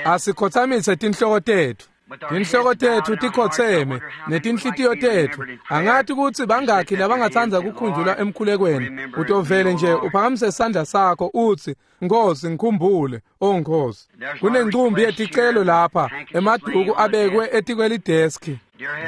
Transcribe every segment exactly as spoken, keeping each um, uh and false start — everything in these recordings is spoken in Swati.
Asikhothamise tinhloko tetfu. Tinhloko tetfu tikhotseme netinhlitiyo tetfu. Angathi kutsi bangakhi labangatsandza kukhunjulwa emkhulekweni. Utovele nje uphakamise sandla sakho utsi, Nkosi ngikhumbule, oh Nkosi. Kunencumbi yeticelo lapha, emaduku abekwe etikwelideski.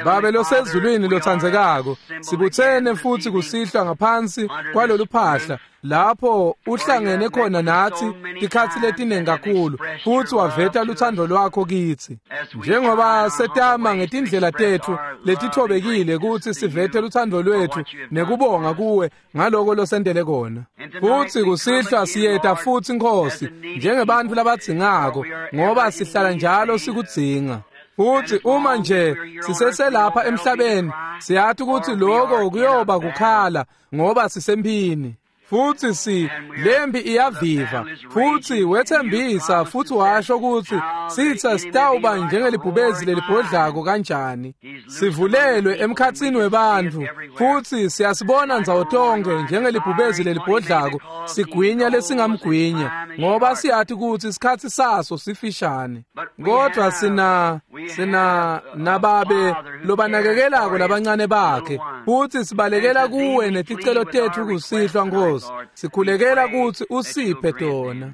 Babe losezulwini lotsandzekako, sibutsene futsi kusihlwa ngaphansi kwalolu phahla lapho uhlangene khona natsi tikhatsi letiningi kakhulu futsi waveta lutsandvo lwakho kitsi. Njengoba setama ngetindlela tetfu letithobekile kutsi sivete lutsandvo lwetfu nekubonga kuwe ngaloko losentele kona. Futsi kusihlwa siyeta futsi Nkosi njengebantfu labadzingako ngoba sihlala njalo sikudzinga. Futsi uma nje siseselapha emhlabeni siyathi ukuthi lokho kuyoba kukhala ngoba sisemphini. Futsi si lempi iyaviva futsi wethembisa futsi washo ukuthi sitsa sitawuba njengelibhubezi lelibhodlako kanjani. Sivulelwe emkhatsini webantfu futsi siyasibona ndzawo tonke njengelibhubezi lelibhodlako sigwinya lesingamgwinya ngoba siyathi ukuthi isikhatsi saso sifishane. Kodwa sina sina nababe lobanakekelako labancane bakhe futsi sibalekela kuwe neticelo tetfu kusihlwa Nkosi. Sikhulekela kutsi usiphe tona.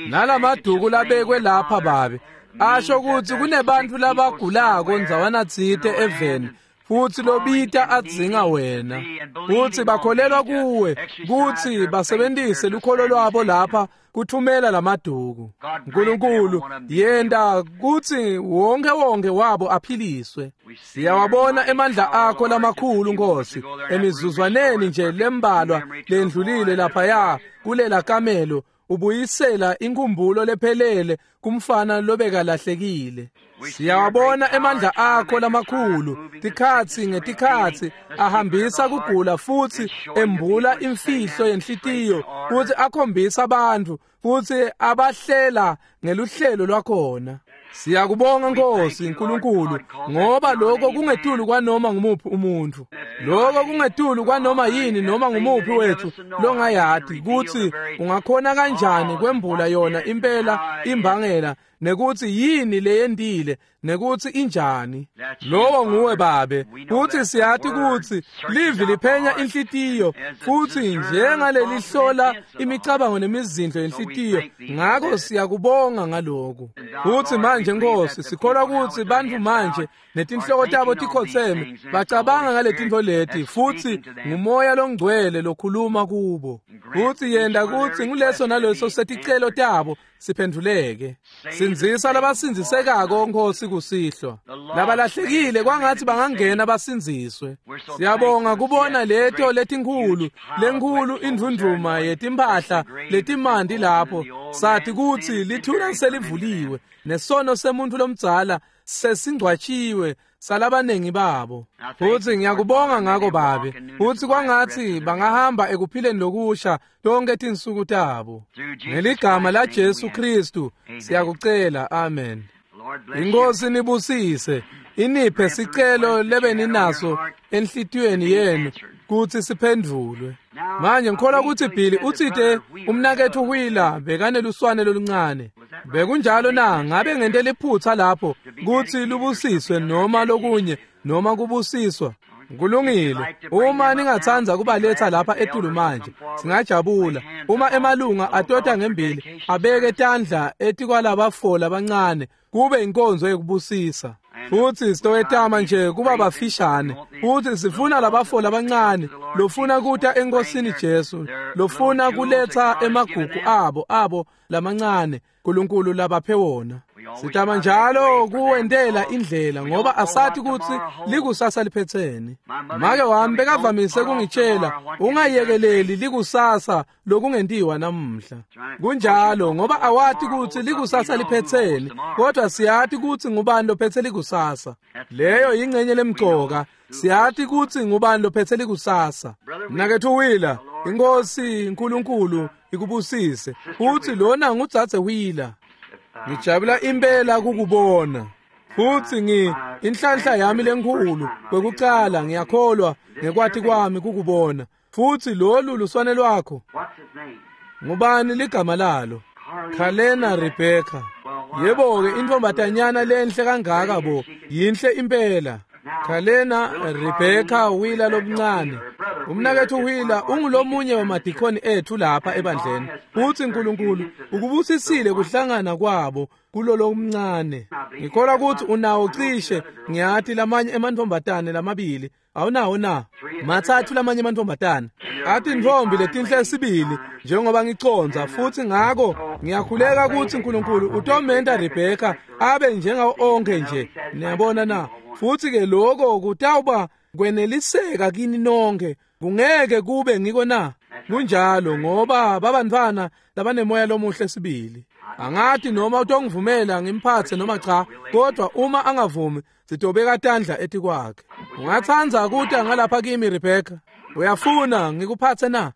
Nalamaduku labekwe lapha babe asho kutsi kunebantfu labagulako ndzawana tsite eveni futsi lobita adzinga wena futsi bakholelwa kuwe kutsi basebentise lukholo lwabo lapha kuthumela lamaduku. Nkulunkulu yenta kutsi wonke wonke wabo aphiliswe. Siyawabona emandla akho lamakhulu Nkosi emizuzwaneni nje lembalwa lendlulile laphaya kulela kamelo ubuyisela inkumbulo lephelele kumfana lobekalahlekile. Siyawabona emandla akho lamakhulu tikhatsi ngetikhatsi ahambisa kugula futsi embula imfihlo yenhlitiyo futsi akhombisa abantu futsi abahlela ngeluhlelo lwakhona. Siyakubonga Nkosi Nkulunkulu ngoba lokho kungetulu kwanoma ngumuphi umuntu. Lokho kungetulu kwanoma yini noma ngumuphi wethu longayati kutsi ungakhona kanjani kwembula yona impela imbangela nekutsi yini leyendile nekutsi injani. Lowo nguwe babe futsi siyati kutsi livi liphenya inhlitiyo futsi njengalelihlola imicabango nemizindlo yenhlitiyo, ngako siyakubonga ngaloko. Futsi manje Nkosi sikholwa kutsi bantfu manje netinhloko tabo tikhotseme bacabanga ngaletintfo leti futsi ngumoya longcwele lokhuluma kubo. Futsi yenta kutsi nguleso naleso seticelo tabo siphenduleke. Sindzisa labasindzisekako Nkosi kusihlwa. Labalahlekile kwangatsi bangangena basindziswe. Siyabonga kubona leto letinkhulu lenkhulu indvundvuma yetimphahla letimanti lapho sathi kutsi lithuna selivuliwe nesono semuntu lomdzala sesingcwatshiwe salabanengi babo. Futsi ngiyakubonga ngako babe futsi kwangatsi bangahamba ekuphileni lokusha tonke tinsuku tabo. Ngeligama la Jesu Kristu siyakucela, amen. Inkosi nibusise iniphe sicelo lebeninaso enhlitiyweni yenu kutsi siphendvulwe. Manje ngikholwa kutsi Billy utsite umnaketfu Wheeler bekaneluswane loluncane. Bekunjalo na? Ngabe ngente liphutsa lapho kutsi lubusiswe noma lokunye noma kubusiswa? Kulungile. Uma ningatsandza kubaletha lapha etulu manje singajabula. Uma emalunga atota ngembili abeke tandla etikwalabafola abancane kube inkonzo yekubusisa. Futsi sitowetama nje kuba bafishane futsi sifuna labafola abancane lofuna kuta enkosini Jesu lofuna kuletha emagugu abo abo lamancane Nkulunkulu labaphe wona. Sitama njalo kuwentela indlela ngoba asathi kutsi likusasa liphetsene. Make wami bekavamise kungitshela ungayekeleli likusasa lokungentiwa namuhla. Kunjalo ngoba awati kutsi likusasa liphetsene kodwa siyati kutsi ngubani lophetse likusasa. Leyo ingcenye lemcoka. Siyati kutsi ngubani lophetse likusasa. Mnaketfu Wheeler, Inkosi Nkulunkulu ikubusise. Futsi lona ngudzadze Wheeler. Ngijabula impela kukubona. Futsi ngi inhlanhla yami lenkhulu kwekucala ngiyakholwa ngekwati kwami kukubona. Futsi lolu luswane lwakho. Ngubani ligama lalo? Kalena Rebecca. Yebo-ke intfombatanyana lenhle kangaka bo, yinhle impela. Kalena Rebecca Wheeler lomncane. Umnaketfu Wheeler ungulomunye wamadikhoni ethu lapha ebandleni. Futsi Nkulunkulu ukubusisile kuhlangana kwabo kulolomncane. Ngikholwa kutsi unawo cishe ngiyati lamanye emantfombatane lamabili. Awunawo na? Matsatfu lamanye emantfombatane. Atintfombi letinhle sibili njengoba ngiconza futsi ngako ngiyakhuleka kutsi Nkulunkulu utomenta Rebecca abe njengawo onkhe nje. Niyabona na? Futsi ke lokho kutawuba kweneliseka kini nonke. Kungeke kube ngiko na? Kunjalo ngoba babantfwana labanemoya lomuhle sibili. Angati noma utongivumela ngimphatse noma cha, kodwa uma angavumi sitobeka tandla etikwakhe. Ungatsandza kuta ngalapha kimi Rebecca? Uyafuna ngikuphatse na?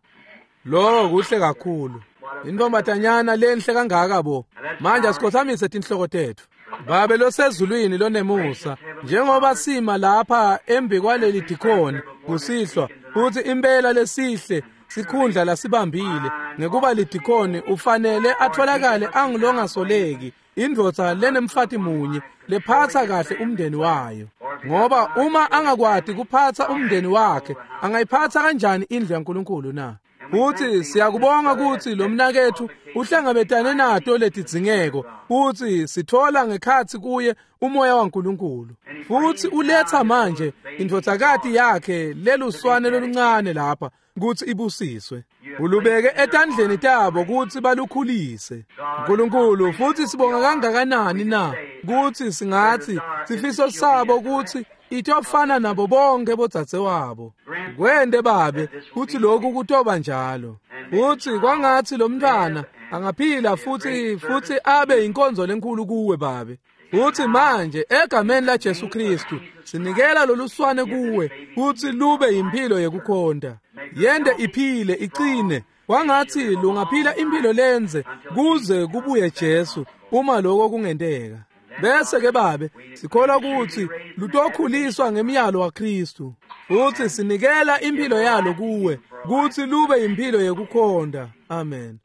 Lo kuhle kakhulu. Intombatanyana lenhle kangaka bo. Manje asikhothamise tinhloko tetfu. Babe losezulwini lonemusa, njengoba sima lapha embi kwaleli dikhoni kusihlwa, futhi impela lesihle sikhundla lasibambile ngekuba lidikhoni ufanele atholakale angilongasoleki, indvodza lenemfati munye lephatsa kahle umndeni wayo. Ngoba uma angakwati kuphatsa umndeni wakhe, angayiphatsa kanjani indlu yaNkulunkulu na? Futhi siyakubonga kutsi lo mnaketfu uhlangabetane nato letidzingeko, futhi sithola ngekhatsi kuye umoya waNkulunkulu. Futhi uletha manje indvodzakati yakhe leluswane loluncane lapha kutsi ibusiswe. Ulubeke etandleni tabo kutsi balukhulise. Nkulunkulu, futhi sibonga kangakanani na kutsi singatsi sifiso sabo kutsi itofana nabo bonke bodzadzewabo. Kwente babe kutsi lokhu kutoba njalo. Futsi kwangatsi lo mntfwana angaphila futsi futsi abe inkonzo lenkulu kuwe babe. Futsi manje egameni la Jesu Kristu sinikela loluswane kuwe kutsi lube impilo yekukhonta. Yende iphile iqine, kwangatsi lungaphila impilo lenze kuze kubuye Jesu uma lokho kungenteka. Bese ke babe sikholwa kutsi lutokhuliswa ngemiyalo waKristu. Futsi sinikela impilo yalo kuwe kutsi lube impilo yekukhonta. Amen.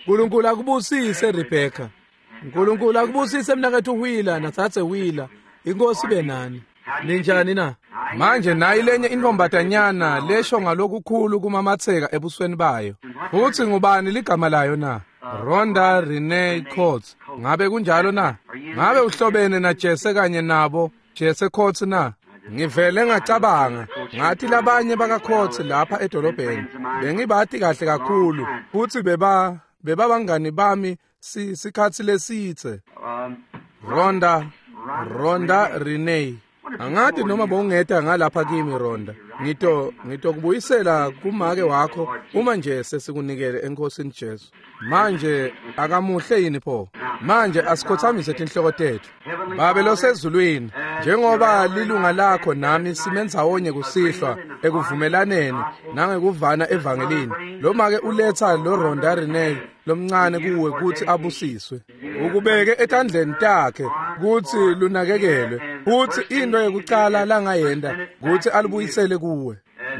Nkulunkulu akubusise Rebecca. Nkulunkulu akubusise mnaketfu Wheeler natsatse Wheeler. Inkosi ibe nani. Ninjani na? Manje nayi lenye intfombatanyana lesho ngalokukhulu kumamatseka ebusweni bayo. Futsi ngubani ligama layo na? Rhonda Renee Coates. Ngabe kunjalo na? Ngabe uhlobene na Jesse kanye nabo Jesse Coates na? Ngivele ngacabanga ngathi labanye baka Coates lapha edolobheni bengibati kahle kakhulu futsi beba bebabangani bami sikhatsi lesitse. Rhonda Rhonda Renee. Angati noma bowungeta ngalapha kimi Rhonda. Ngito ngitokubuyisela kumake wakho uma nje sesikunikele eNkosini Jesu. Manje akamuhle yini pho? Manje asikhothamise tinhloko tetfu. Babe losezulwini, njengoba lilunga lakho nami simendzawonye kusihlwa ekuvumelaneni nangekuvana evangelini, lo make uletha lo Rhonda Renee lomncane kuwe kutsi abusiswe. Ukubeke etandleni takhe kutsi lunakekelwe, futsi into yekucala langayenta kutsi alubuyisele kuwe.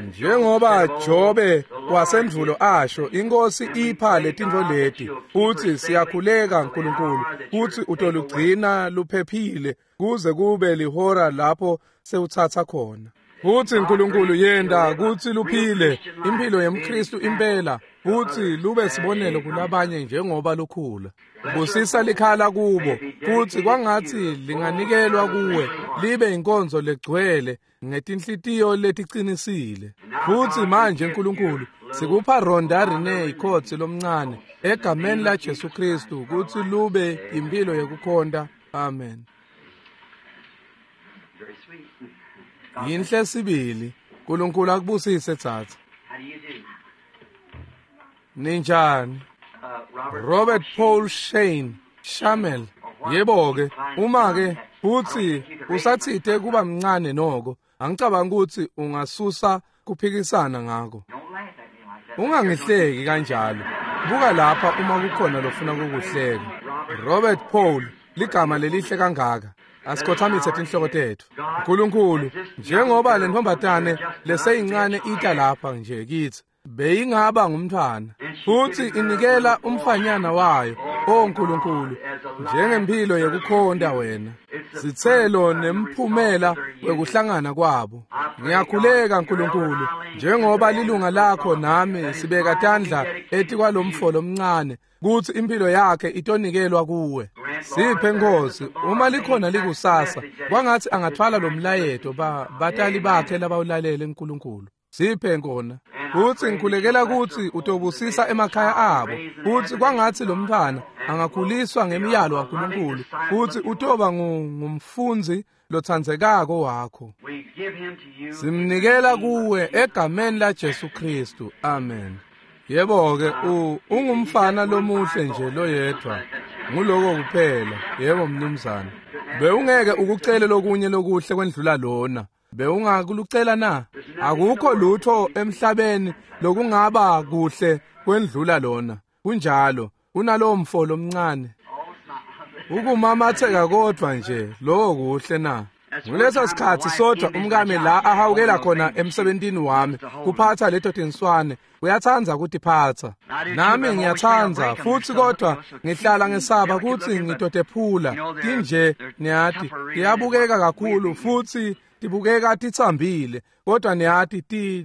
Njengoba Jobe wasendvulo asho, inkosi ipha letintfo leti, futsi siyakhuleka Nkulunkulu kutsi utolugcina luphephile kuze kube lihora lapho sewutsatsa khona. Futsi Nkulunkulu yenta kutsi luphile impilo yemKristu impela, futsi lube sibonelo kulabanye njengoba lukhula. Busisa likhala kubo, futsi kwangatsi linganikelwa kuwe libe inkonzo legcwele ngetinhlitiyo letiqinisile. Futsi manje Nkulunkulu sikupha Rhonda Renee Coates lomncane egameni la Jesu Kristu kutsi lube impilo yekukhonta. Amen. Yinhle sibili. Nkulunkulu akubusise tsatsa. Ninjani? Robert Paul Shane Shamel. Yebo ke, uma ke futsi usatsite kuba mncane noko, angicabanga ukuthi ungasusa kuphikisana ngako. Ungangihleki kanjalo. Buka lapha uma kukhona lofuna ukukuhleka. Robert Paul, ligama lelihle kangaka. Asikhothamise tinhloko tetfu. Nkulunkulu, njengoba le ntombatane leseyincane ita lapha nje kitsi, beyingaba ngumntfwana, futsi inikela umfanyana wayo O Nkulunkulu, njengempilo yekukhonta wena, sitselo nemphumela wekuhlangana kwabo. Ngiyakhuleka Nkulunkulu, njengoba lilunga lakho nami sibeka tandla etikwalomfo lomncane, kutsi impilo yakhe itonikelwa kuwe. Siphe Nkosi, uma likhona likusasa, kwangatsi angatfwala lo mlayeto ba batali bakhe labawulalele Nkulunkulu. Siphe nkona kutsi ngikhulekela kutsi utobusisa emakhaya abo, kutsi kwangatsi lo mntfwana angakhuliswa ngemiyalo waNkulunkulu, kutsi utoba ngumfundzi lotsandzekako wakho. Simnikela kuwe egameni la Jesu Kristu, amen. Yebo-ke, ungumfana lomuhle nje loyedvwa, nguloko kuphela. Yebo mnumzane, bewungeke ukucele lokunye lokuhle kwendlula lona. Bewungakulucela na? Akukho lutho emhlabeni lokungaba kuhle kwendlula lona. Kunjalo, kunalowo mfo lomncane. Ukumamatheka kodvwa nje lokho kuhle na? Nguleso sikhatsi sodwa umkami la ahawukela khona emsebentini wami kuphatsa leto tinswane. Uyatsandza kutiphatsa, nami ngiyatsandza futsi, kodwa ngihlala ngesaba kutsi ngitotephula. Tinje niyati tiyabukeka kakhulu futsi tibukeka titsambile, kodwa niyati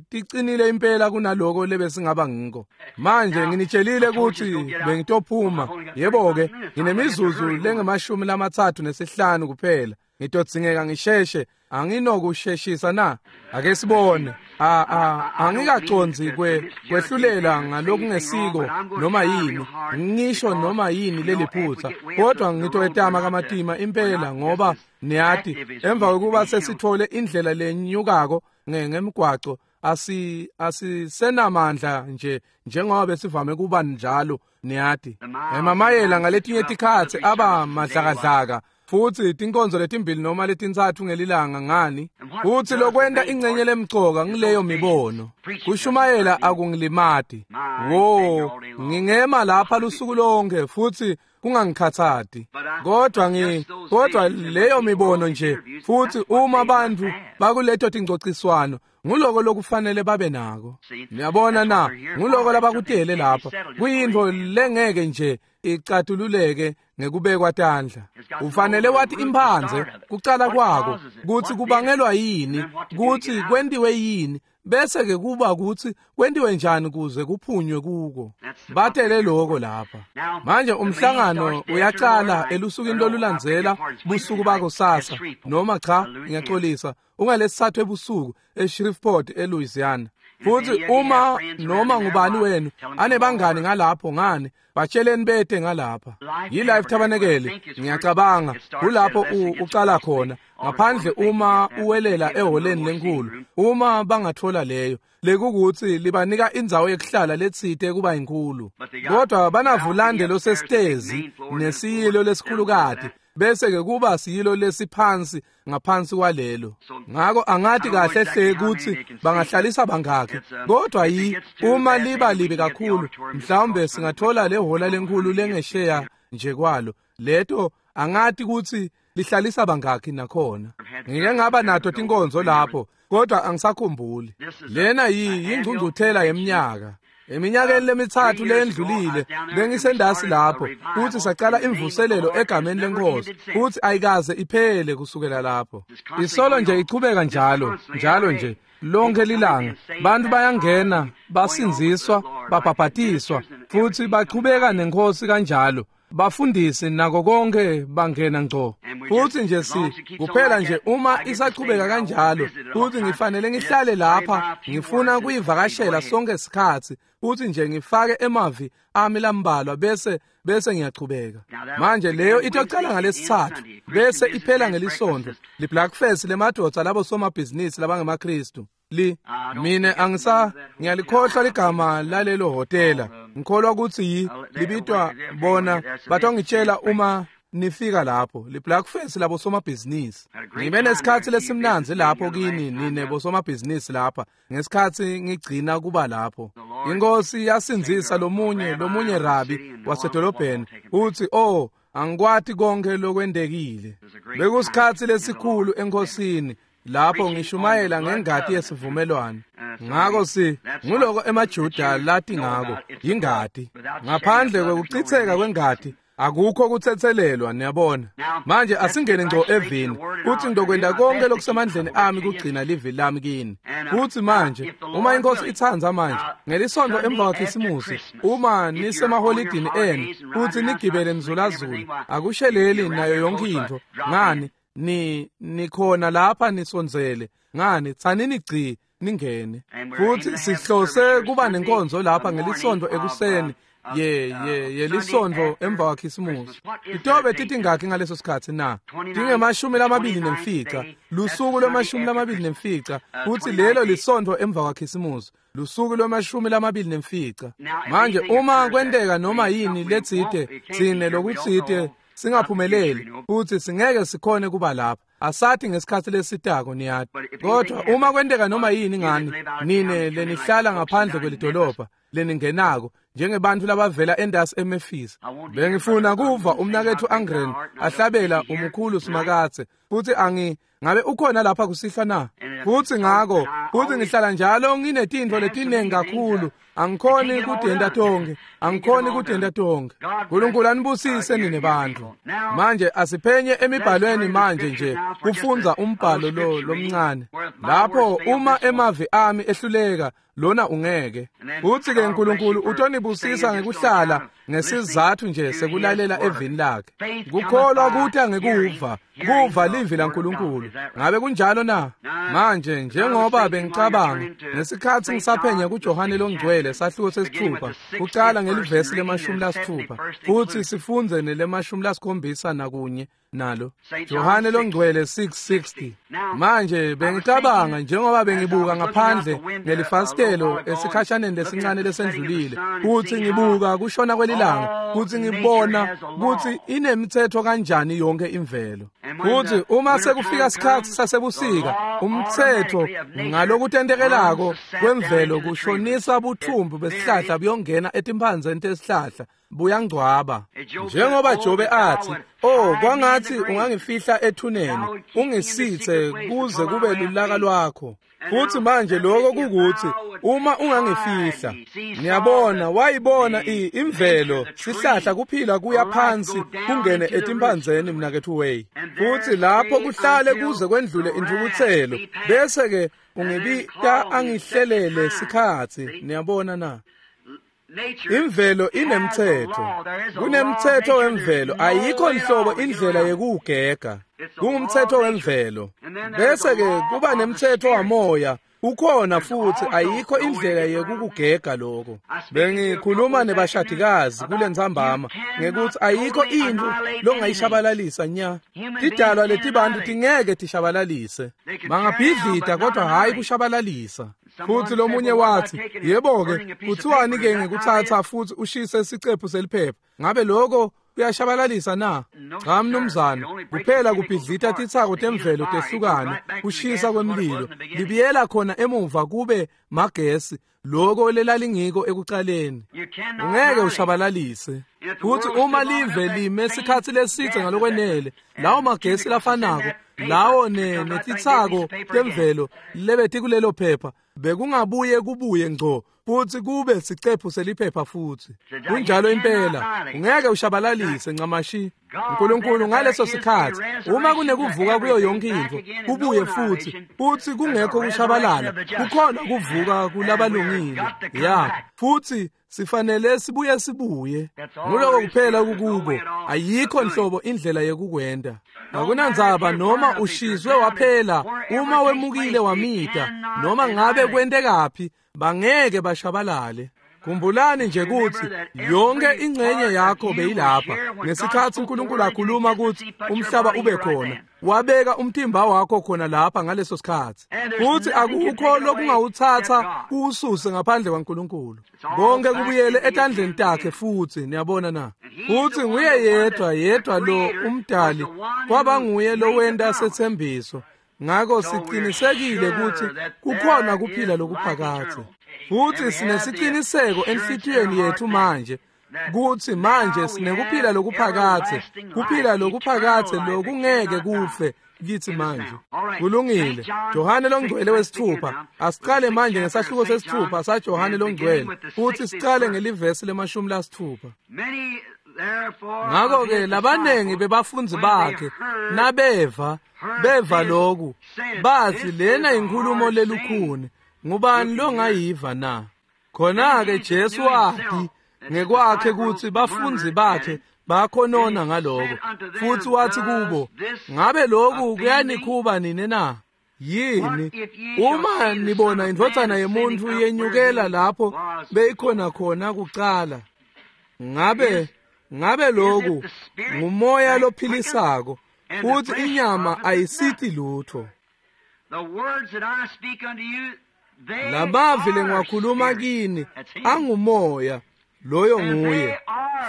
ticinile impela kunaloko lebesingaba ngiko. Manje nginitshelile kutsi bengitophuma. Yebo-ke, nginemizuzu lengemashumi lamatsatfu nesihlanu kuphela. Ngitodzingeka ngisheshe. Anginokusheshisa na? Ake sibone. A a angikacondzi kwe kwehlulela ngalokungesiko noma yini, ngisho noma yini leliphutsa, kodwa ngitoyetama kamatima impela, ngoba niyati emva kokuba sesithole indlela lenyukako ngemgwaco asi asisenamandla nje njengoba besivame kuba njalo. Niyati emamayela ngaletinye tikhatsi aba madlakadlaka, futsi tinkonzo letimbili noma letintsatfu ngelilanga. Ngani? Futsi lokwenta ingcenye lemcoka ngileyo mibono. Kushumayela akungilimati. Wo, ngingema lapha lusuku lonke futsi kungangikhatsati, kodwa ngi kodwa leyo mibono nje, futsi uma bantfu bakuleto tingcociswano, nguloko lokufanele babe nako. Niyabona na? Nguloko labakutele lapha. Kuyintfo lengeke nje icatululeke ngekubekwa tandla. Ufanele wathi imphandze kucala kwako, kutsi kubangelwa yini, kutsi kwentiwe yini, bese ke kuba kutsi kwentiwe njani kuze kuphunywe kuko. Batele loko lapha. Manje umhlangano uyacala elusukwini lolulandzela busuku bakusasa, noma cha, ngiyaxolisa, ungalesithathu ebusuku eShreveport eLouisiana. Futsi uma noma ngubani wenu anebangani ngalapho, ngani batsheleni bete ngalapha. Yi-Life Tabernacle, ngiyacabanga kulapho ucala khona, ngaphandle uma uwelela eholeni lenkulu, uma bangathola leyo lekukutsi libanika indzawo yekuhlala letsite kuba inkulu, kodwa banavulande losesitezi nesiyilo lesikhulukati, bese ke kuba siyilo lesiphansi ngaphansi kwalelo. Ngako angati kahle hle kutsi bangahlalisa bangakhi, kodwa yi uma liba libi kakhulu mhlawumbe singathola le hola lenkulu lengesheya nje kwalo. Leto angati kutsi lihlalisa bangakhi nakhona. Ngike ngaba nato tinkonzo lapho, kodwa angisakhumbuli. Lena yi yingcungcuthela yeminyaka. Eminyakeni lemitsatfu leyendlulile bengisendasi lapho, futsi sacala imvuselelo egameni lenkosi, futsi ayikaze iphele kusukela lapho. Isolo nje ichubeka njalo njalo nje lonke lilanga. Bantu bayangena, basindziswa, babhabhatiswa, futsi bachubeka nenkosi kanjalo. Bafundisi nako konke bangena ngco. Futsi nje si kuphela nje uma isachubeka kanjalo, futsi ngifanele ngihlale lapha, ngifuna kuyivakashela sonke sikhatsi, futsi nje ngifake emavi ami lambalwa bese bese ngiyachubeka. Manje leyo itocala ngalesithathu bese iphela ngelisonto, li-Blackfest lemadvodza labo somabhizinisi labangemaKristu. Li mine angisa ngiyalikhohlwa ligama lalelo hotela. Ngikholwa kutsi yi libitwa bona batongitshela uma nifika lapho, li-Blackfest labo somabhizinisi. Ngibe nesikhatsi lesimnandzi lapho kini nine bosomabhizinisi lapha ngesikhatsi ngigcina kuba lapho. Inkosi yasindzisa lomunye lomunye rabi wasedolobheni, uthi oh angikwati konke lokwendekile. Bekusikhatsi lesikhulu enkosini lapho ngishumayela ngengati yesivumelwano. Ngako si nguloko emaJuda lati ngako, yingati. Ngaphandle kwekuchitseka kwengati Akukho kutsetselelwa, niyabona. Manje asingene ngco evini, futhi ngizokwenta konke lokusemandleni ami kugcina livi lami kini. Futhi manje, uma inkosi itsandza manje, ngelisonto emva kwaKhisimusi, uma nisemaholidini enu, futhi nigibele nizulazula, akusheleli nayo yonke into. Ngani, ni nikhona lapha nisondzele. Ngani, tsanini gci ningene. Futhi sihlose kuba nenkonzo lapha ngelisonto ekuseni. Ye ye yelisonto emva kwaKhisimusi. Itobe titingakhi ngaleso sikhathi na? Tingemashumi lamabili nemfica, lusuku lwemashumi lamabili nemfica, futhi lelo lisonto emva kwaKhisimusi, lusuku lwemashumi lamabili nemfica. Manje uma kwenteka noma yini letsite, tsine lokutsite singaphumeleli, futhi singeke sikhone kuba lapha. Asathi ngesikhathi lesitako niyati. Kodwa uma kwenteka noma yini ngani, nine lenihlala ngaphandle kwelidolobha leningenako njengebantu labavela endasi eMemphis. Bengifuna kuva umnaketfu Angren ahlabela umukhulu Simakadze, futhi angi ngabe ukhona lapha kusihlwa na? Futhi ngako, futhi ngihlala njalo nginetintfo letinengi kakhulu, angikhoni kutenta tonkhe, angikhoni kutenta tonkhe. Nkulunkulu anibusise nine bantfu. Manje asiphenye emibhalweni manje nje kufundza umbhalo lo lomncane. Lapho uma emavi ami ehluleka, lona ungeke. Futhi ke Nkulunkulu utonibusisa ngekuhlala ngesizathu nje sekulalela evini lakhe. Kukholwa kuta ngekuva, kuva livi laNkulunkulu. Ngabe kunjalo na? Manje njengoba bengicabanga ngesikhathi ngisaphenya kuJohane longcwele sahluko sesithupha, kucala ngelivesi lemashumi lasithupha, futhi sifundze nelemashumi lasikhombisa nakunye nalo. Johane longcwele six sixty. Manje bengicabanga njengoba bengibuka ngaphandle ngelifasitelo esikhashaneni lesincane lesendlulile, futhi ngibuka kushona kwelilanga, futhi ngibona ukuthi inemithetho kanjani yonke imvelo. Futhi uma sekufika isikhathi sasebusika, umthetho ngalokutentekelako kwemvelo kushonisa buthumbu besihlahla buyongena etimphandzeni tesihlahla, buyangcwaba. Njengoba Jobe athi, "Oh, kwangathi ungangifihla ethuneni, ungisithe kuze kube lulaka lwakho." Futhi manje lokho kukuthi uma ungangifihla, niyabona, wayibona imvelo, sihlahla kuphila kuya phansi kungene etimphandzeni mnaketfu Way. Futhi lapho kuhlale kuze kwendlule intfukutselo, bese ke ungibita angihlelele sikhatsi, niyabona na? Imvelo inemthetho. Kunemthetho wemvelo, ayikho nhlobo indlela yekuwugega. Kungumthetho wemvelo. Bese ke kuba nemthetho wamoya, ukhona futhi ayikho indlela yekukugega lokho. Bengikhuluma nebashadikazi kulentsambama ngekuthi ayikho into longayishabalalisa nya. Tidalwa letibantu tingeke tishabalalise. Bangabhidlita kodwa hayi kushabalalisa. Futhi lomunye wathi, "Yebo-ke, kuthiwani ke ngekuthatha futhi ushise isicephu seliphepha? Ngabe lokho kuyashabalalisa na?" Cha mnumzane, kuphela kubhidlita titsako temvelo tehlukane, kushisa kwemlilo, libiyela khona emuva kube magesi, lokho lelalingiko ekucaleni. Ungeke ushabalalise. Futhi uma live lime isikhathi lesithe ngalokwenele, lawo magesi lafanako, lawo netitsako temvelo lebeti kulelo phepha, bekungabuye kubuye ngco futhi kube sicephu seliphepha futhi. Kunjalo impela, ungeke ushabalalise ncamashi. Nkulunkulu ngaleso sikhathi, uma kunekuvuka kuyo yonke into, kubuye futhi, futhi kungekho kushabalala, kukhona kuvuka kulabalungile. Ya, futhi sifanele sibuye sibuye. Nguloko kuphela kukubo, ayikho nhlobo indlela yekukwenda. Akunandzaba noma ushizwe waphela, uma wemukile wamita, noma ngabe kwentekaphi, bangeke bashabalale. Khumbulani nje ukuthi yonke ingxenye yakho beyilapha ngesikhathi uNkulunkulu akhuluma ukuthi umhlaba ube khona, wabeka umtimba wakho khona lapha ngaleso sikhathi. Futhi akukho lokungawuthatha kuwususe ngaphandle kwaNkulunkulu. Konke kubuyele etandleni takhe futhi, niyabona na? Futhi nguye yedwa yedwa lo umdali, kwaba nguye lowenta sethembiso. Ngakho siqinisekile ukuthi kukhona kuphila lokuphakadze. Futhi sinesiqiniseko enhlitiyweni yethu manje kuthi manje sinekuphila lokuphakadze, kuphila lokuphakadze lokungeke kufe kithi manje. Kulungile. Johane longcwele wesithupha. Asiqale manje ngesahluko sesithupha saJohane longcwele, futhi siqale ngelivesi lemashumi lasithupha. Ngakho-ke labanengi bebafundzi bakhe nabeva beva lokhu bathi lena inkhulumo lelukhuni, ngubani longayiva na? Khona-ke Jesu wathi ngekwakhe kutsi bafundzi bakhe bakhonona ngaloko, futhi wathi kubo, ngabe lokhu kuyanikhuba nini na? Yini uma nibona indvodzana yemuntfu yenyukela lapho beyikhona khona kucala? Ngabe ngabe lokhu ngumoya lophilisako, futhi inyama ayisithi lutho. Lamavi lengiwakhuluma kini angumoya, loyo nguye,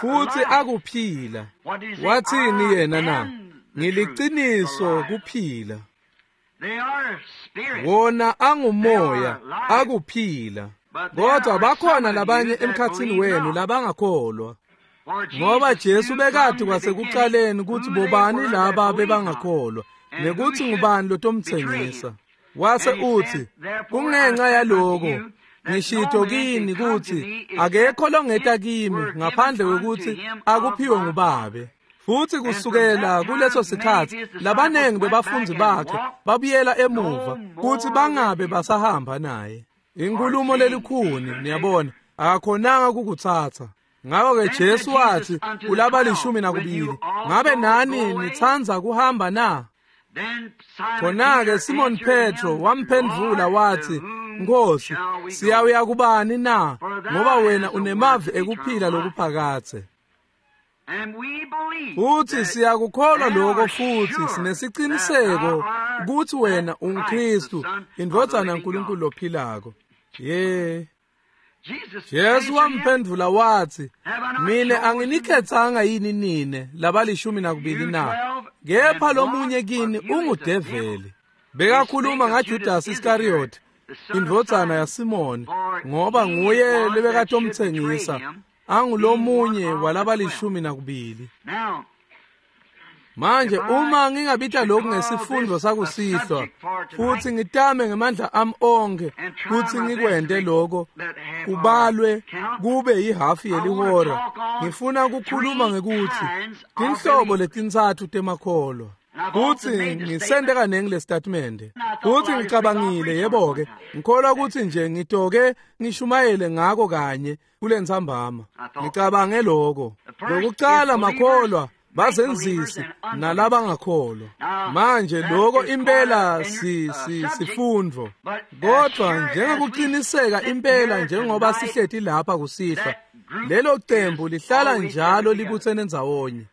futhi akuphila. Wathini yena na? Ngiliciniso kuphila. Wona angumoya akuphila, kodwa bakhona labanye emkhatsini wenu labangakholwa. Ngoba Jesu bekati kwasekucaleni kutsi bobani laba bebangakholwa nekuthi ngubani lotomtsengisa. Wase uthi, kungenxa yaloko ngishito kini kutsi akekho longeta kimi ngaphandle kwekutsi akuphiwe nguBabe. Futhi kusukela kuleso sikhatsi labanengi bebafundzi bakhe babuyela emuva kutsi bangabe basahamba naye. Inkhulumo lelikhuni, niyabona, akakhonanga kukutsatsa. Ngakho-ke Jesu wathi kulabalishumi nakubili, ngabe nani nitsandza kuhamba na? Khona-ke Simon Petro wamphendvula wathi, Nkosi, siyawuya kubani na? Ngoba wena unemavi ekuphila lokuphakadze. Futhi siyakukholwa lokho, futhi sinesiciniseko kutsi wena unguKristu, indvodzana yaNkulunkulu lophilako. Ye. Jesu wamphendvula wathi, mine anginikhetsanga yini nine labalishumi nakubili na? Kepha lomunye kini ungudeveli. Bekakhuluma ngaJudas Iscariot, indvodzana yaSimoni, ngoba nguye lebekatomtsengisa, angulomunye walabalishumi nakubili. Manje uma ngingabita lokhu ngesifundo sakusihlwa, futhi ngitame ngemandla ami onke kutsi ngikwente lokho kubalwe kube yihafu yelihora, ngifuna ukukhuluma ngekuthi tinhlobo letintsatfu temakholwa. Kutsi ngisente kanengi le statement, kutsi ngicabangile, yebo-ke, ngikholwa kutsi nje ngitoke ngishumayele ngako kanye kulentsambama. Ngicabange lokho. Lokucala makholwa bazenzisi nalabangakholwa. Manje lokho impela si si sifundvo, kodwa njengokuqiniseka impela njengoba sihleti lapha kusihlwa, lelo cembu lihlala njalo libutsene ndzawonye.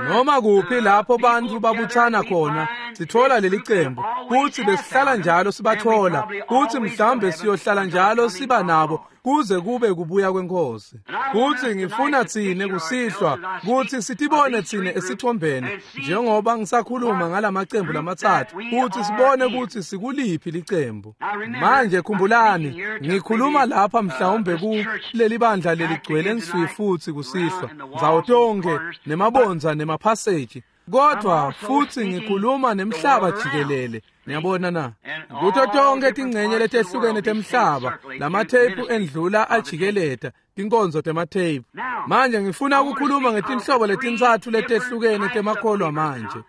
Noma kuphi lapho bantfu babutsana khona, sitfola leli cembu, kutsi besihlala njalo sibathola, kutsi mhlawumbe siyohlala njalo siba nabo kuze kube kubuya kweNkosi. Kutsi ngifuna tsine kusihlwa kutsi sitibone tsine esithombeni njengoba ngisakhuluma ngalamacembu lamatsatfu, kutsi sibone kutsi sikuliphi licembu. Manje khumbulani, ngikhuluma lapha mhlawumbe kuleli bandla leligcwele nswi futsi kusihlwa, ndzawo tonkhe nemabondza nemaphaseji, kodwa futhi ngikhuluma nemhlaba jikelele. Niyabona na? Kuto tonke tingcenye letehlukene temhlaba, lamatheyiphu endlula ajikeleta tinkonzo tematheyiphu. Manje ngifuna ukukhuluma ngetinhlobo letintsatfu letehlukene temakholwa manje.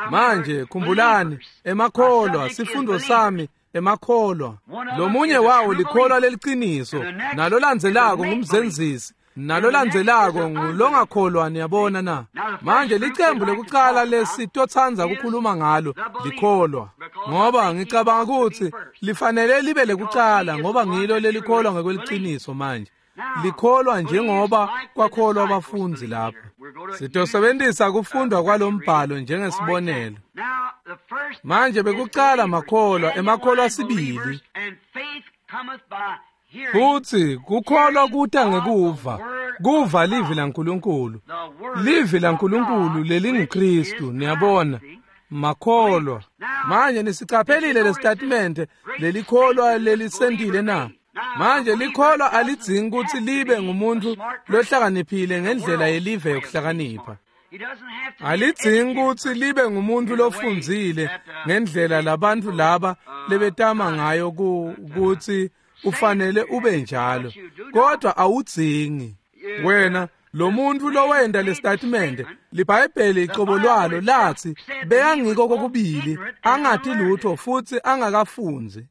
Manje khumbulani, emakholwa, sifundo sami emakholwa. Lomunye wawo likholwa leliciniso, nalolandzelako ngumzenzisi, nalolandzelako ngulongakholwa. Niyabona na? Manje licembu lekucala lesitotsanza ukukhuluma ngalo likholwa, ngoba ngicabanga ukuthi lifanele libe lekucala, ngoba ngilo lelikholwa ngekweliciniso. Manje likholwa njengoba kwakholwa abafundzi lapha. Sitosebenzisa kufundwa kwalombhalo njengesibonelo. Manje bekucala makholwa, emakholwa sibili. Futhi kukholwa kuta ngekuva, kuva livi laNkulunkulu, livi laNkulunkulu lelinguKristu. Niyabona, makholwa. Manje nisicaphelile lesitatimende lelikholwa lelisentile na? Manje likholwa alidzingi kutsi libe ngumuntu lohlakaniphile ngendlela yelive yokuhlakanipha. Alidzingi kutsi libe ngumuntu lofundzile ngendlela labantu laba lebetama ngayo kutsi ufanele ube njalo, kodwa awudzingi. Wena Lo muntu lowenta lesitatimende, liBhayibheli icobo lwalo latsi bekangiko kokubili angati lutho futsi angakafundzi.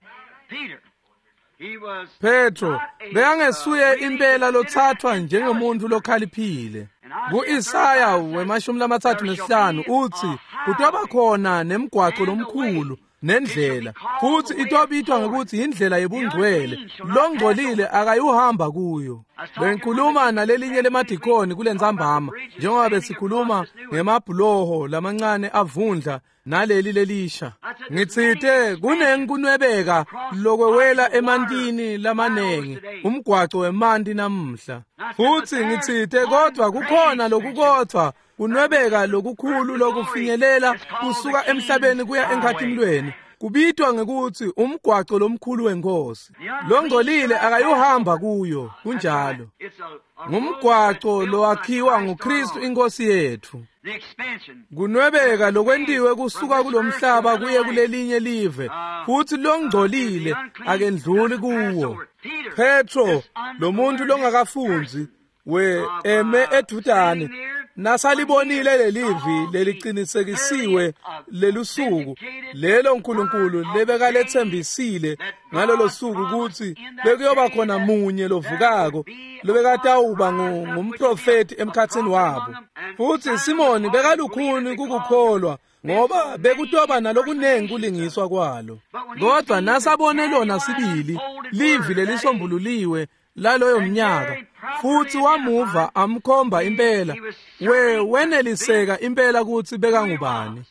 Petro bekangesuye impela lotsathwa njengemuntu lokhaliphile. Ku-Isaya wemashumi lamathathu nesihlanu utsi kutoba khona nemgwaco lomkhulu nendlela, futsi itobitwa ngekutsi yindlela yebungcwele, longcolile akayuhamba kuyo. Bengikhuluma nalelinye lemadikoni kulentsambama njengoba besikhuluma ngemabhuloho lamancane avundla naleli lelisha. Ngitsite kunenkunwebeka lokwewela emantini lamanengi umgwaco wemanti namuhla, futsi ngitsite kodvwa kukhona lokukodvwa kunwebeka lokukhulu lokufinyelela kusuka emhlabeni kuya enkhatimlweni, kubitwa ngekutsi umgwaco lomkhulu wenkosi, longcolile akayuhamba kuyo. Kunjalo, ngumgwaco lowakhiwa nguKristu inkosi yetfu. Kunwebeka lokwentiwe kusuka kulomhlaba kuye kulelinye live, futsi longcolile akendluli kuwo. Petro, lo muntu longakafundzi we eme edvutane, nasalibonile lelivi lelicinisekisiwe lelusuku lelo uNkulunkulu lebekaletsembisile ngalolo suku kutsi bekuyoba khona munye lovukako lobekatawuba ngumprofeti emkhatsini wabo, futsi Simoni bekalukhuni kukukholwa ngoba bekutoba nalokunengi kulingiswa kwalo, kodwa nasabone lona sibili livi lelisombululiwe laloyo mnyaka futsi wamuva amkhomba impela, we weneliseka impela kutsi bekangubani.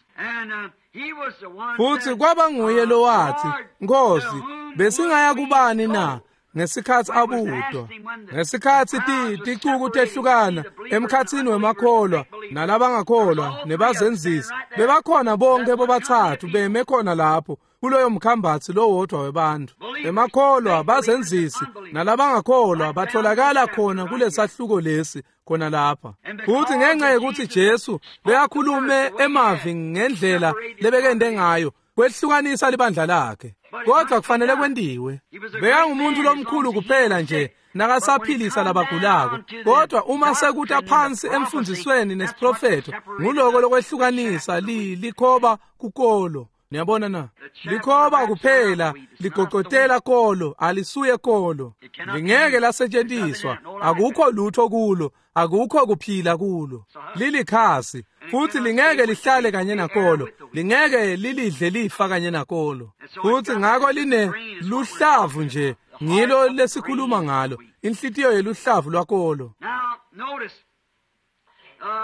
Futsi kwaba nguye lowathi, "Nkosi, besingaya kubani na?" ngesikhatsi abutwa, ngesikhatsi ticuku tehlukana emkhatsini wemakholwa nalabangakholwa nebazenzisi, bebakhona bonke bobathathu beme khona lapho kuloyo mkhambatsi lowodvwa webantfu. Emakholwa, bazenzisi nalabangakholwa batholakala khona kulesahluko lesi khona lapha. Futsi ngenxa yekutsi Jesu bekakhulume emavi ngendlela lebekende ngayo, kwehlukanisa libandla lakhe, kodwa kufanele kwentiwe. Bekangumuntu lomkhulu kuphela nje nakasaphilisa labagulako, kodwa uma sekuta phansi emfundzisweni nesiprofetho, nguloko lokwehlukanisa likhoba kukolo. Niyabona na? Likhoba kuphela ligocotela kolo, alisuye kolo, lingeke lasetshenziswa, akukho lutho kulo, akukho kuphila kulo, lilikhasi, futsi lingeke lihlale kanye nakolo, lingeke lilidle lifa kanye nakolo. Futsi ngako line luhlavu nje, ngilo lesikhuluma ngalo, inhlitiyo yeluhlavu lwakolo.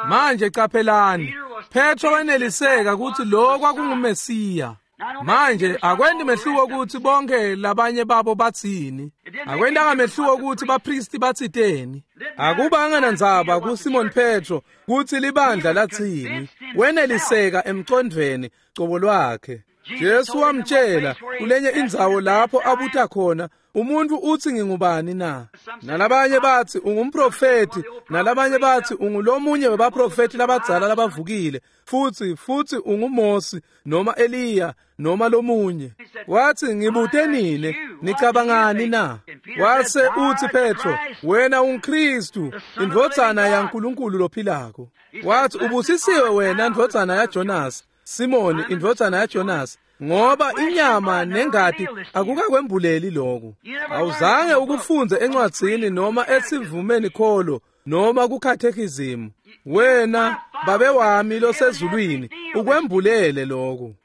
Manje caphelani, Petro weneliseka kutsi lo kwakunguMesiya. Manje akwenti mehluko kutsi bonke labanye babo batsini, akwentanga mehluko kutsi baphristi batsiteni, akubanga nandzaba kuSimon Petro kutsi libandla latsini, weneliseka emcondvweni cobo lwakhe. Jesu wamtshela kulenye indzawo lapho abuta khona, "Umuntu utsi ngingubani na?" Nalabanye batsi ungumprofeti, nalabanye batsi ungulomunye webaprofeti labadzala labavukile, futsi futsi unguMosi noma Eliya noma lomunye. Watsi, "Ngibute nine, nicabangani na?" Wase utsi Petro, "Wena unguKristu, indvodzana yaNkulunkulu lophilako." Watsi, "Ubusisiwe wena ndvodzana yaJonas, Simoni indvodzana yaJonas, ngoba inyama nengati akukakwembuleli lokhu." Awuzange ukufunze encwadzini noma esivumeni kholo noma kukhathekizimu. Wena Babe wami losezulwini ukwembulele lokhu.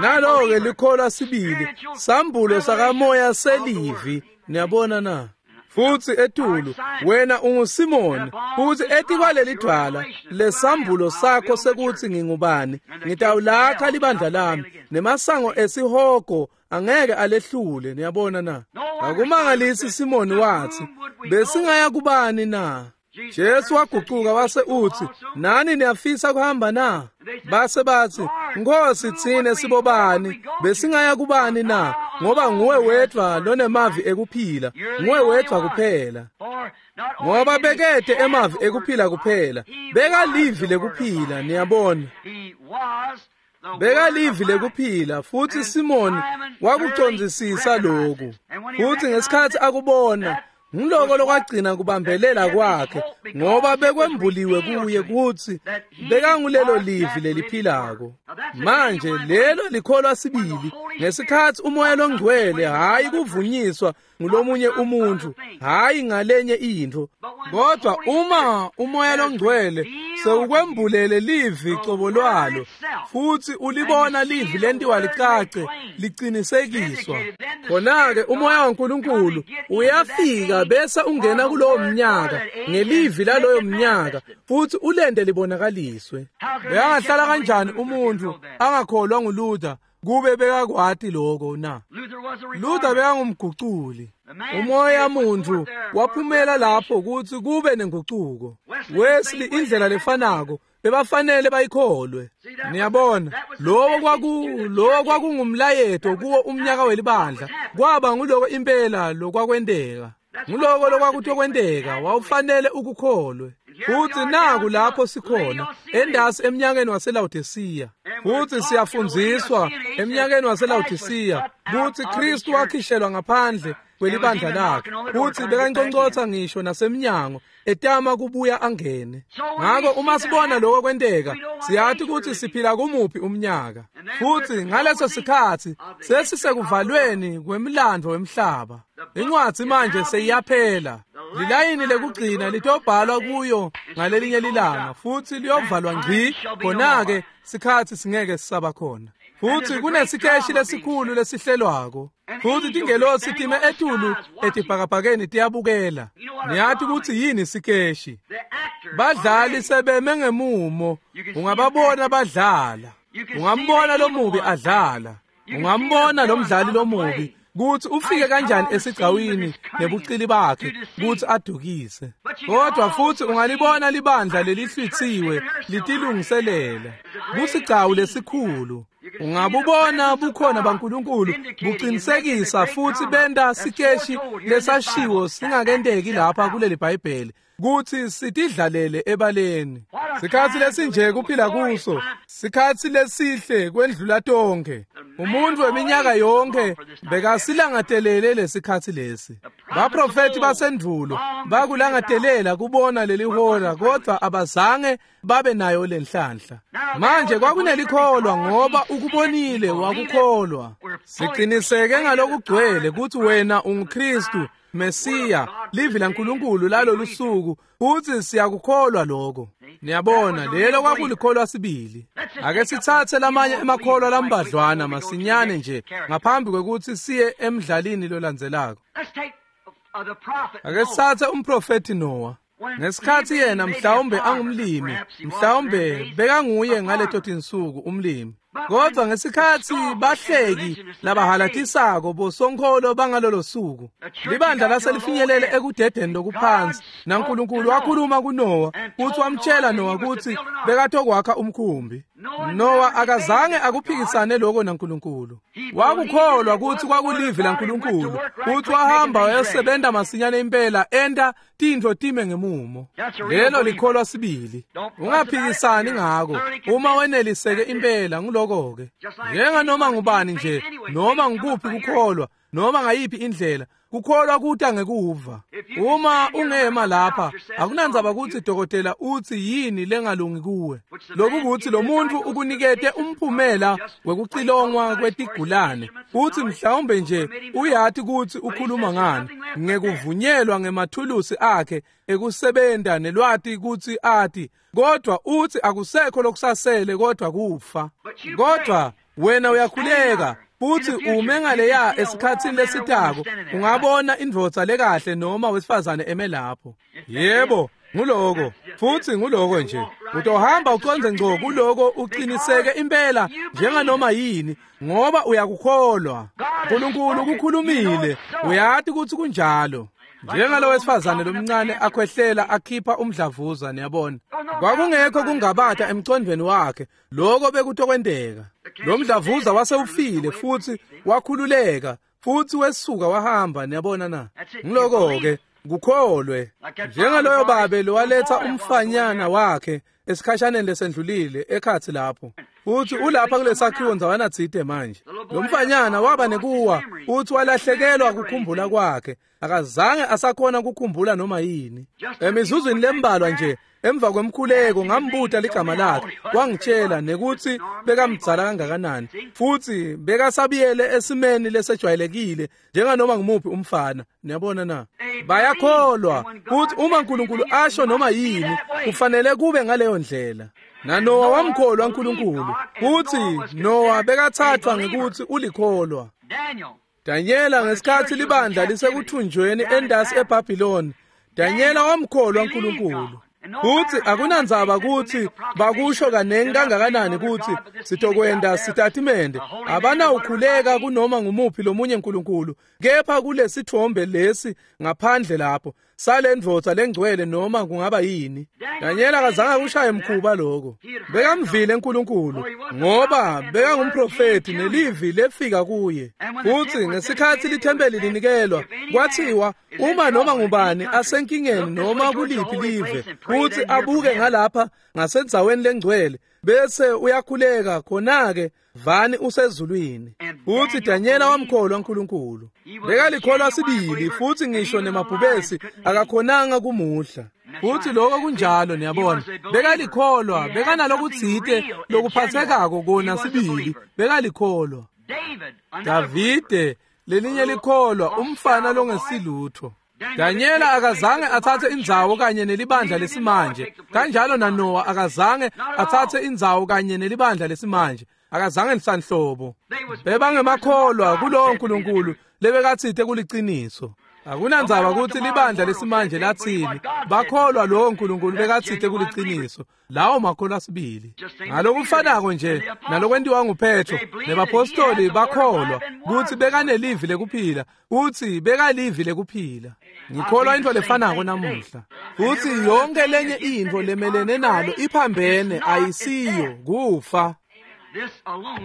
Nalo-ke likholwa sibili, sambulo sakamoya selivi. Niyabona na? Futsi etulu, "Wena unguSimoni, futsi etikwaleli dvwala," lesambulo sakho sekutsi ngingubani, "ngitawulakha libandla lami, nemasango esihogo angeke alehlule." Niyabona na? Akumangalisi Simoni watsi, "Besingaya kubani na?" Jesu wagucuka wase utsi, "Nani niyafisa kuhamba na?" Base batsi, "Nkosi, tsine sibobani? Besingaya kubani na? Ngoba nguwe wedvwa lonemavi ekuphila, nguwe wedvwa kuphela." Ngoba bekete emavi ekuphila kuphela, bekalivi lekuphila, niyabona. Bekalivi lekuphila, futsi Simoni wakucondzisisa lokhu. Futsi ngesikhatsi akubona, Ngiloko lokwagcina kubambelela kwakhe ngoba bekwembuliwe kuye kutsi bekangulelo livi leliphilako. Manje lelo likholwa sibili ngesikhatsi umoya longcwele, hayi kuvunyiswa ngulomunye umuntu, hayi ngalenye intfo, kodwa uma umoya longcwele sewukwembulele livi cobo lwalo futsi ulibona livi lentiwa licace licinisekiswa, khona-ke umoya waNkulunkulu uyafika bese ungena kulowo mnyaka ngelivi laloyo mnyaka futsi ulente libonakaliswe. Bekangahlala kanjani umuntu angakholwa nguLuther kube bekakwati lokho na? Luther bekangumguculi. Umoya muntu waphumela lapho kutsi kube nengucuko. Wesley indlela lefanako bebafanele bayikholwe. Niyabona, lowo kwaku lowo kwakungumlayeto kuwo umnyaka welibandla. Kwaba nguloko impela lokwakwenteka. Nguloko lokwakutokwenteka, wawufanele ukukholwe. Futsi naku lapho sikhona endasi emnyakeni waseLaodicea. Futsi siyafundziswa emnyakeni waseLaodicea kutsi Kristu wakhishelwa ngaphandle kwelibandla lakhe, futsi bekanconcotsa ngisho nasemnyango etama kubuya angene. Ngako uma sibona lokho kwenteka, siyati kutsi siphila kumuphi umnyaka. Futsi ngaleso sikhatsi sesisekuvalweni kwemlandvo wemhlaba. Incwadzi manje seyiyaphela. Lilayini lekugcina litobhalwa kuyo ngalelinye lilanga futsi liyovalwa ngci, khona-ke sikhatsi singeke sisaba khona. Futsi kunesikeshi lesikhulu lesihlelwako. Futsi tingelosi time etulu etibhakabhakeni tiyabukela. Niyati kutsi yini sikeshi? Badlali sebeme ngemumo, ungababona badlala. Ungambona lomubi adlala. Ungambona lomdlali lomubi kutsi ufike kanjani esigcawini nebucili bakhe kutsi adukise. Kodwa futsi ungalibona libandla lelihlwitsiwe litilungiselela kusigcawu lesikhulu. Ungabubona bukhona baNkulunkulu buqinisekisa futsi benta sikeshi lesashiwo singakenteki lapha kuleli Bhayibheli kutsi sitidlalele ebaleni. Sikhatsi lesinje kuphila kuso, sikhatsi lesihle kwendlula tonkhe. Umuntu weminyaka yonke bekasilangatelele lesikhatsi lesi. Baprofeti basendvulo bakulangatelela kubona leli hora, kodwa abazange babe nayo lenhlanhla. Manje kwakunelikholwa ngoba ukubonile wakukholwa. Siqiniseke ngalokugcwele kutsi wena unguKristu Mesiya, livi laNkulunkulu lalolu suku, futsi siyakukholwa lokho. Niyabona, lelo kwakulikholwa sibili. Ake sitsatse lamanye emakholwa lambadlwana masinyane nje ngaphambi kwekutsi siye emdlalini lolandzelako. Ake sitsatse umprofeti Noah. Ngesikhatsi yena mhlawumbe angumlimi, mhlawumbe bekanguye ngaleto tinsuku umlimi. Kodwa ngesikhatsi bahleki labahalatisako bosonkholo bangalolo suku, libandla laselifinyelele ekudedeni lokuphansi, naNkulunkulu wakhuluma kuNoah kutsi wamtshela Noah kutsi bekatokwakha umkhumbi. Noah akazange akuphikisane lokho naNkulunkulu. Wakukholwa kutsi kwakulivi laNkulunkulu, kutsi wahamba wayosebenta masinyane impela enta tintfo time ngemumo. Lelo likholwa sibili. Ungaphikisani ngako. Uma weneliseke impela nguloko-ke. Njenganoma ngubani nje, noma ngukuphi kukholwa, noma ngayiphi indlela, kukholwa kuta ngekuva. Uma ungema lapha, akunandzaba kutsi dokotela utsi yini lengalungi kuwe. Lokhu kutsi lo muntu ukunikete umphumela wekucilongwa kwetigulane, futsi mhlawumbe nje uyati kutsi ukhuluma ngani, ngekuvunyelwa ngemathulusi akhe ekusebenta nelwati kutsi ati, kodwa utsi akusekho lokusasele kodwa kufa. Kodwa wena uyakhuleka futsi ume ngaleya esikhatsini lesitako, ungabona indvodza lekahle noma wesifazane eme lapho. Yebo, nguloko, futsi nguloko nje. Utohamba ucondze ngco kuloko uqiniseke impela njenganoma yini, ngoba uyakukholwa. Nkulunkulu ukukhulumile, uyati kutsi kunjalo. Njengalo wesifazane lomncane akhwehlela akhipha umdlavuza, niyabona. Kwakungekho kungabata emcondvweni wakhe, lokho bekutokwenteka. Lo mdlavuza wasewufile futsi wakhululeka, futsi wesuka wahamba, niyabona na. Ngiloko-ke, kukholwe. Njengaloyo babe lowaletsa umfanyana wakhe esikhashaneni lesendlulile ekhatsi lapho. Uthi ulapha kulesakhiwo ndzawana tsite manje. Lo mfanyana waba nekuwa, uthi walahlekelwa kukhumbula kwakhe. Akazange asakhona kukhumbula noma yini. Emizuzwini lembalwa nje emva kwemkhuleko ngambuta ligama lakhe, wangitshela nekuthi bekamdzala kangakanani, futhi bekasabiyele esimeni lesejwayelekile njenganoma ngumuphi umfana. Niyabona na? Bayakholwa ukuthi uma uNkulunkulu asho noma yini kufanele kube ngaleyo ndlela. NaNowa wamkholwa uNkulunkulu, futhi Nowa bekathathwa ngekuthi ulikholwa. Danyela ngesikhathi libandla lisekuthunjweni endasi eBhabhiloni, Danyela wamkholwa uNkulunkulu. Futhi akunandzaba ukuthi bakusho kanengi kangakanani ukuthi sitokwenda sitatimende, abanawukhuleka kunoma ngumuphi lomunye uNkulunkulu, kepha kulesithombe lesi ngaphandle lapho sale ndvodza lengcwele noma kungaba yini. Danyela akazange kushaye mkhuba lokho. Bekamvile uNkulunkulu ngoba bekangumprofeti nelivi lefika kuye. Futhi ngesikhathi lithempeli linikelwa kwathiwa uma noma ngubani asenkingeni noma kuliphi live futhi abuke ngalapha ngasenzaweni lengcwele bese uyakhuleka, khona-ke vani usezulwini. Futhi Danyela wamkholwa uNkulunkulu. Bekalikholwa sibili, futhi ngisho nemabhubesi akakhonanga kumudla. Futhi lokho kunjalo, niyabona. Bekalikholwa, bekanalokutsite lokuphathekako kona sibili, bekalikholwa. Davide lelinye likholwa, umfana longesilutho. Danyela akazange athathe indzawo kanye nelibandla lesimanje, kanjalo naNowa akazange athathe indzawo kanye nelibandla lesimanje, akazange lisanhlobo. Bebangemakholwa kulowo Nkulunkulu lebekatsite kuliciniso. Akunandzaba ukuthi libandla lesimanje lathini, bakholwa lowo Nkulunkulu bekatsite kuliciniso. Lawo makholwa sibili. Ngalokufanako nje nalokwentiwa nguPetro nebapostoli bakholwa kutsi bekanelivi lekuphila, kutsi bekalivi lekuphila. Ngikholwa into lefanako namuhla. Kutsi yonke lenye intfo lemelene nalo iphambene, ayisiyo kufa.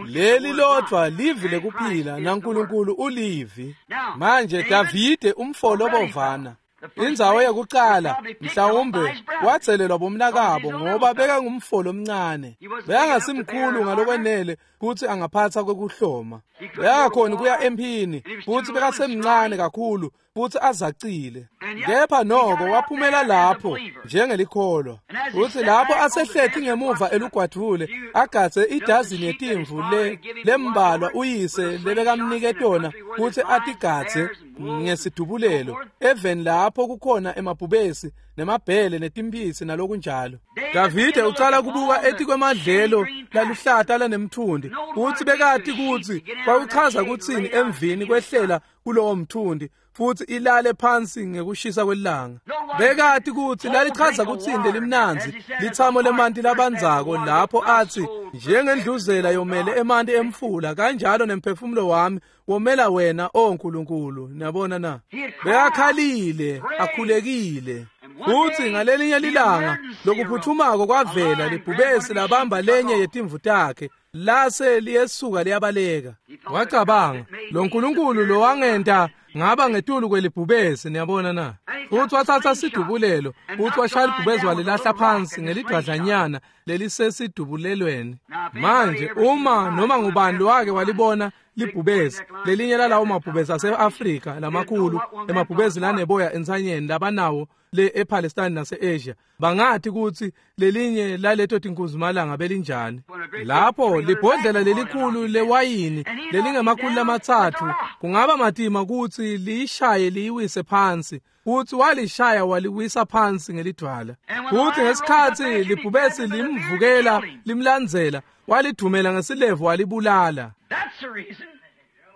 Leli lodvwa livi lekuphila naNkulunkulu ulivi. Manje Davide umfolo bovana indzawo yokuqala mhlawumbe wathelelwa bomnakabo ngoba bekangumfolo omncane, bekangasimkhulu ngalokwenele kutsi angaphatha kwekuhloma, bekangakhoni kuya emphini, futhi bekasemncane kakhulu futhi azacile. Kepha noko waphumela lapho njengelikholwa. Futhi lapho asehlethi ngemuva elugwadvule agadze idazini yetimvu le lembalwa uyise lebekamnike tona kutsi atigadze ngesidubulelo eveni lapho kukhona emabhubesi nemabhele netimphisi nalokunjalo. Davide ucala kubuka etikwemadlelo laluhlata lanemthundi, utsi bekati kutsi kwakuchaza kutsini emvini kwehlela kulowo mthundi futhi ilale phansi ngekushisa kwelanga. Bekati kutsi lalichaza kutsini limnandzi lithamo lemanti labandzako lapho athi njengendluzela yomele emanti emfula, kanjalo nemphefumulo wami womela wena, o Nkulunkulu. Niyabona na? Bekakhalile, akhulekile. Futhi ngalelinye lilanga lokuphuthumako kwavela libhubesi labamba lenye yetimvu takhe, lase liyesuka liyabaleka. Wacabanga, lo Nkulunkulu lo wangenta ngaba ngetulu kwelibhubesi. Niyabona na? Futhi wathatha sidubulelo, futhi washaya libhubesi walilahla phansi ngelidwadlanyana lelisesidubulelweni. Manje uma noma ngubani lowake walibona libhubesi, lelinye lalawo mabhubesi ase-Afrika lamakhulu, emabhubesi laneboya entsanyeni labanawo le ePalestine nase-Asia, bangathi kutsi lelinye laleto tinkunzimalanga belinjani. Lapho libhodlela lelikhulu lewayini lelingemakhulu lamatsatfu kungaba matima kutsi liyishaye liyiwise phansi, futhi walishaya waliwisa phansi ngelidwala. Futhi ngesikhatsi libhubesi limvukela limlandzela, walidumela ngesilevu walibulala.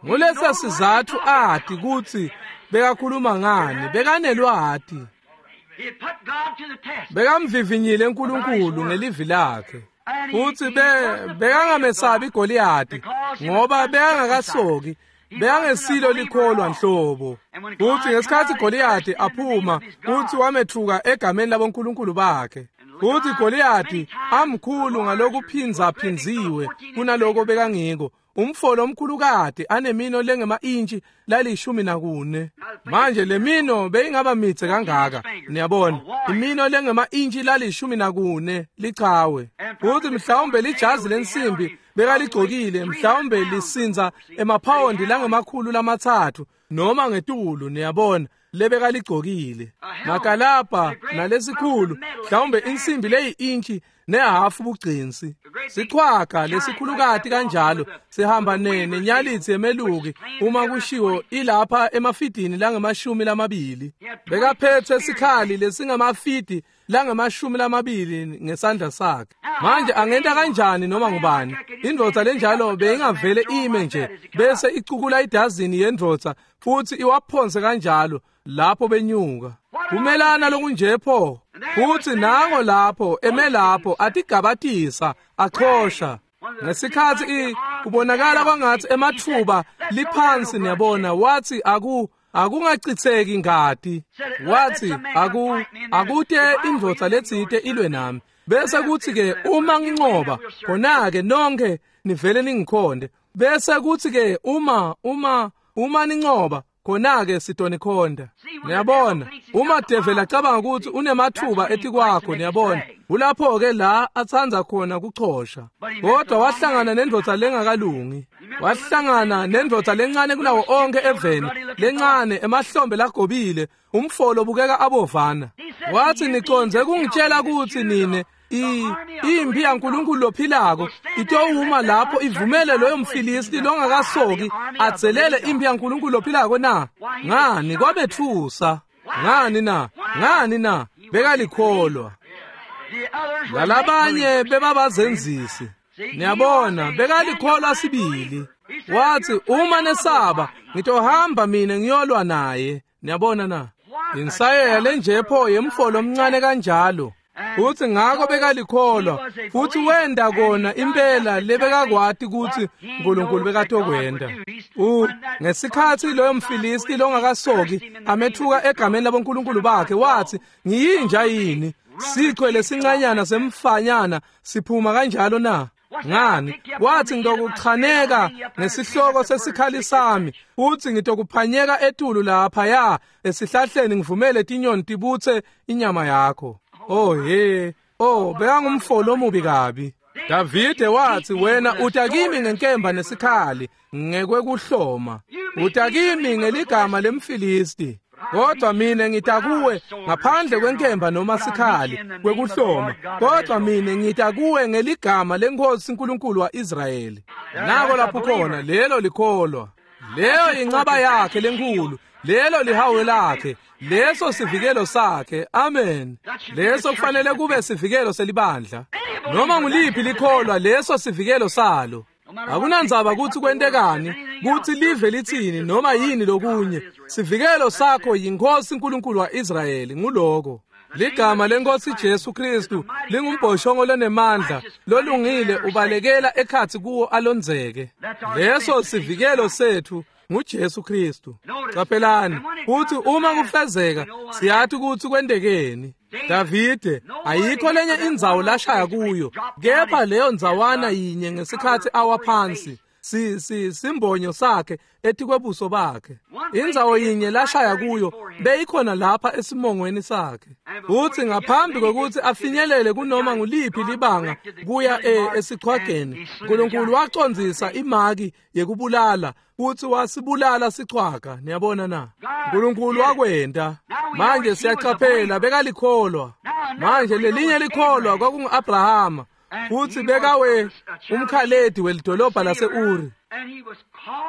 Ngulesa sizatfu ati kutsi bekakhuluma ngani, bekanelwati. Bekamvivinyile uNkulunkulu ngelivi lakhe. Futhi bekangamesabi Goliyathi ngoba bekangakasoki, bekangesilo likholwa nhlobo. Futhi ngesikhatsi Goliyathi aphuma, futhi wamethuka egameni labonkulunkulu bakhe. Futhi Goliyathi amkhulu ngalokuphindza phindziwe kunaloko bekangiko, Umfolo omkhulukati anemino lengema-intshi lalishumi nakune. Manje le mino beyingaba midze kangaka, niyabona, imino lengema-intshi lalishumi nakune lichawe. Futhi mhlawumbe lijazi lensimbi bekaligcokile, mhlawumbe lisinza emaphawondi langemakhulu lamatsatfu noma ngetulu, niyabona, lebekaligcokile. Makalabha nalesikhulu, mhlawumbe insimbi leyi-intshi nehafu bugcinsi. Sichwaga lesikhulukati kanjalo sihamba nenyalitsi yemeluki uma kushiwo ilapha emafidini langemashumi lamabili. Bekaphethe sikhali lesingamafidi langemashumi lamabili ngesandla sakhe. Manje angenta kanjani noma ngubani? Indvodza lenjalo beyingavele ime nje bese icukula idazini yendvodza futhi iwaphonse kanjalo lapho benyuka. Kumelana lokunje pho. Futhi nango lapho eme lapho atigabatisa achosha. Ngesikhathi kubonakala kwangathi emathuba liphansi, niyabona, wathi aku akungachitheki ingati. Wathi aku akute indvodza letsite ilwe nami. Bese kuthi ke uma nginqoba khona ke nonke nivele ningikhonde. Bese kuthi ke uma uma uma ninqoba khona ke sitonikhonda. Niyabona, uma devil acabanga ukuthi unemathuba etikwakho, niyabona, ulapho ke la atsanza khona kuchosha. Kodwa wahlangana nendvodza lengakalungi. Wahlangana nendvodza lencane kulawo onke eveni, lencane emahlombe lagobile, umfolo bukeka abovana. Wathi niconze kungitshela ukuthi nine impi yaNkulunkulu lophilako itowuma lapho ivumele loyo mfilisti longakasoki adzelele impi yaNkulunkulu lophilako na? Ngani kwabethusa? Ngani na? Ngani na? Bekalikholwa. Lalabanye bebabazenzisi. Niyabona, bekalikholwa sibili. Wathi uma nesaba ngitohamba mina ngiyolwa naye. Niyabona na? Insayeya lenje pho yemfolo omncane kanjalo. Uthi ngako bekalikholwa futhi wenda kona impela lebekakwati ukuthi uNkulunkulu bekatokwenda. U ngesikhathi loyo mfilisti longakasoki amethuka egameni labonkulunkulu bakhe, wathi ngiyinja yini? Sichwe lesincanyana semfanyana siphuma kanjalo na? Ngani? Wathi ngitokuchaneka ngesihloko sesikhali sami, uthi ngitokuphanyeka etulu lapha ya esihlahleni ngivumele tinyoni tibutse inyama yakho. Oh he, oh bekangumfolo omubi kabi. Davide wathi wena utakimi ngenkemba nesikhali ngekwekuhloma, utakimi ngeligama lemfilisti, kodwa mina ngitakuwe ngaphandle kwenkemba noma sikhali kwekuhloma, kodwa mina ngitakuwe ngeligama lenkosi uNkulunkulu waIsrayeli. Nako lapho khona lelo likholwa, leyo incaba yakhe lenkulu, lelo lihawu lakhe, leso sivikelo sakhe. Amen. Leso kufanele kube sivikelo selibandla. Noma nguliphi likholwa, leso sivikelo salo. Akunandzaba ukuthi kwentekani, kuthi live lithini noma yini lokunye, sivikelo sakho yinkosi uNkulunkulu waIsrayeli. Nguloko ligama lenkosi Jesu Kristu lingumbhoshongo lonemandla lolungile ubalekela ekhathi kuwo alonzeke. Leso sivikelo sethu nguJesu Kristu. Qaphelani uthi uma kufezeka siyathi ukuthi kwentekeni. Davide ayikho lenye indzawo lashaya kuyo kepha leyo ndzawana yinye ngesikhathi awa phansi si si simbonyo sakhe etikwebuso bakhe. Indzawo yinye lashaya kuyo beyikhona lapha esimongweni sakhe. Uthi ngaphambi kokuthi afinyelele kunoma nguliphi libanga kuya esichwageni, uNkulunkulu wacondzisa imaki yekubulala uthi wasibulala sichwaga. Niyabona na? uNkulunkulu wakwenda. Manje siyachaphela bekalikholwa. Manje lelinye likholwa kwakungu-Abrahama, futhi bekawe umkhaledi welidolobha lase-Uri.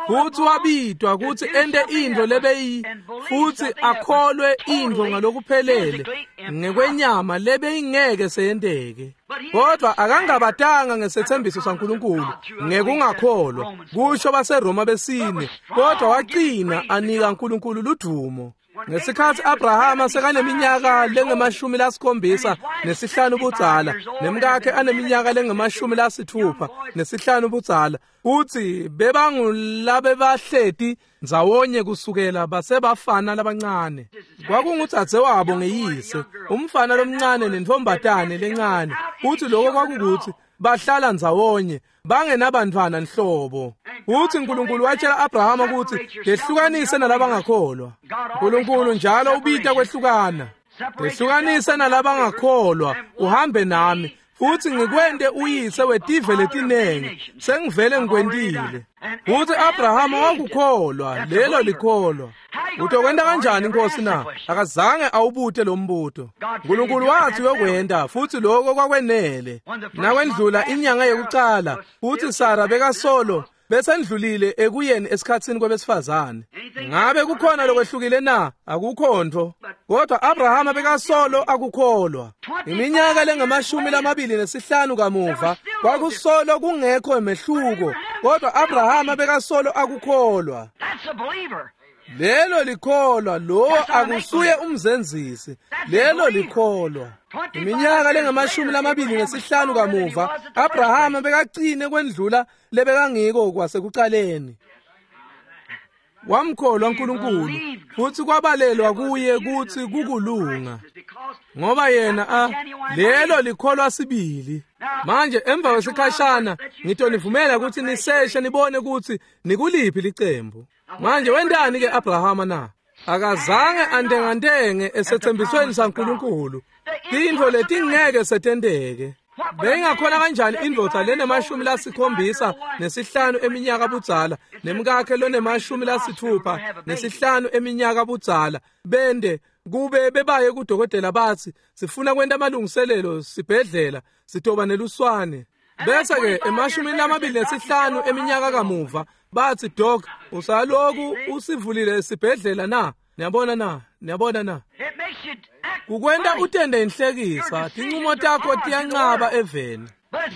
Futhi wabidwa ukuthi ente into lebeyi futhi akholwe into ngalokuphelele ngekwenyama lebeyingeke seyenteke. Kodwa akangabatanga ngesethembiso saNkulunkulu ngekungakholwa, kusho baseRoma besine, kodwa waqina anika uNkulunkulu ludumo. Ngesikhathi Abrahama sekaneminyaka lengemashumi lasikhombisa nesihlanu budzala, nemkakhe aneminyaka lengemashumi lasithupha nesihlanu budzala, uthi bebangulabebahleti ndzawonye kusukela basebafana labancane. Kwakungudzadze wabo ngeyise, umfana lomncane nentombatane lencane. Uthi lokho kwakukuthi bahlala ndzawonye bangenabantfwana nhlobo. Uthi uNkulunkulu watshela Abrahama ukuthi tehlukanise nalabangakholwa. uNkulunkulu njalo ubita kwehlukana. Tehlukanise nalabangakholwa uhambe nami futhi ngikwente uyise wetive letinengi sengivele ngikwentile. Uthi Abrahama wakukholwa, lelo likholwa. Utokwenta kanjani inkosi na? Akazange awubute lo mbuto. uNkulunkulu wathi uyokwenta futhi lokho kwakwenele. Nakwendlula inyanga yokucala futhi Sara bekasolo besendlulile ekuyeni esikhatsini kwebesifazane. Ngabe kukhona lokwehlukile na? Akukho nto. Kodwa Abrahama bekasolo akukholwa. Iminyaka lengamashumi lamabili nesihlanu kamuva kwakusolo kungekho emehluko, kodwa Abrahama bekasolo akukholwa. Lelo likholwa, lo akusuye umzenzisi. Lelo likholwa. Iminyaka lengamashumi lamabili nesihlanu kamuva Abrahama bekacine kwendlula lebekangiko kwasekucaleni. Wamkholwa uNkulunkulu futhi kwabalelwa kuye kuthi kukulunga, ngoba yena a lelo likholwa sibili. Manje emva kwesikhashana ngitonivumela ukuthi niseshe nibone ukuthi nikuliphi licembu. Manje wendani ke Abrahama na? Akazange antengantenge esethembisweni saNkulunkulu. Tintfo letingeke setenteke. Beyingakhona kanjani indvodza lenemashumi lasikhombisa nesihlanu eminyaka budzala nemkakhe lonemashumi lasithupha nesihlanu eminyaka budzala bende kube bebaye kudokotela bathi sifuna kwenta amalungiselelo sibhedlela sitoba neluswane. Bese ke emashumini lamabili nesihlanu eminyaka kamuva bathi doc usaloku usivulile esibhedlela na? Niyabona na? Niyabona na? Kukwenta utende inhlekisa, tincumo takho tiyancaba eveni.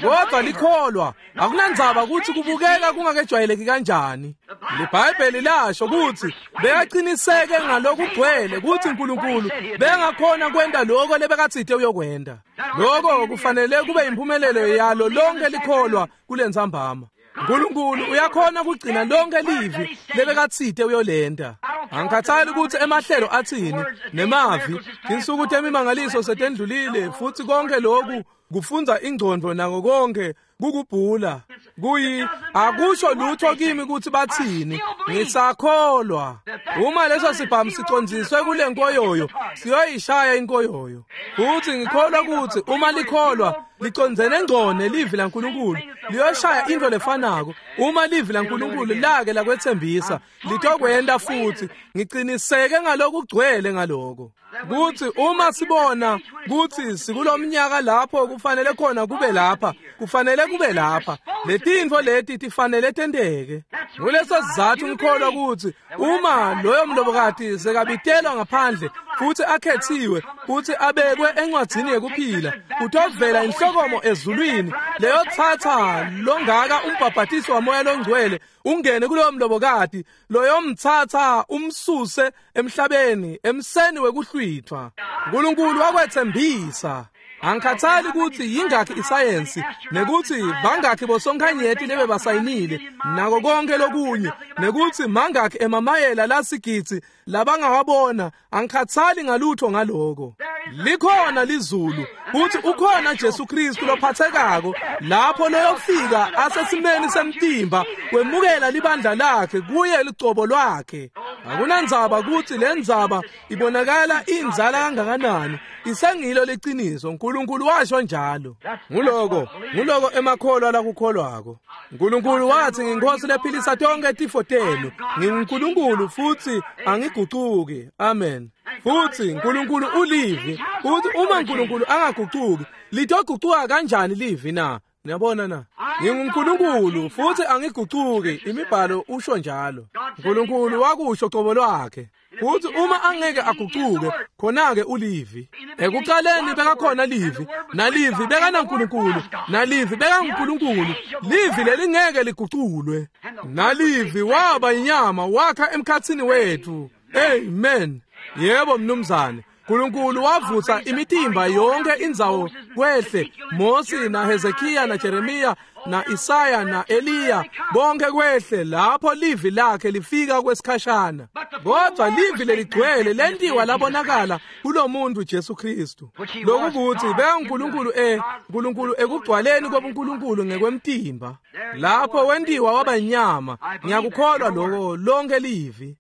Kodwa likholwa akunandzaba ukuthi kubukeka kungakejwayeleki kanjani. LiBhayibheli lasho ukuthi bekaqiniseke ngalokugcwele ukuthi uNkulunkulu bengakhona kwenta lokho lebekatsite uyokwenta. Lokho kufanele kube impumelelo yalo lonke likholwa kulentsambama. uNkulunkulu uyakhona kugcina lonke livi lebekatsite uyolenta. Angikhathali ukuthi emahlelo athini nemavi, tinsuku temimangaliso setendlulile futhi konke lokhu kufunza ingqondo nako konke kukubhula kuyi akusho lutho kimi ukuthi bathini, ngisakholwa. Uma leso sibhamu sicondziswe kule nkoyoyo siyoyishaya inkoyoyo. Futhi ngikholwa ukuthi uma likholwa licondzene ngqo nelivi laNkulunkulu liyoshaya into lefanako. Uma livi laNkulunkulu lake lakwethembisa litokwenta futhi. Ngiqiniseke ngalokugcwele ngaloko kuthi uma sibona kuthi sikulomnyaka lapho kufanele khona kube lapha, kufanele kube lapha, letintfo leti tifanele tenteke. Nguleso sizathu ngikholwa ukuthi uma loyo mlobokati sekabitelwa ngaphandle futhi akhethiwe futhi abekwe encwadzini yekuphila, utovela inhlokomo ezulwini leyothatha longaka umbhabhatiso wamoya longcwele ungene kuloyo mlobokati, loyomthatha umsuse emhlabeni emseni wekuhlwithwa. uNkulunkulu wakwethembisa. Angikhathali ukuthi yingakhi isayensi nekuthi bangakhi bosonkhanyeti lebe basayinile nako konke lokunye nekuthi mangakhi emamayela lasigidzi labangawabona, angikhathali ngalutho ngaloko. Likhona lizulu futhi ukhona Jesu Kristu lophathekako lapho loyofika asesimeni semtimba wemukela libandla lakhe kuye licobo lwakhe. Akunandzaba ukuthi lendzaba ibonakala inzala kangakanani, isengilo liciniso. uNkulunkulu washo njalo. Nguloko nguloko emakholwa lakukholwako. uNkulunkulu wathi nginkosi lephilisa tonke tifo tenu, nginguNkulunkulu futhi angigucuki. Amen. Futhi uNkulunkulu ulivi. Futhi uma uNkulunkulu angagucuki, litogucuka kanjani livi na? Niyabona na? NginguNkulunkulu futhi angigucuki, imibhalo usho njalo. uNkulunkulu wakusho qobo lwakhe. Futhi uma angeke agucuke, khona-ke ulivi. Ekuqaleni bekakhona livi, nalivi bekanaNkulunkulu, nalivi bekanguNkulunkulu. Livi lelingeke liguculwe. Nalivi waba inyama wakha emkhatsini wethu. Amen. Yebo mnumzane. Nkulunkulu wavutsa imitimba yonke indzawo kwehle Mosi na Hezekiya na Jeremiya na Isaya na Eliya bonke kwehle lapho livi lakhe lifika kwesikhashana kodwa livi leligcwele lentiwa labonakala kulomuntu Jesu Kristu lokukuthi bekaNkulunkulu e Nkulunkulu ekugcwaleni kobuNkulunkulu ngekwemtimba lapho wentiwa waba inyama ngiyakukholwa lokho lonke livi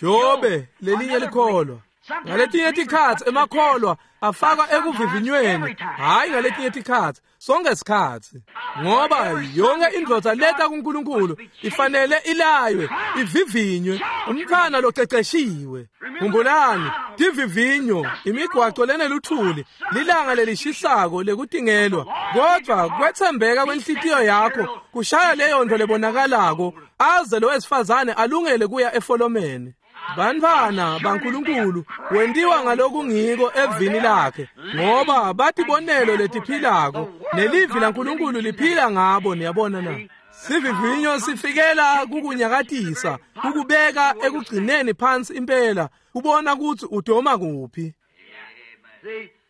Jobe lelinye likholwa ngaletinye tikhatsi emakholwa afakwa ekuvivinyweni hayi ngaletinye tikhatsi sonke sikhatsi ngoba yonke indvodza leta kuNkulunkulu ifanele ilaywe ivivinywe umntfwana loceceshiwe khumbulani tivivinyo imigwaco leneluthuli lilanga lelishisako lekutingelwa kodwa kwetsembeka kwenhlitiyo yakho kushaya leyo nto lebonakalako aze lo wesifazane alungele kuya efolomeni Bantfwana baNkulunkulu wentiwa ngalokungiko evini lakhe ngoba batibonelo letiphilako nelivi laNkulunkulu liphila ngabo niyabona na sivivinyo sifikela kukunyakatisa kukubeka ekugcineni phansi impela kubona kutsi udoma kuphi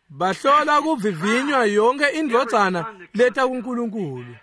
bahlola kuvivinywa yonke indvodzana leta kuNkulunkulu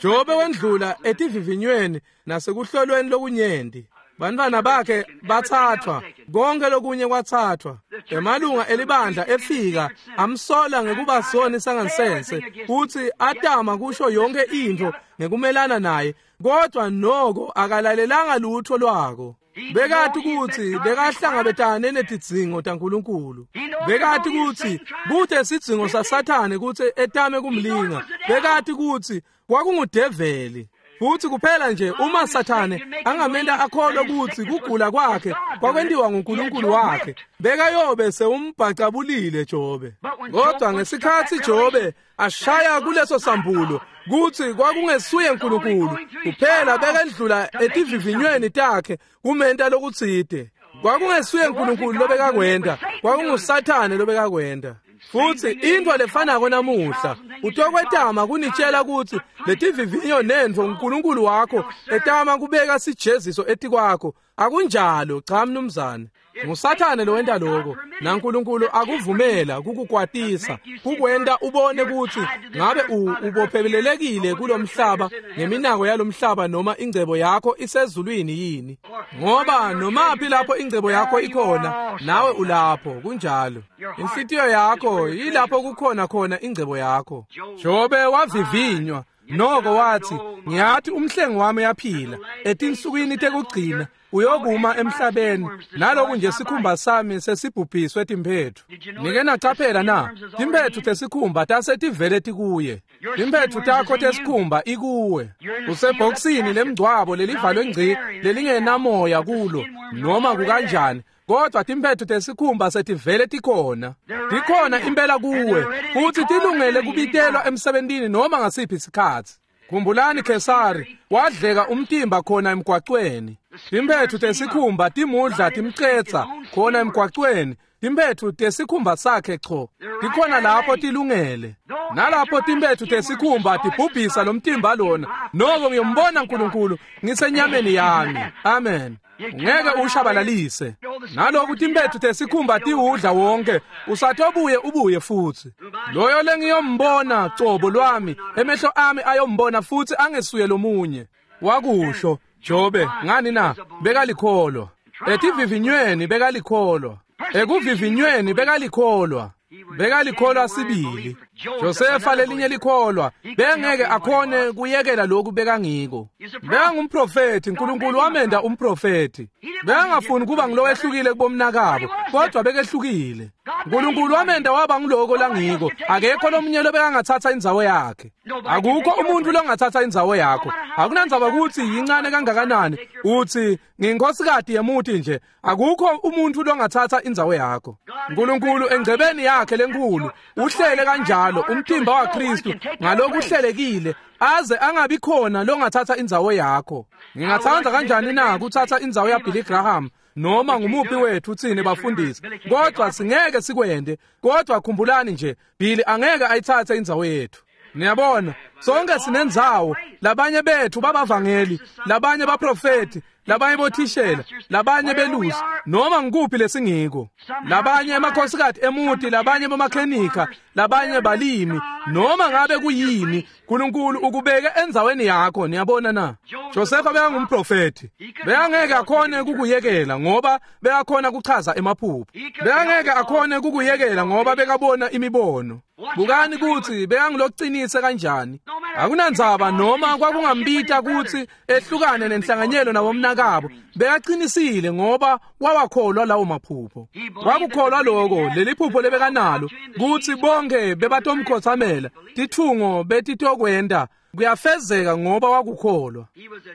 Jobe wendlula etivivinyweni nasekuhlolweni lokunyenti bantfwana bakhe bathathwa konke lokunye kwathathwa emalunga elibandla efika amsola ngekuba soni sangansense futhi atama kusho yonke intfo ngekumelana naye kodwa noko akalalelanga lutho lwako bekati kutsi bekahlangabetane netidzingo taNkulunkulu bekati kutsi kute sidzingo saSathane kutsi etame kumlinga bekati kutsi kwakungudeveli futhi kuphela nje uma Sathane angamenta akholwe kutsi kugula kwakhe kwakwentiwa nguNkulunkulu wakhe bekayobe sewumbhacabulile Jobe kodwa ngesikhatsi Jobe ashaya kuleso sambulo kutsi kwakungesuye uNkulunkulu kuphela bekendlula etivivinyweni takhe kumenta lokutsite kwakungesuye uNkulunkulu lobekakwenta kwakunguSathane lobekakwenta futhi intfo lefanako namuhla utokwetama kunitshela kutsi letivivinyo nentfo uNkulunkulu wakho etama kubeka sijeziso etikwakho akunjalo cha mnumzane nguSathane lowenta lokho naNkulunkulu akuvumela kukukwatisa kukwenta ubone kutsi ngabe ubophelelekile kulomhlaba ngeminako yalomhlaba noma ingcebo yakho isezulwini yini ngoba nomaphi lapho ingcebo yakho ikhona nawe ulapho kunjalo inhlitiyo yakho yilapho kukhona khona ingcebo yakho Jobe wavivinywa noko wathi ngiyathi umhlengi wami uyaphila etinsukwini tekugcina uyokuma emhlabeni naloku nje sikhumba sami sesibhubhiswe timphethu nike nacaphela na timphethu tesikhumba tasetivele tikuye timphethu takho tesikhumba ikuwe usebhokisini lemngcwabo lelivalwe ngci lelingenamoya kulo noma kukanjani kodwa timphethu tesikhumba setivele tikhona tikhona impela kuwe futhi tilungele kubitelwa emsebentini noma ngasiphi isikhatsi khumbulani Khesari wadleka umtimba khona emgwacweni timphethu tesikhumba timudla timcetsa khona emgwacweni timphethu tesikhumba sakhe cho tikhona lapho tilungele nalapho timphethu tesikhumba tibhubhisa lomtimba lona noko ngiyombona uNkulunkulu ngisenyameni yami amen ngeke ushabalalise naloku timphethu tesikhumba tiwudla wonke usatobuye ubuye futhi loyo lengiyombona cobo lwami emehlo ami ayombona futhi angesuye lomunye wakusho Jobe ngani na bekalikholwa etivivinyweni bekalikholwa ekuvivinyweni bekalikholwa bekalikholwa sibili Josefa lelinye likholwa bengeke akhone kuyekela lokhu bekangiko bekangumprofethi uNkulunkulu wamenda umprofethi bekangafuni kuba ngilowehlukile kubomnakabo kodwa bekehlukile uNkulunkulu wamenda waba ngiloko langiko akekho lomunye lobekangathatha indzawo yakhe akukho umuntu longathatha indzawo yakho akunandzaba ukuthi yincane kangakanani uthi nginkosikati yemuti nje akukho umuntu longathatha indzawo yakho uNkulunkulu engcebeni yakhe lenkulu uhlele kanjalo umtimba waKristu ngalokuhlelekile aze angabi khona longathatha indzawo yakho ngingathanda kanjani na kuthatha indzawo yaBilly Graham noma ngumuphi wethu thine bafundisi kodwa singeke sikwende kodwa khumbulani nje Billy angeke ayithathe indzawo yethu niyabona sonke sinendzawo labanye bethu babavangeli labanye baprofeti labanye bothishela, labanye belusi, noma ngikuphi lesingiko, labanye emakhosikati emuti, labanye bomakhenika, labanye balimi, noma ngabe kuyini, Nkulunkulu ukubeke endzaweni yakho. Niyabona na? Josefa bekangumprofethi, bekangeke akhone kukuyekela ngoba bekakhona kuchaza emaphupho, bekangeke akhone kukuyekela ngoba bekabona imibono. Bukani kutsi bekangulocinise kanjani. Akunandzaba noma kwakungambita kutsi ehlukane nenhlanganyelo nabomnakabo, bekaqinisile ngoba wawakholwa lawo maphupho. Wakukholwa loko, leli phupho lebekanalo kutsi bonke bebatomkhotsamela, tithungo betitokwenda kuyafezeka ngoba wakukholwa.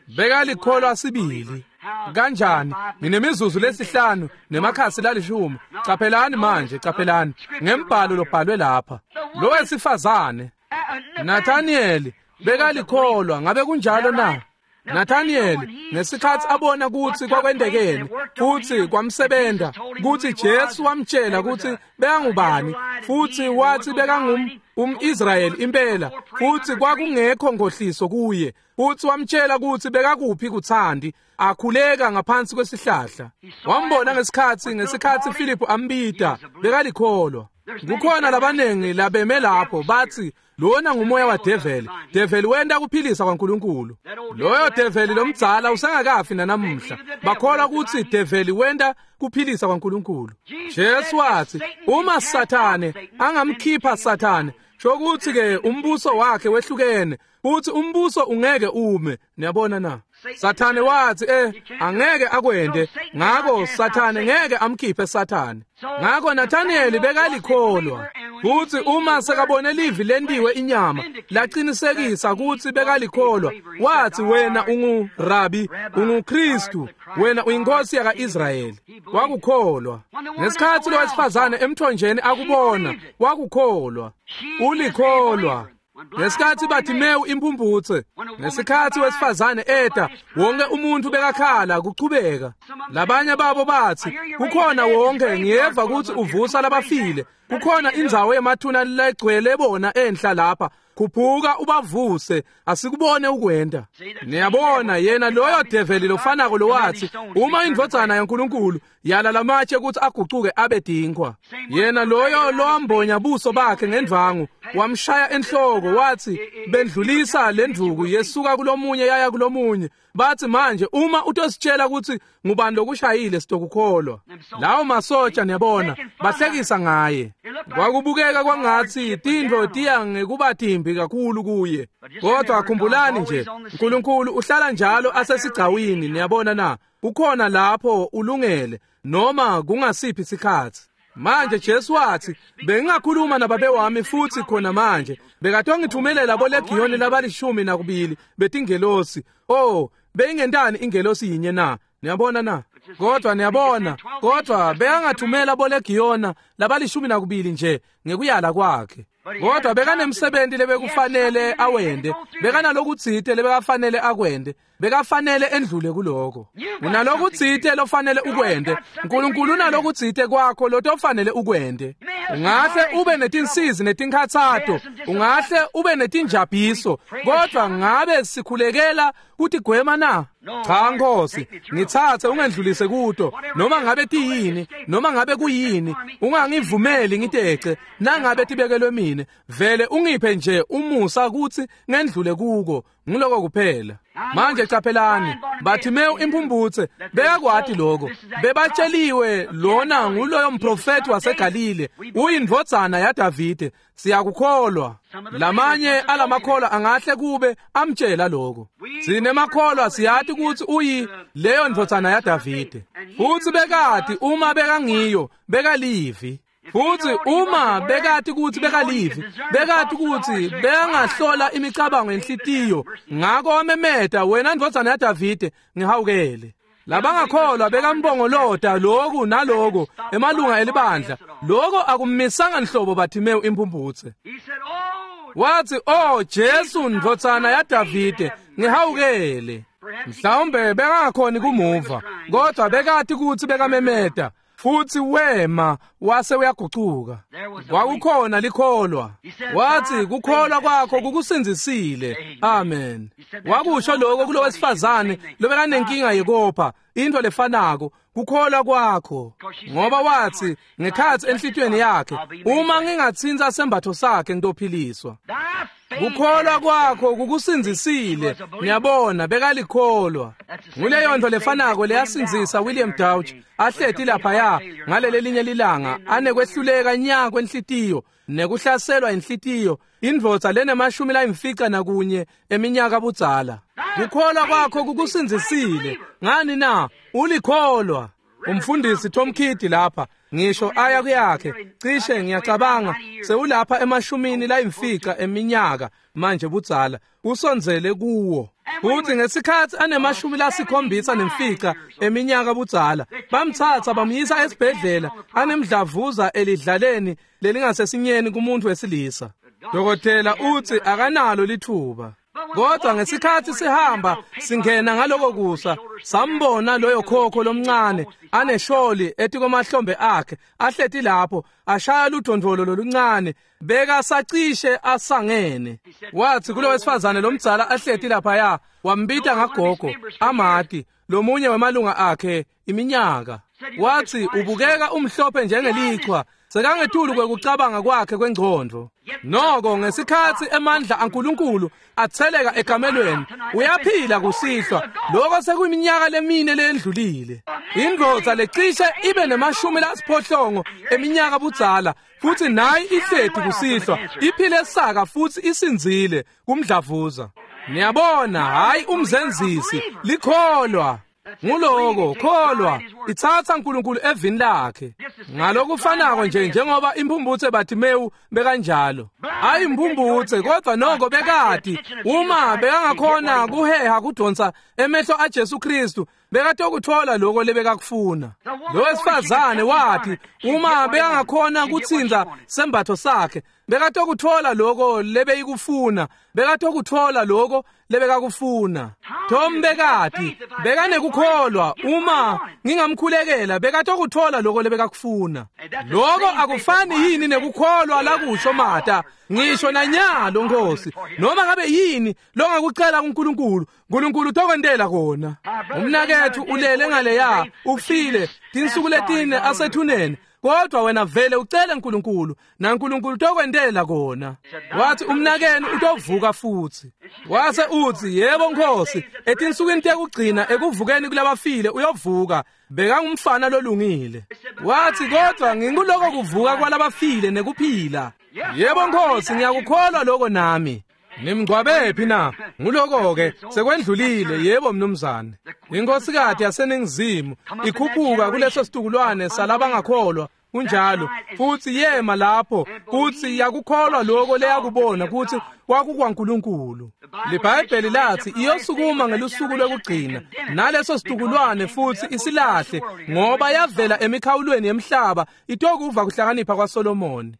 Bekalikholwa sibili. Kanjani? Nginemizuzu lesihlanu nemakhasi lalishumi. Caphelani manje, caphelani ngembhalo lobhalwe lapha. Lo wesifazane Nathaniel bekalikholwa, ngabe kunjalo na? Nathaniel ngesikhatsi abona kutsi kwakwendekeni futsi kwamsebenta, kutsi Jesu wamtjela kutsi bekangubani, futsi watsi bekangum umIsrayeli impela, futsi kwakungekho nkhohliso kuye, futsi wamtjela kutsi bekakuphi kuthandi, akhuleka ngaphansi kwesihlahla. Wambona ngesikhatsi ngesikhatsi Philip ambita, bekalikholwa. Kukhona labanengi labeme lapho batsi lona ngumoya wa develi, develi wenta kuphilisa kwaNkulunkulu. Loyo develi lomdzala usengakafi nanamuhla. Bakholwa kutsi develi wenta kuphilisa kwaNkulunkulu. Jesu watsi uma Sathane angamkhipha Sathane, shokutsi ke umbuso wakhe wehlukene, futhi umbuso ungeke ume. Niyabona na? Sathane watsi eh angeke akwende, ngako Sathane ngeke amkhiphe Sathane. Ngako Nathaniel bekalikholwa, futhi uma sekabone livi lentiwe inyama laqinisekisa kutsi bekalikholwa, wathi wena ungu Rabi, unguKristu, wena uyinkosi yakaIsrayeli. Wakukholwa. Ngesikhatsi lo wesifazane emthonjeni akubona, wakukholwa. Ulikholwa. Ngesikhatsi Bartimewu imphumphutse, ngesikhatsi wesifazane eta, wonke umuntu bekakhala kuchubeka. Labanye babo batsi kukhona wonke, ngiyeva kutsi uvusa labafile, kukhona indzawo yemathuna legcwele bona enhla lapha, khuphuka ubavuse, asikubone ukwenda. Niyabona yena loyo develi lofanako lowathi uma indvodzana yaNkulunkulu yala lamatshe kutsi agucuke abe dinkwa, yena loyo lowambonya buso bakhe ngendvangu wamshaya enhloko, wathi bendlulisa lendvuku yesuka kulomunye yaya kulomunye, bathi manje uma utositshela kutsi ngubani lokushayile sitokukholwa. Lawo masotsha niyabona bahlekisa ngaye. Kwakubukeka kwangatsi tintfo tiya ngekuba timbi kakhulu kuye, kodwa khumbulani nje uNkulunkulu uhlala njalo asesigcawini. Niyabona na? Ukhona lapho ulungele noma kungasiphi sikhatsi. Manje Jesu wathi bengingakhuluma nababe wami futhi khona manje bekatongithumelela bolegiyoni labalishumi nakubili betingelosi. Oh, beyingentani ingelosi yinye na? Niyabona na? Kodwa niyabona, kodwa bekangathumela bolegiyona labalishumi nakubili nje ngekuyala kwakhe. Kodwa bekanemsebenzi lebekufanele awende, bekanalokutsite lebekafanele akwende, bekafanele endlule kuloko. Unalokutsite lofanele ukwende, uNkulunkulu unalokutsite kwakho lotofanele ukwende. Ungahle ube netinsizi netinkhatsato, ungahle ube netinjabhiso, kodwa ngabe sikhulekela kutigwema na? Cha Nkosi, ngitsatse ungendlulise kuto, noma ngabe tiyini, noma ngabe kuyini, ungangivumeli ngitece, nangabe tibekelwe mine, vele ungiphe nje umusa kutsi ngendlule kuko, ngiloko kuphela. Manje caphelani, Bartimewu imphumphutse bekakwati lokho, bebatsheliwe lona nguloyo mprofeti waseGalile, uyindvodzana yaDavide, siyakukholwa. Lamanye alamakholwa angahle kube amtshela lokho. Sinemakholwa siyati kutsi uyi leyo ndvodzana yaDavide, futsi bekati uma bekangiyo bekalivi. Futsi uma bekati kutsi bekalivi, bekati kutsi bekangahlola imicabango yenhlitiyo, ngako wamemeta, wena ndvodzana yaDavide, ngihawukele. Labangakholwa bekambongolota loku naloko emalunga elibandla, loko akummisanga nhlobo Bartimewu imphumphutse. Wathi oh Jesu ndvodzana yaDavide, ngihawukele. Mhlawumbe bekangakhoni kumuva, kodwa bekati kutsi bekamemeta. Futsi wema wase uyagucuka. Kwakukhona likholwa. Wathi kukholwa kwakho kukusindzisile. Amen. Wakusho lokho kulowesifazane lobekanenkinga yekopha, into lefanako, kukholwa kwakho. Ngoba wathi ngekhatsi enhlitiyweni yakhe, uma ngingatsintsa sembatho sakhe ngitophiliswa. Kukholwa kwakho kukusindzisile. Ngiyabona bekalikholwa. Nguleyo nto lefanako leyasindzisa William Dauch ahleti laphaya ngalelelinye lilanga anekwehluleka nya kwenhlitiyo nekuhlaselwa inhlitiyo, indvodza lenemashumi layimfica nakunye eminyaka budzala. Kukholwa kwakho kukusindzisile. Ngani na? Ulikholwa. Umfundisi Tom Kidd lapha ngisho aya kuyakhe cishe ngiyacabanga sewulapha emashumini layimfica eminyaka manje budzala, usondzele kuwo. Futhi ngesikhathi anemashumi lasikhombisa nemfica eminyaka budzala, bamthatha bamyisa esibhedlela anemdlavuza elidlaleni lelingasesinyeni kumuntu wesilisa. Dokotela uthi akanalo lithuba. Kodwa ngesikhathi sihamba singena ngaloko kusa, sambona loyo khokho lomncane anesholi etikomahlombe akhe ahleti lapho ashaya ludondvolo loluncane, beka sacishe asangene. Wathi kulo wesifazane lomdzala ahleti laphaya, wambita ngagogo amati lomunye wemalunga akhe iminyaka. Wathi ubukeka umhlophe njengelichwa, sekangetulu kwekucabanga kwakhe kwengcondvo. Noko ngesikhathi emandla aNkulunkulu atheleka ekamelweni, uyaphila kusihlwa. Lokho sekuyiminyaka lemine lendlulile. Indvodza lecishe ibe nemashumi lasiphohlongo eminyaka budzala, futhi nayi ihleti kusihlwa, iphile saka futhi isindzile kumdlavuza. Niyabona, hayi umzenzisi, likholwa. Nguloko kholwa itsatsa uNkulunkulu evini lakhe. Ngalokufanako nje njengoba imphumphutse Bartimewu bekanjalo. Hayi imphumphutse, kodwa noko bekati uma bekangakhona kuheha kudonsa emehlo aJesu Kristu, bekatokuthola lokho lebekakufuna. Lo wesifazane wathi uma bekangakhona kutsinza sembatho sakhe, bekatokuthola lokho lebeyikufuna, bekatokuthola lokho lebekakufuna. Tom bekati bekanekukholwa, uma ngingamkhulekela bekatokuthola lokho lebekakufuna. Lokho akufani yini nekukholwa lakusho Mata, ngisho nanyalo Nkosi, noma ngabe yini longakucela kuNkulunkulu, uNkulunkulu utokwentela kona. Umnakethu ulele ngaleya, ufile tinsuku letine asethuneni, kodwa wena vele ucele uNkulunkulu, naNkulunkulu utokwentela kona. Wathi umnakenu utovuka futhi. Wase uthi yebo Nkosi, etinsukwini tekugcina ekuvukeni kulabafile uyovuka. Bekangumfana lolungile. Wathi kodwa nginkuloko kuvuka kwalabafile nekuphila. Yebo Nkosi, ngiyakukholwa lokho nami. Nimngcwabephi na? Nguloko-ke sekwendlulile. Yebo mnumzane. Inkosikati yaseNingizimu ikhuphuka kuleso situkulwane salabangakholwa, kunjalo, futhi yema lapho futhi yakukholwa lokho leyakubona ukuthi kwakukwaNkulunkulu. LiBhayibheli lathi iyosukuma ngelusuku lokugcina naleso situkulwane futhi isilahle, ngoba yavela emikhawulweni yemhlaba itokuva kuhlakanipha kwaSolomoni.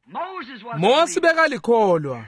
Mose bekalikholwa.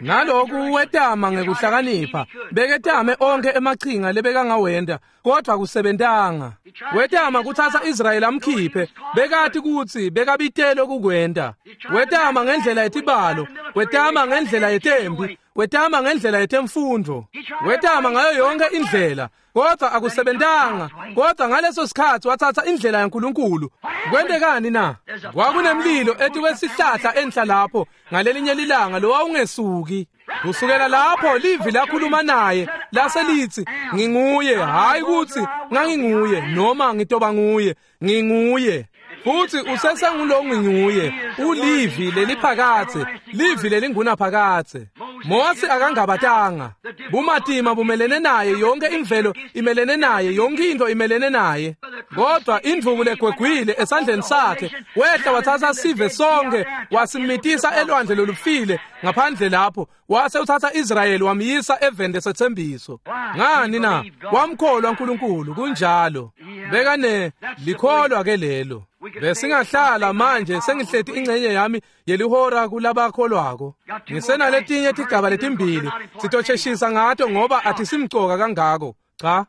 Naloku wetama ngekuhlakanipha, beketame onke emachinga lebekangawenda, kodwa kusebentanga. Wetama kuthatha Israyeli amkhiphe, bekati kutsi bekabitelwe kukwenta. Wetama ngendlela yetibalo, wetama ngendlela yetempi, wetama ngendlela yetemfundvo, wetama ngayo yonke indlela, kodwa akusebentanga. Kodwa ngaleso sikhathi wathatha indlela yaNkulunkulu. Kwentekani na? Kwakunemlilo etikwesihlahla enhla lapho ngalelinye lilanga lowawungesuki. Kusukela lapho livi lakhuluma naye laselithi nginguye, hayi ukuthi nganginguye noma ngitoba nguye, nginguye. Futhi usesengulo nginguye, ulivi leliphakathe, livi lelingunaphakathe. Mose akangabatanga. Bumatima bumelene naye, yonke imvelo imelene naye, yonke into imelene naye. Kodwa indvuku legwegwile esandleni sakhe, wehla wathatha sive sonke wasimitisa elwandle lolufile ngaphandle lapho, wase uthatha Israyeli wamyisa eveni lesethembiso. Ngani na? Wamkholwa uNkulunkulu, kunjalo. Bekane likholwa ke lelo. Besingahlala manje sengihleti ingcenye yami yelihora kulabakholwako. Ngisenaletinye tigaba letimbili sitosheshisa ngato ngoba athisimcoka kangako. Cha.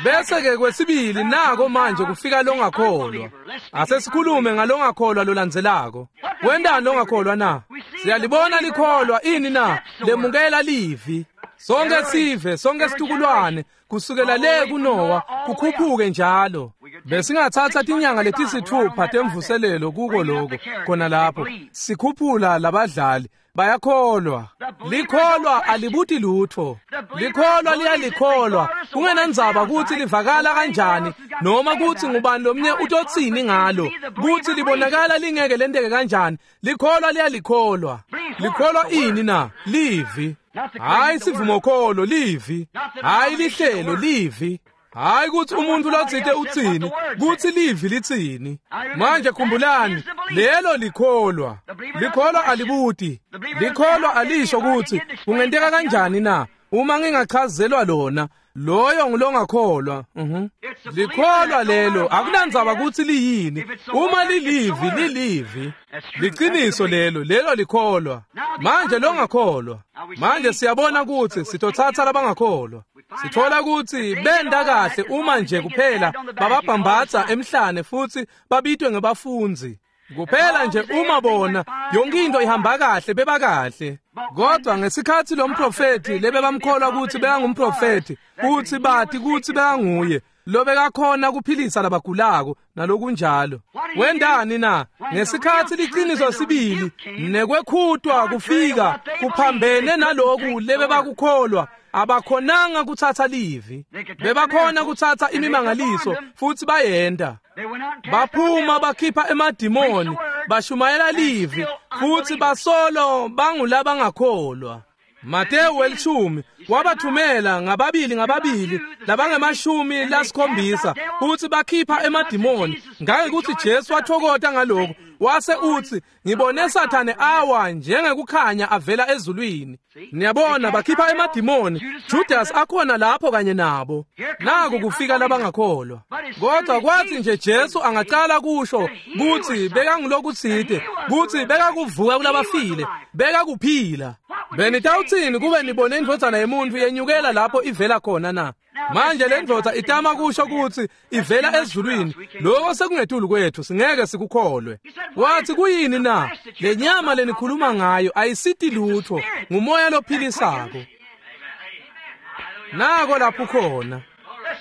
Bese-ke kwesibili nako manje kufika longakholwa. Asesikhulume ngalongakholwa lolandzelako. Wendani longakholwa na? Siyalibona likholwa ini na? Lemukela livi. Sonke sive, sonke situkulwane, kusukela le kuNowa kukhuphuke njalo. Besingathatha tinyanga letisithupha temvuselelo kuko lokho khona lapho. Sikhuphula labadlali bayakholwa. Likholwa alibuti lutho. Likholwa liyalikholwa. Kungenandzaba kutsi livakala kanjani noma kutsi ngubani lomnye utotsini ngalo, kutsi libonakala lingeke lenteke kanjani. Likholwa liyalikholwa. Likholwa ini na? Livi. Hayi sivumokholo, livi. Hayi lihlelo, livi. Hayi kutsi umuntu lotsite utsini, kutsi livi litsini. Manje khumbulani, lelo likholwa. Likholwa alibuti. Likholwa alisho kutsi kungenteka kanjani na uma ngingachazelwa lona. Loyo ngulongakholwa. Mhm. Likholwa lelo akunandzaba kutsi liyini. Uma lilivi, lilivi. Liqiniso lelo, lelo likholwa. Manje longakholwa. Manje siyabona kutsi sitothatha labangakholwa. Sithola kutsi benda kahle uma nje kuphela bababhambatsa emhlane futhi babitwe ngebafundzi. Kuphela nje uma bona yonke into ihamba kahle beba kahle. Kodwa ngesikhatsi lo mprofethi lebebamkholwa kutsi bekangumprofethi, kutsi bati kutsi bekanguye lobekakhona kuphilisa labagulako nalokunjalo. Wendani na? Ngesikhatsi liciniso sibili nekwekhutwa kufika kuphambene naloku lebebakukholwa, abakhonanga kutsatsa livi. Bebakhona kutsatsa imimangaliso futsi bayenta. Baphuma bakhipha emadimoni, bashumayela livi futsi basolo bangulabangakholwa. Matewu welishumi wabathumela ngababili ngababili labangemashumi lasikhombisa kutsi bakhipha emadimoni. Ngangekuthi Jesu wathokota ngalokho, wase utsi ngibone Sathane awa njengekukhanya avela ezulwini. Niyabona, bakhipha emadimoni. Judas akhona lapho kanye nabo. Naku kufika labangakholwa. Kodwa kwathi nje Jesu angacala kusho kutsi bekangulokutsite, kutsi bekakuvuka kulabafile, bekakuphila. Benitawutsini kube nibone indvodzana yemuntfu yenyukela lapho ivela khona na? Manje le ndvodza itama kusho kutsi ivela ezulwini. Lokho sekungetulu kwethu, singeke sikukholwe. Wathi kuyini na? Le nyama lenikhuluma ngayo ayisiti lutho, ngumoya lophilisako. Nako lapho khona.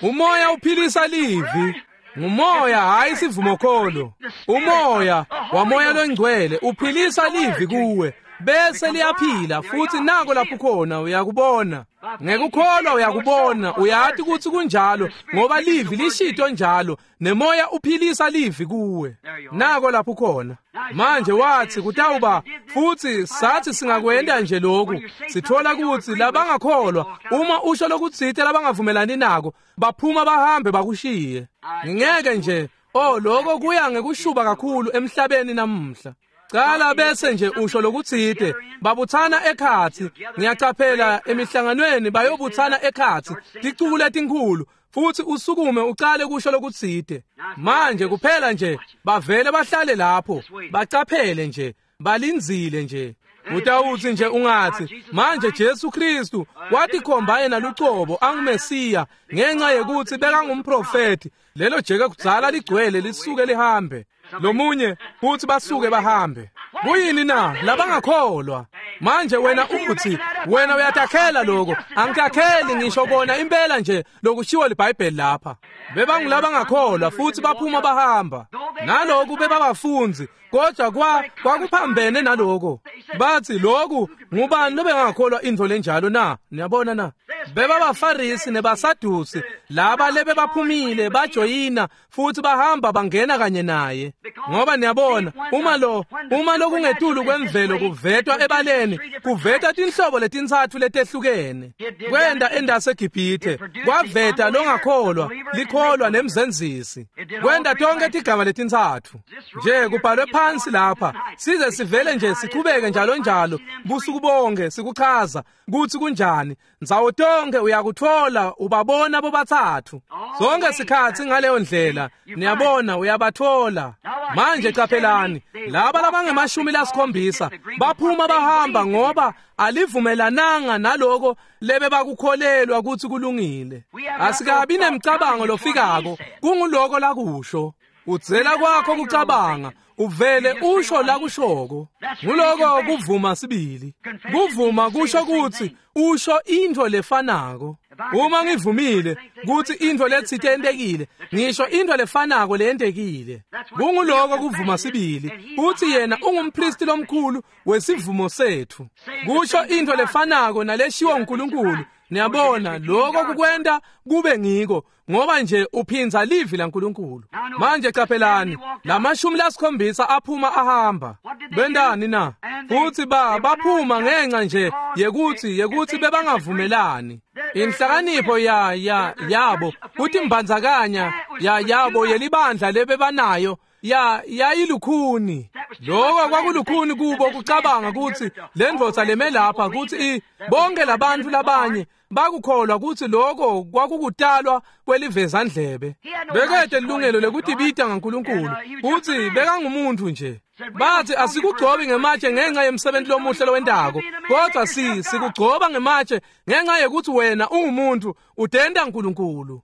Umoya uphilisa livi. Ngumoya, hayi sivumokholo. Umoya wamoya longcwele uphilisa livi kuwe, bese liyaphila futhi. Nako lapho khona, uyakubona. Ngekukholwa uyakubona, uyati kutsi kunjalo ngoba livi lishito njalo, nemoya uphilisa livi kuwe. Nako lapho khona. Manje wathi kutawuba futhi sathi singakwenda nje lokhu, sithola kutsi labangakholwa uma usho lokutsite labangavumelani nako, baphuma bahambe bakushiye. Ngingeke nje, oh lokho kuya ngekushuba kakhulu emhlabeni namuhla. Cala bese nje usho lokutsite, babuthana ekhatsi. Ngiyacaphela emihlanganweni bayobuthana ekhatsi, ticuku letinkhulu, futhi usukume ucale kusho lokutsite. Manje kuphela nje bavele bahlale lapho, bacaphele nje, balindzile nje. Utawutsi nje ungatsi, manje Jesu Kristu watikhomba yena lucobo anguMesiya ngenxa yekutsi bekangumprofethi. Lelo jeke kudzala ligcwele lisuke lihambe. Lomunye futhi basuke bahambe. Kuyini na? Labangakholwa. Manje wena uthi wena uyatakhela lokho. Angikakheli ngisho kona impela nje lokushiwo liBhayibheli lapha. Bebangulabangakholwa futhi baphuma bahamba. Naloku bebabafundzi, kodwa kwa kwakuphambene naloko. Bathi lokhu ngubani lobengakholwa intfo lenjalo na? Niyabona na? Bebabafarisi nebasadusi laba lebebaphumile bajoyina futhi bahamba bangena kanye naye. Ngoba niyabona, uma lo uma lokungetulu kwemvelo kuvetwa ebaleni, kuveta tinhlobo letintsatfu letehlukene. Kwenda endaseGibhithe, kwaveta longakholwa, likholwa nemzenzisi. Kwenda tonke tigaba letintsatfu. Nje kubhalwe phansi lapha, size sivele nje sichubeke njalo njalo busuku Busuku bonke sikuchaza kutsi kunjani. Ndzawo tonke uyakutfola ubabona bobathathu. Zonke sikhatsi ngaleyo ndlela niyabona uyabatfola. Manje caphelani laba labangemashumi lasikhombisa baphuma bahamba ngoba alivumelananga naloko lebe bakukholelwa kutsi kulungile. Asikabi nemcabango lofikako kunguloko lakusho. Udzela kwakho kucabanga uvele usho lakushoko. Nguloko kuvuma sibili. Kuvuma kusho kutsi usho intfo lefanako. Uma ngivumile kutsi intfo letsite yentekile, ngisho intfo lefanako leyentekile. Kunguloko kuvuma sibili. Utsi yena ungumpristi lomkhulu wesivumo setfu. Kusho intfo lefanako naleshiwo uNkulunkulu. Niyabona lokho kukwenta kube ngiko ngoba nje uphinza livi laNkulunkulu. Manje caphelani lamashumi lasikhombisa aphuma ahamba. Bendani na? Futsi ba baphuma ngenxa nje yekuthi yekuthi bebangavumelani. Inhlakanipho ya ya yabo kutimbandzakanya ya yabo yelibandla lebebanayo ya yayilukhuni. Lokho kwakulukhuni kubo kucabanga kutsi lendvodza leme lapha kutsi bonke labantu labanye bakukholwa kutsi lokho kwakukutalwa kwelivezandlebe. Bekete ilungelo lekutibita ngaNkulunkulu kutsi bekangumuntu nje. Bathi asikugcobi ngematshe ngenxa yemsebenzi lomuhle lowentako, kodwa si sikugcoba ngematshe ngenxa yekuthi wena ungumuntu udenda uNkulunkulu.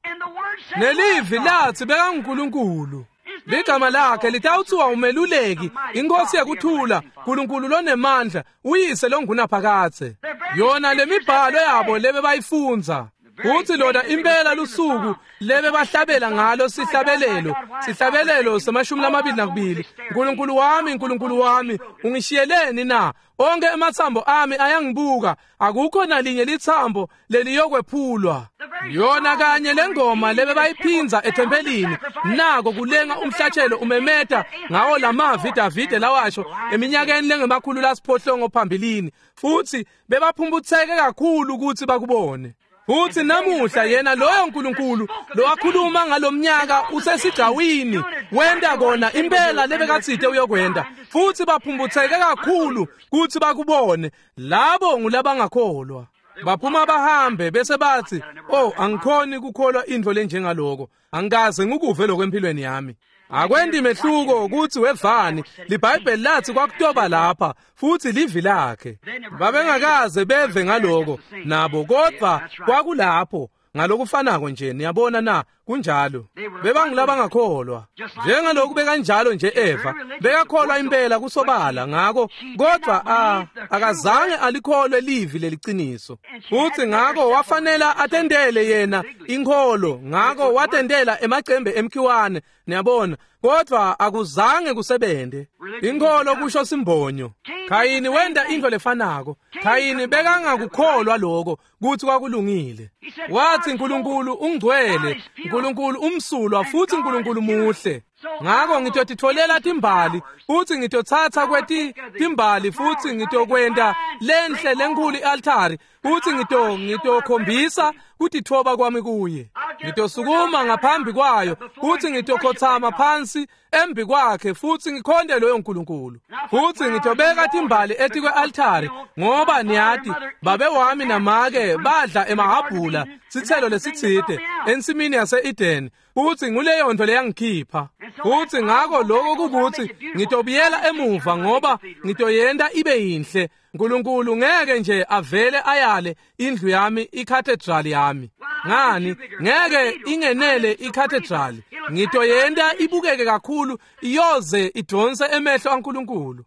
Nelivi lathi bekanguNkulunkulu. Ligama lakhe litawuthiwa umeluleki, inkosi yekuthula, uNkulunkulu lonemandla, uyise longunaphakadze. Yona lemibhalo yabo lebe bayifundza. Kuthi lona impela lusuku lebe bahlabela ngalo sihlabelelo, sihlabelelo semashumi lamabili nakubili. Nkulunkulu wami, Nkulunkulu wami, ungishiyeleni na? Onke ematsambo ami ayangibuka, akukho nalinye litsambo leliyokwephulwa. Yona kanye lengoma lebe bayiphinza ethempelini, nako kulenga umhlatshelo umemeta ngawo lamavi Davide lawasho eminyakeni lengemakhulu lasiphohlongo phambilini, futhi bebaphumputseke kakhulu ukuthi bakubone. Futhi namuhla yena loyo uNkulunkulu lowakhuluma ngalomnyaka usesigcawini wenda kona impela lebekatsite uyokwenda, futhi baphumputseke kakhulu kuthi bakubone. Labo ngulabangakholwa. Baphuma bahambe bese bathi, "Oh, angikhoni kukholwa intfo lenjengaloko. Angikaze ngikuve lokho empilweni yami." Akwendi mehluko ukuthi wevani, liBhayibheli lathi kwakutoba lapha futhi livi lakhe. Babengakaze beve ngaloko nabo, kodwa kwakulapho ngalokufanako nje. Niyabona na? Kunjalo. Bebangilabangakholwa njengaloku bekanjalo nje Eva bekakholwa impela kusobala ngako, kodwa a akazange alikholwe livi leliciniso. Futhi ngako wafanela atendele yena inkholo, ngako watendela emacembe emkhiwane. Niyabona, kodwa akuzange kusebente. Inkholo kusho simbonyo. Khayini wenda into lefanako. Khayini bekangakukholwa lokho kuthi kwakulungile. Wathi uNkulunkulu ungcwele, uNkulunkulu umsulwa, futhi uNkulunkulu muhle. Ngako ngitotitfolela timbali futhi ngitothatha kweti timbali futhi ngitokwenta lenhle lenkhulu i-altari futhi ngito ngitokhombisa kutitfoba kwami kuye. Ngitosukuma ngaphambi kwayo futhi ngitokhothama phansi embi kwakhe futhi ngikhonde loyo uNkulunkulu. Futhi ngitobeka timbali etikwe-altari ngoba niyati babe wami namake badla emahabhula sitselo lesitsite ensimini yase-Eden, futhi nguleyo nto leyangikhipha. Futhi ngako lokho kukuthi ngitobuyela emuva ngoba ngitoyenta ibe yinhle. uNkulunkulu ngeke nje avele ayale indlu yami, icathedral yami. Ngani? Ngeke ingenele icathedral. Ngitoyenta ibukeke kakhulu iyoze idonse emehlo aNkulunkulu.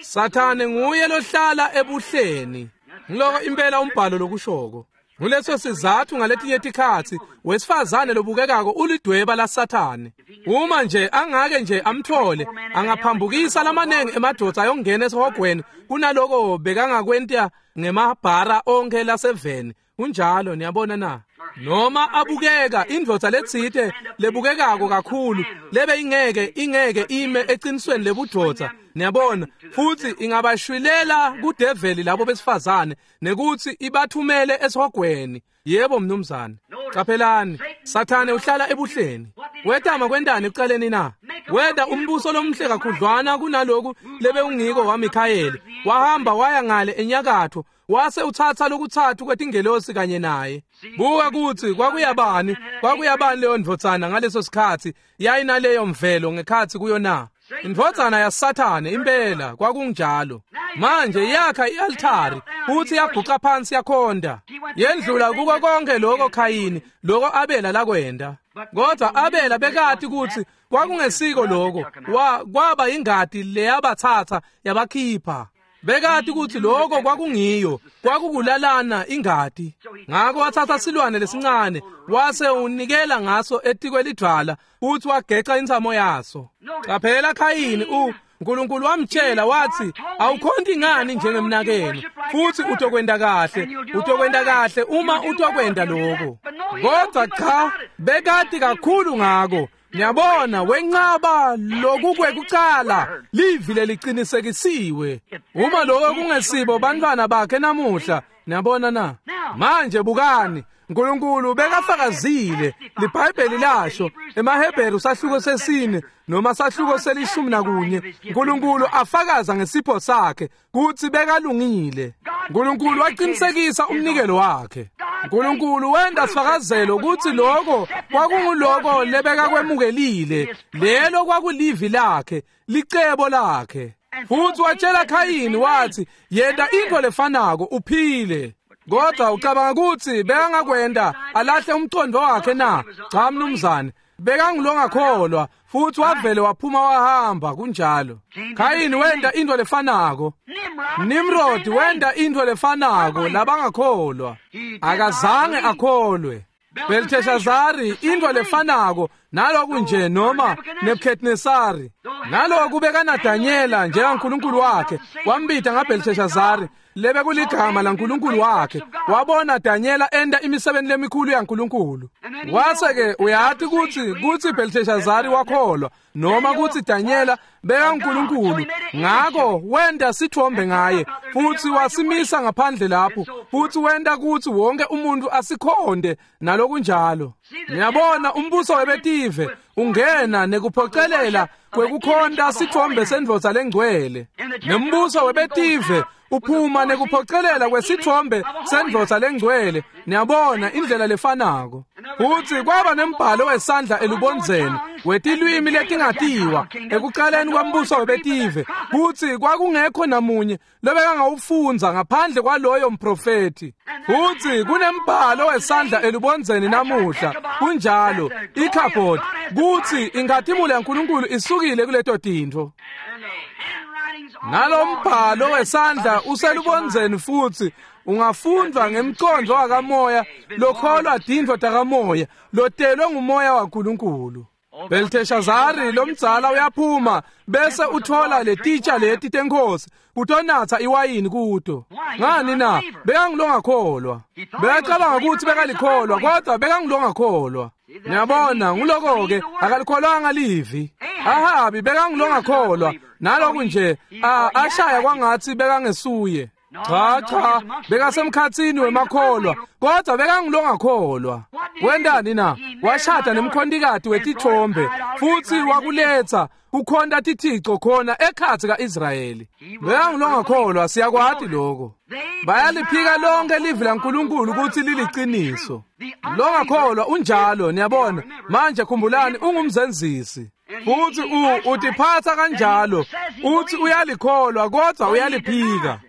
Sathane nguye lohlala ebuhleni. Ngiloko impela umbhalo lokushoko. Nguleso sizathu ngaletinye tikhatsi wesifazane lobukekako ulidweba laSathane. Uma nje angake nje amthole angaphambukisa lamanengi emadvodza ayongena esihogweni kunaloko bekangakwenta ngemabhara onke laseveni. Kunjalo, niyabona na? Noma abukeka indvodza letsite lebukekako kakhulu lebe ingeke ingeke ime eqinisweni lebudvodza, niyabona, futhi ingabashwilela kudeveli labo besifazane nekuthi ibathumele esihogweni. Yebo mnumzane. Caphelani, Sathane uhlala ebuhleni. Wetama kwentani ekucaleni na? Wenda umbuso lomhle kakhudlwana kunaloku lebewungiko waMikhayeli. Wahamba waya ngale enyakatho, wase uthatha lokutsatfu kwetingelosi kanye naye. Buka kutsi kwakuyabani, kwakuyabani leyo ndvodzana ngaleso sikhatsi yayinaleyo mvelo ngekhatsi kuyo na? Indvodzana yaSathane impela kwakunjalo. Manje yakha i-altari futhi yaguqa phansi yakhonda. Yendlula kuko konke lokho Khayini, lokho Abela lakwenda. Kodwa Abela bekati kutsi kwakungesiko lokho, kwaba ingati leyabathatha yabakhipha. Bekati kutsi lokho kwakungiyo, kwakukulalana ingati. Ngako wathatha silwane lesincane wase unikela ngaso etikwelidvwala futhi wageca intsamo yaso. Qaphela Khayini, u uNkulunkulu wamtshela wathi, awukhonti ngani njengemnakenu, futhi utokwenda kahle, utokwenda kahle uma utokwenda lokho. Kodwa cha, bekati kakhulu ngako. Niyabona, wenqaba lokukwekucala, livi lelicinisekisiwe. Uma lokho kungesibo bantwana bakhe namuhla, niyabona na? Manje bukani, uNkulunkulu bekafakazile, liBhayibheli lasho emaHebheru sahluko sesine noma sahluko selishumi nakunye, uNkulunkulu afakaza ngesipho sakhe kutsi bekalungile. uNkulunkulu waqinisekisa umnikelo wakhe. uNkulunkulu wenda sifakazelo kutsi lokho kwakunguloko lebekakwemukelile, lelo kwakulivi lakhe, licebo lakhe. Futhi watshela Khayini wathi, yenta into lefanako uphile. Kodwa ucabanga kutsi bekangakwenda alahle umcondo wakhe na? Cha mnumzane, bekangulongakholwa futhi wavele waphuma wahamba kunjalo. Khayini wenda into lefanako. Nimrod wenda into lefanako, labangakholwa. Akazange akholwe. Belteshazari into lefanako naloku nje, noma Nebuchadnezzari. Naloku bekana Danyela njengaNkulunkulu wakhe, wambita ngaBelteshazari, lebe kuligama laNkulunkulu wakhe. Wabona Danyela enda imisebenzi lemikhulu yaNkulunkulu. Wase ke uyati kutsi kutsi Belteshazari wakholwa noma kutsi Danyela bekaNkulunkulu. Ngako wenda sithombe ngaye futhi wasimisa ngaphandle lapho, futhi wenda kutsi wonke umuntu asikhonde nalokunjalo. Niyabona, umbuso webetive ungena nekuphocelela kwekukhonta sithombe sendvodza lengcwele, nembuso webetive uphuma nekuphocelela kwesithombe sendvodza lengcwele. Niyabona indlela lefanako. Futhi kwaba nembhalo wesandla elubondzeni wetilwimi letingatiwa ekuqaleni kwembuso webetive, kutsi kwakungekho namunye lobekangawufundza ngaphandle kwaloyo mprofethi. Futhi kunembhalo wesandla elubondzeni namuhla, kunjalo, ikhabhodi, kutsi inkhatimulo yaNkulunkulu isukile kuleto tintfo. Nalombhalo wesandla uselubondzeni futhi ungafundwa ngemcondvo wakamoya lokholwa tintfo takamoya, lotelwe ngumoya waNkulunkulu. Belteshazari lomdzala uyaphuma bese uthola letitsha leti tenkosi utonatsa iwayini kuto. Ngani na? Bekangilongakholwa. Bekacabanga kutsi bekalikholwa, kodwa bekangilongakholwa. Niyabona, nguloko-ke akalikholwanga livi. Ahabi bekangilongakholwa, naloku nje ashaya kwangatsi bekangesuye. Cha cha, bekasemkhatsini wemakholwa, kodwa bekangilongakholwa. Wendani na? Washada nemkhontikati wetithombe futhi wakuletha kukhonta tithico khona ekhatsi kaIsrayeli. Bekangilongakholwa, siyakwati lokho. Bayaliphika lonke livi laNkulunkulu kutsi liliciniso. Longakholwa unjalo, niyabona. Manje khumbulani, ungumzenzisi. Futhi u utiphatha kanjalo, uthi uyalikholwa kodwa uyaliphika.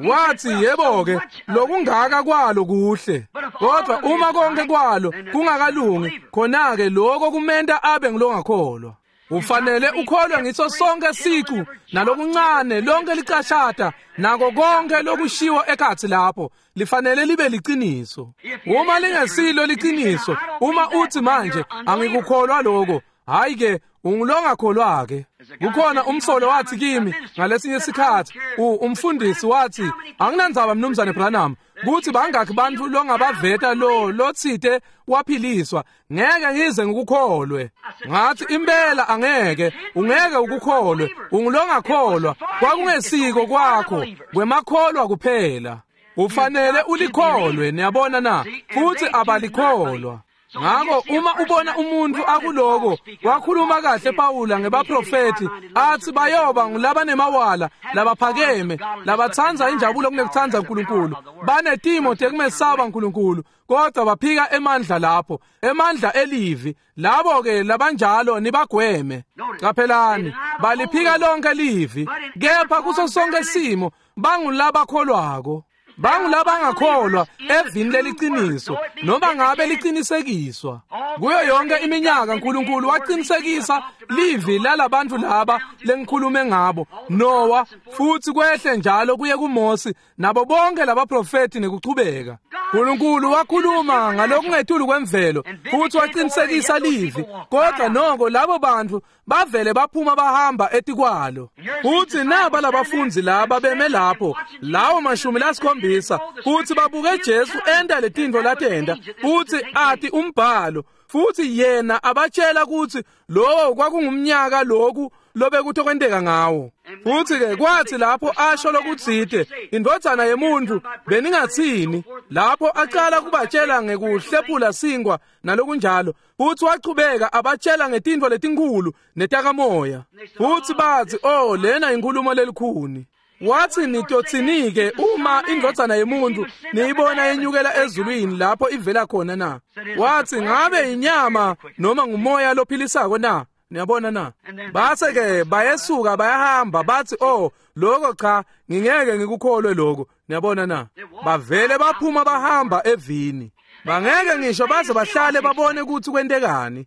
Wathi yebo-ke lokungaka kwalo kuhle, kodwa uma konke kwalo kungakalungi, khona-ke lokho kumenta abe ngilongakholwa. Ufanele ukholwe ngiso sonke sicu nalokuncane, lonke licashata nako konke lokushiwo ekhatsi lapho lifanele libe liciniso. Uma lingesilo liciniso, uma uthi manje angikukholwa lokho, hayi ke ungulongakholwa-ke. Kukhona umsolo wathi kimi ngalesinye isikhathi, umfundisi wathi, anginandzaba mnumzane Branham kuthi bangakhi bantfu longabaveta lo lotsite waphiliswa, ngeke ngize ngikukholwe. Ngathi impela angeke, ungeke ukukholwe, ungulongakholwa. Kwakungesiko kwakho, kwemakholwa kuphela. Ufanele ulikholwe, niyabona na? Futhi abalikholwa. Ngako uma ubona umuntu akuloko, wakhuluma kahle Pawula ngebaprofeti athi bayoba ngulabanemawala, labaphakeme, labatsandza injabulo kunekutsandza uNkulunkulu, banetimo tekumesaba uNkulunkulu, kodwa baphika emandla lapho, emandla elivi. Labo ke labanjalo nibagweme. Qaphelani, baliphika lonke livi, kepha kuso sonke simo bangulabakholwako. Bangulabangakholwa evini leliciniso, noma ngabe licinisekiswa. Kuyo yonke iminyaka uNkulunkulu waqinisekisa livi lalabantu laba lengikhulume ngabo, Noah, futhi kwehle njalo kuye kuMose nabo bonke labaprofeti nekuchubeka. uNkulunkulu wakhuluma ngalokungetulu kwemvelo futhi waqinisekisa livi, kodwa noko labo bantu bavele baphuma bahamba etikwalo. Futhi naba labafundi laba beme lapho, lawo mashumi lasikhombisa, futhi babuke Jesu enta letintfo latenta, futhi ati umbhalo, futhi yena abatshela ukuthi lowo kwakungumnyaka loku lobekutokwenteka ngawo. Futhi ke kwathi lapho asho lokutsite indvodzana yemuntu beningatsini, lapho aqala kubatshela ngekuhlephula sinkwa nalokunjalo, futhi wachubeka abatshela ngetintfo letinkhulu netakamoya. Futhi bathi, oh, lena inkhulumo lelikhuni. Wathi, nitotsinike uma indvodzana yemuntu niyibona yenyukela ezulwini lapho ivela khona na? Wathi, ngabe inyama noma ngumoya lophilisako na? Niyabona na? Base ke bayesuka bayahamba bathi, oh, lokho cha, ngingeke ngikukholwe lokho. Niyabona na? Bavele baphuma bahamba evini. Bangeke ngisho baze bahlale babone ukuthi kwentekani.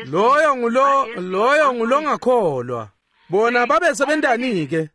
Loyo ngulo loyo ngulongakholwa. Bona babesebentani ke?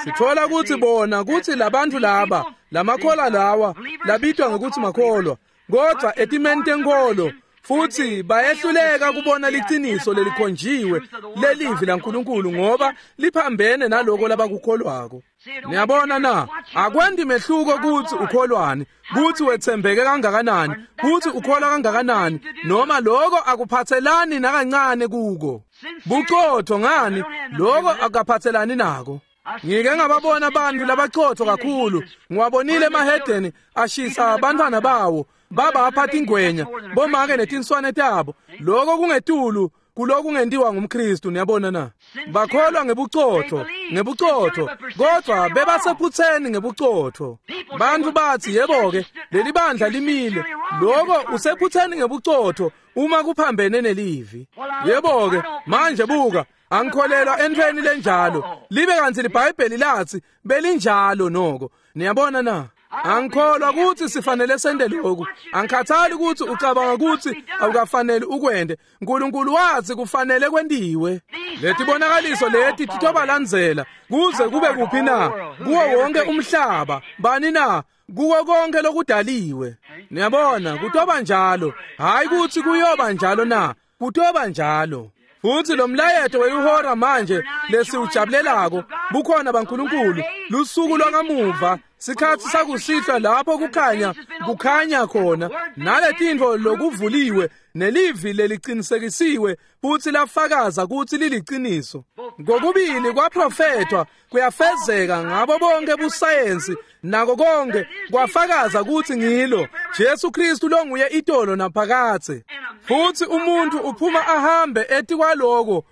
Sithola ukuthi bona ukuthi labantu laba, lamakholwa lawa, labitwa ngokuthi makholwa, kodwa etimeni tenkolo, futhi bayehluleka kubona liciniso lelikhonjiwe lelivi laNkulunkulu ngoba liphambene naloko labakukholwako. Niyabona na? Akwendi mehluko ukuthi ukholwani, ukuthi wethembeke kangakanani, ukuthi ukholwa kangakanani, noma lokho akuphathelani nakancane kuko. Buqotho ngani, lokho akaphathelani nako. Ngike ngababona abantu labaqotho kakhulu, ngiwabonile emahedeni ashisa abantwana bawo, baba aphatha ingwenya, bomake netinswane tabo. Lokho kungetulu kulokungentiwa ngumKristu. Niyabona na? Bakholwa ngebuqotho, ngebuqotho, kodwa bebasephutheni ngebuqotho. Bantu bathi, yebo ke, leli bandla limile. Lokho usephutheni ngebuqotho uma kuphambene nelivi. Yebo ke, manje buka, angikholelwa entweni lenjalo. Libe kanti liBhayibheli lathi belinjalo noko. Niyabona na? Angikholwa ukuthi sifanele sende lokhu. Angikhathali ukuthi ucabanga ukuthi awukafanele ukwende. uNkulunkulu wathi kufanele kwentiwe. Letibonakaliso leti titobalandzela kuze kube kuphi na? Kuwo wonke umhlaba. Bani na? Kuwo konke lokudaliwe. Niyabona, kutoba njalo. Hayi ukuthi kuyoba njalo na? Kutoba njalo. Futhi lo mlayeto welihora manje lesiwujabulelako bukhona baNkulunkulu, lusuku lwakamuva, sikhathi sakusihlwa lapho kukhanya kukhanya khona, naletintfo lokuvuliwe nelivi lelicinisekisiwe futhi lafakaza ukuthi liliciniso. Ngokubili kwaprofethwa kuyafezeka ngabo bonke busayensi nako konke kwafakaza ukuthi ngilo Jesu Kristu longuye itolo naphakathe. Futhi umuntu uphuma ahambe etikwaloko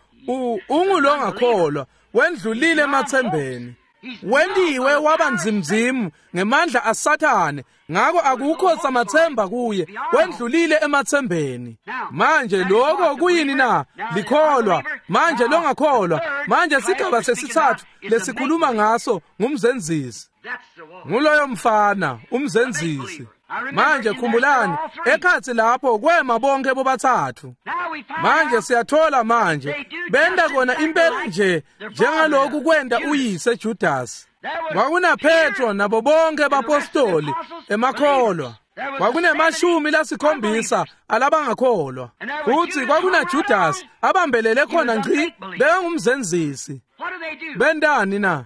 ungulongakholwa, wendlulile emathembeni, wentiwe waba nzimzimu ngemandla asathane, ngako akukho samathemba kuye, wendlulile emathembeni. Manje lokho kuyini na? Likholwa. Manje longakholwa. Manje sigaba sesithathu lesikhuluma ngaso ngumzenzisi. Nguloyo mfana umzenzisi. Manje khumbulani, ekhathi lapho kwema bonke bobathathu. Manje siyathola manje benda kona impela nje njengalokhu kwenda uyise Judas. Kwakuna Petro nabo bonke bapostoli emakholwa. Kwakunemashumi lasikhombisa alabangakholwa. Futhi kwakuna Judas abambelele khona ngci, bekangumzenzisi. Bendani na?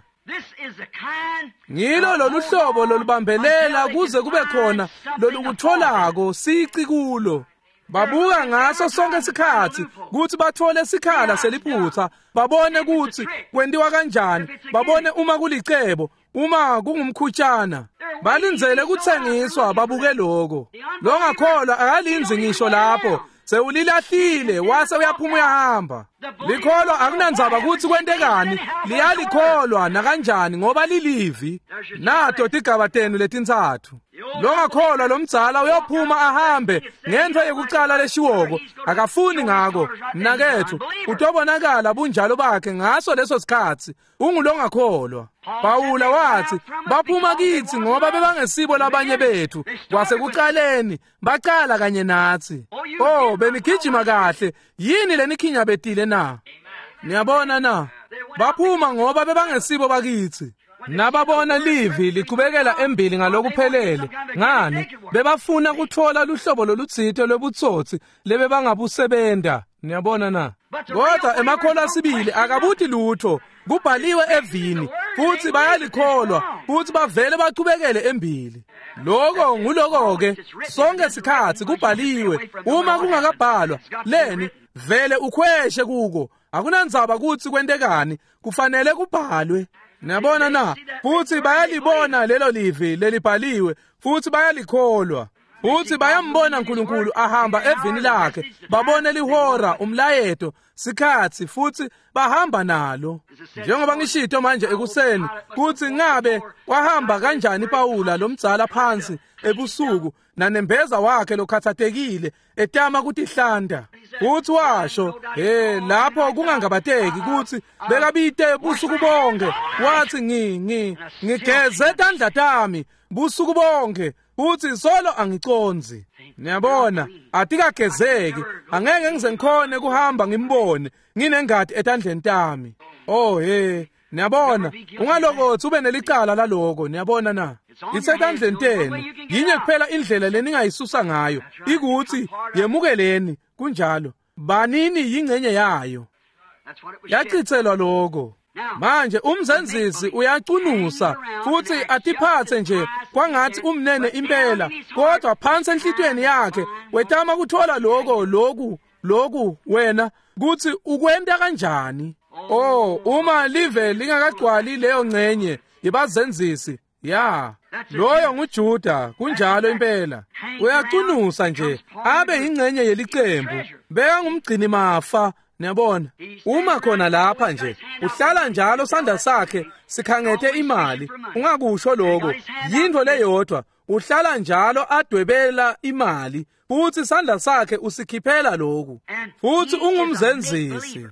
Ngilo lolu hlobo lolubambelela kuze kube khona lolukutholako sici kulo. Babuka ngaso sonke isikhathi ukuthi bathole isikhala seliphutha, babone ukuthi kwentiwa kanjani, babone uma kulicebo, Uma kungumkhutshana, balindzele kutsengiswa babuke lokho. Longakholwa akalindzi ngisho lapho. Sewulilahlile wase uyaphuma uyahamba. Likholwa akunandzaba kutsi kwentekani, liyalikholwa nakanjani ngoba lilivi. Nato tigaba tenu letintsatfu. Longakholwa lomdzala uyophuma ahambe ngentfo yekucala leshiwoko, akafuni ngako. Mnaketfu, utobonakala bunjalo bakhe ngaso leso sikhatsi. Ungulongakholwa. Pawula watsi baphuma kitsi ngoba bebangesibo labanye bethu. Kwasekucaleni bacala kanye natsi. Oh, benigijima kahle. Yini lenikhinyabetile na? Niyabona na? Baphuma ngoba bebangesibo bakitsi. Nababona livi lichubekela embili ngalokuphelele. Ngani? Bebafuna kutfola luhlobo lolutsite lwebutsotsi lebebangabusebenta. Niyabona na? Kodwa emakholwa sibili akabuti lutho. Kubhaliwe evini futsi bayalikholwa futsi bavele bachubekele embili. Lokho nguloko ke sonke sikhatsi kubhaliwe. Uma kungakabhalwa leni vele ukhweshe kuko. Akunandzaba kutsi kwentekani, kufanele kubhalwe. Niyabona na? Futsi bayalibona lelo livi lelibhaliwe futsi bayalikholwa. Futsi bayambona uNkulunkulu ahamba evini lakhe, babone lihora, umlayeto, sikhatsi futsi bahamba nalo. Njengoba ngishito manje ekuseni kutsi ngabe wahamba kanjani Pawula lomdzala phansi ebusuku nanembeza wakhe lokhathatekile etama kutihlanta. Futsi washo, hey, lapho kungangabateki kutsi bekabite busuku bonke. Wathi ngi ngi ngigeze tandla tami busuku bonke futsi solo angicondzi. Niyabona, atikagezeki, angeke ngize ngikhone kuhamba ngimbone nginengati etandleni tami. Oh hey, niyabona, ungalokotsi ube nelicala laloko. Niyabona na? Isetandleni tenu. Yinye kuphela indlela leningayisusa ngayo, ikutsi yemukeleni. Kunjalo, banini yingcenye yayo. Yachitselwa lokho. Manje umzenzisi uyacunusa futsi atiphatse nje kwangathi umnene impela, kodwa phansi enhlitiyweni yakhe wetama kuthola lokho loku loku wena kutsi ukwenta kanjani. Oh, uma live lingakagcwali leyo ngcenye yebazenzisi, ya loyo nguJuda. Kunjalo impela, uyacunusa nje abe yingcenye yelicembu, beka ngumgcini mafa. Niyabona, uma khona lapha nje uhlala njalo sandla sakhe sikhangete imali. Ungakusho lokho, yintfo leyodwa, uhlala njalo adwebela imali futsi sandla sakhe usikhiphela lokhu. Futsi ungumzenzisi,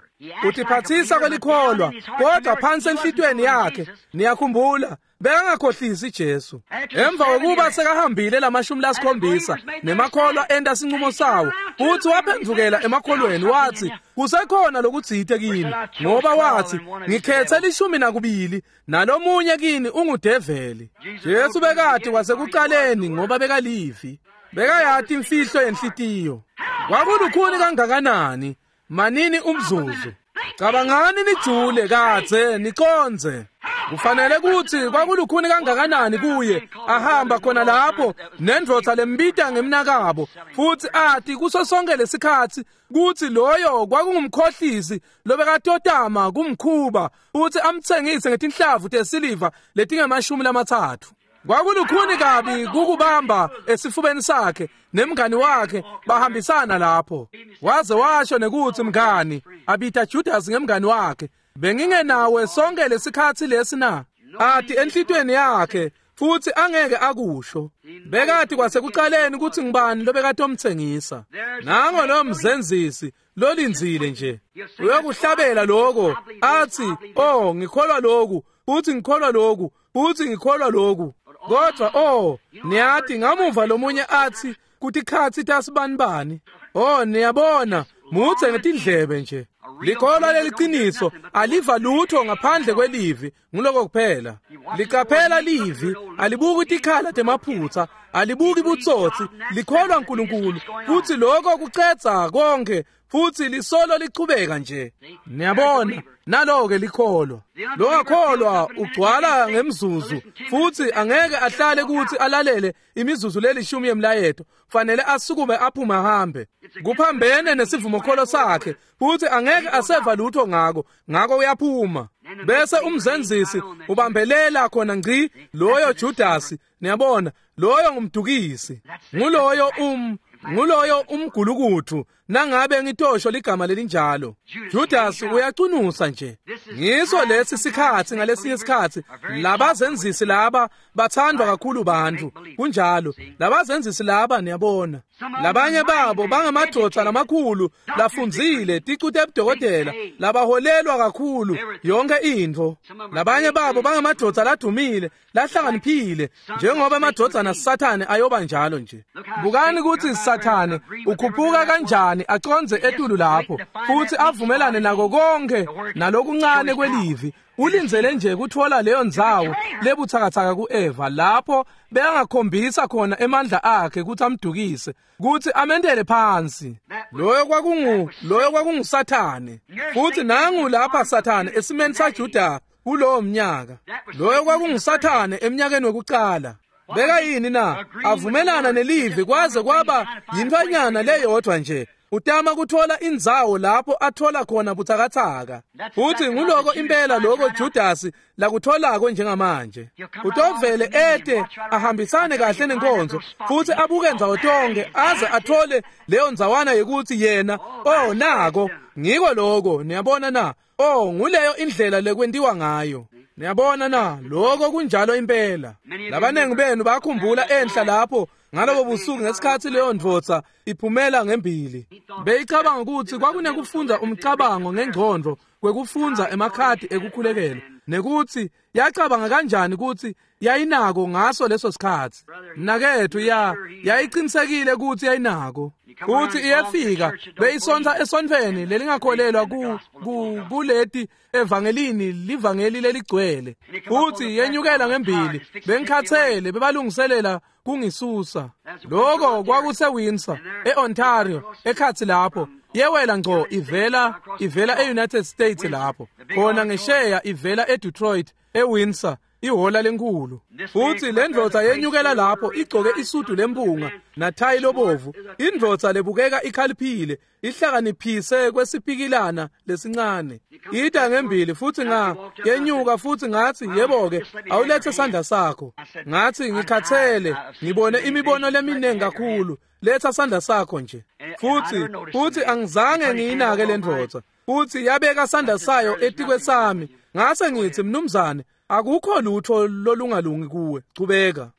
utiphatsisa kwelikholwa, kodwa phansi enhlitiyweni yakhe, niyakhumbula, bekangakhohlisi Jesu. Emva kokuba sekahambile lamashumi lasikhombisa nemakholwa enta sinqumo sawo, futsi waphendvukela emakholweni wathi kusekhona lokutsite kini, ngoba wathi ngikhethe lishumi nakubili nalomunye kini ungudeveli. Jesu bekati kwasekucaleni ngoba bekalivi, bekayati imfihlo yenhlitiyo. Kwakulukhuni kangakanani? Manini umzuzu, cabangani nijule kadze niconze. Kufanele kutsi kwakulukhuni kangakanani kuye ahamba khona lapho nendvodza lembita ngemnakabo, futsi ati kuso sonke lesikhatsi kutsi loyo kwakungumkhohlisi lobekatotama kumkhuba futsi amtsengise ngetinhlavu tesiliva letingemashumi lamatsatfu. Kwakulukhuni kabi kukubamba esifubeni sakhe nemngani wakhe bahambisana lapho. Waze washo nekutsi mngani, abita Judas ngemngani wakhe, bengingenawe sonke lesikhatsi lesi na? Ati enhlitiyweni yakhe futsi angeke akusho. Bekati kwasekucaleni kutsi ngibani lobekatomtsengisa. Nango lo mzenzisi lolindzile nje uyokuhlabela lokho athi, oh ngikholwa lokhu futhi ngikholwa lokhu futhi ngikholwa lokhu. Kodwa oh, niyati ngamuva lomunye athi kutikhatsi tasibanibani. Oh, niyabona, mutse ngetindlebe nje. Likholwa leliciniso aliva lutho ngaphandle kwelivi, nguloko kuphela. Liqaphela livi, alibuki tikhala temaphutsa, Alibuki butsotsi, likholwa uNkulunkulu, futhi lokho kucedza konke, futhi lisolo lichubeka nje. Niyabona, nalo-ke likholwa. Longakholwa ugcwala ngemzuzu, futhi angeke ahlale kuthi alalele imizuzu lelishumi yemlayeto. Fanele asukume aphume ahambe. Kuphambene nesivumokholo sakhe, futhi angeke aseva lutho ngako, ngako uyaphuma. Bese umzenzisi ubambelela khona ngci loyo Judasi. Niyabona, loyo ngumdukisi, nguloyo um nguloyo umgulukuthu, nangabe ngitosho ligama lelinjalo. Judas uyacunusa nje. Ngiso lesi sikhathi, ngalesinye isikhathi labazenzisi laba bathandwa kakhulu bantu. Kunjalo, labazenzisi laba, niyabona, labanye babo bangamadvodza lamakhulu lafundzile, ticu tebudokotela, labaholelwa kakhulu yonke intfo. Labanye babo bangamadvodza ladumile, lahlakaniphile, njengoba amadvodzana Sathane ayoba njalo nje. Bukani kutsi Sathane ukhuphuka kanjani aconze etulu lapho, futhi avumelane nako konke nalokuncane kwelivi. Ulindzele nje kutfola leyo ndzawo lebutsakatsaka ku-Eva, lapho bekangakhombisa khona emandla akhe kutsi amdukise, kutsi amentele phansi. Loyo kwakungu loyo kwakunguSathane. Futhi nangu lapha Sathane esimeni saJuda kulowo mnyaka. Loyo kwakunguSathane eminyakeni wekucala. Beka yini na? Avumelana nelivi kwaze kwaba yintfwanyana leyodvwa nje. Utama kuthola indzawo lapho athola khona butsakatsaka. Futhi nguloko impela loko Judas lakutholako njengamanje. Utovele ete ahambisane kahle nenkonzo, futhi abuke ndzawo tonke aze athole leyo ndzawana yekuthi yena, oh nako, ngiko loko, niyabona na? Oh, nguleyo indlela lekwentiwa ngayo. Niyabona na? Lokho kunjalo impela. Labanengi benu bakhumbula enhla lapho ngalobo busuku ngesikhathi leyo ndvodza iphumela ngembili. Beyicabanga ukuthi kwakunekufundza umcabango ngengcondvo kwekufundza emakhadi ekukhulekela, nekuthi yacabanga kanjani ukuthi yayinako ngaso leso sikhathi. Mnaketfu, ya yayiqinisekile ukuthi yayinako. Futhi iyefika beyisontsa esontfweni lelingakholelwa ku kuleti evangelini, livangeli leligcwele. Futhi yenyukela ngembili, bengikhathele, bebalungiselela kungisusa. Lokho kwakuse Windsor, eOntario, ekhathi lapho. Yewela ngco ivela ivela eUnited States lapho. Khona ngesheya ivela eDetroit, eWindsor, ihola lenkulu. Futhi le ndvodza yenyukela lapho igcoke isudu lempunga nathayi lobovu. Indvodza lebukeka ikhaliphile, ihlakaniphise kwesipikilana lesincane. Ida ngembili futhi nga yenyuka futhi ngathi, yebo-ke, awulethe sandla sakho. Ngathi, ngikhathele, ngibone imibono leminingi kakhulu. Letha sandla sakho nje. Futhi futhi angizange ngiyinake le ndvodza. Futhi yabeka sandla sayo etikwesami. Ngase ngithi, mnumzane, akukho lutho lolungalungi kuwe, chubeka.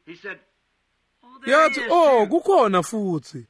Yathi, oh, kukhona futhi.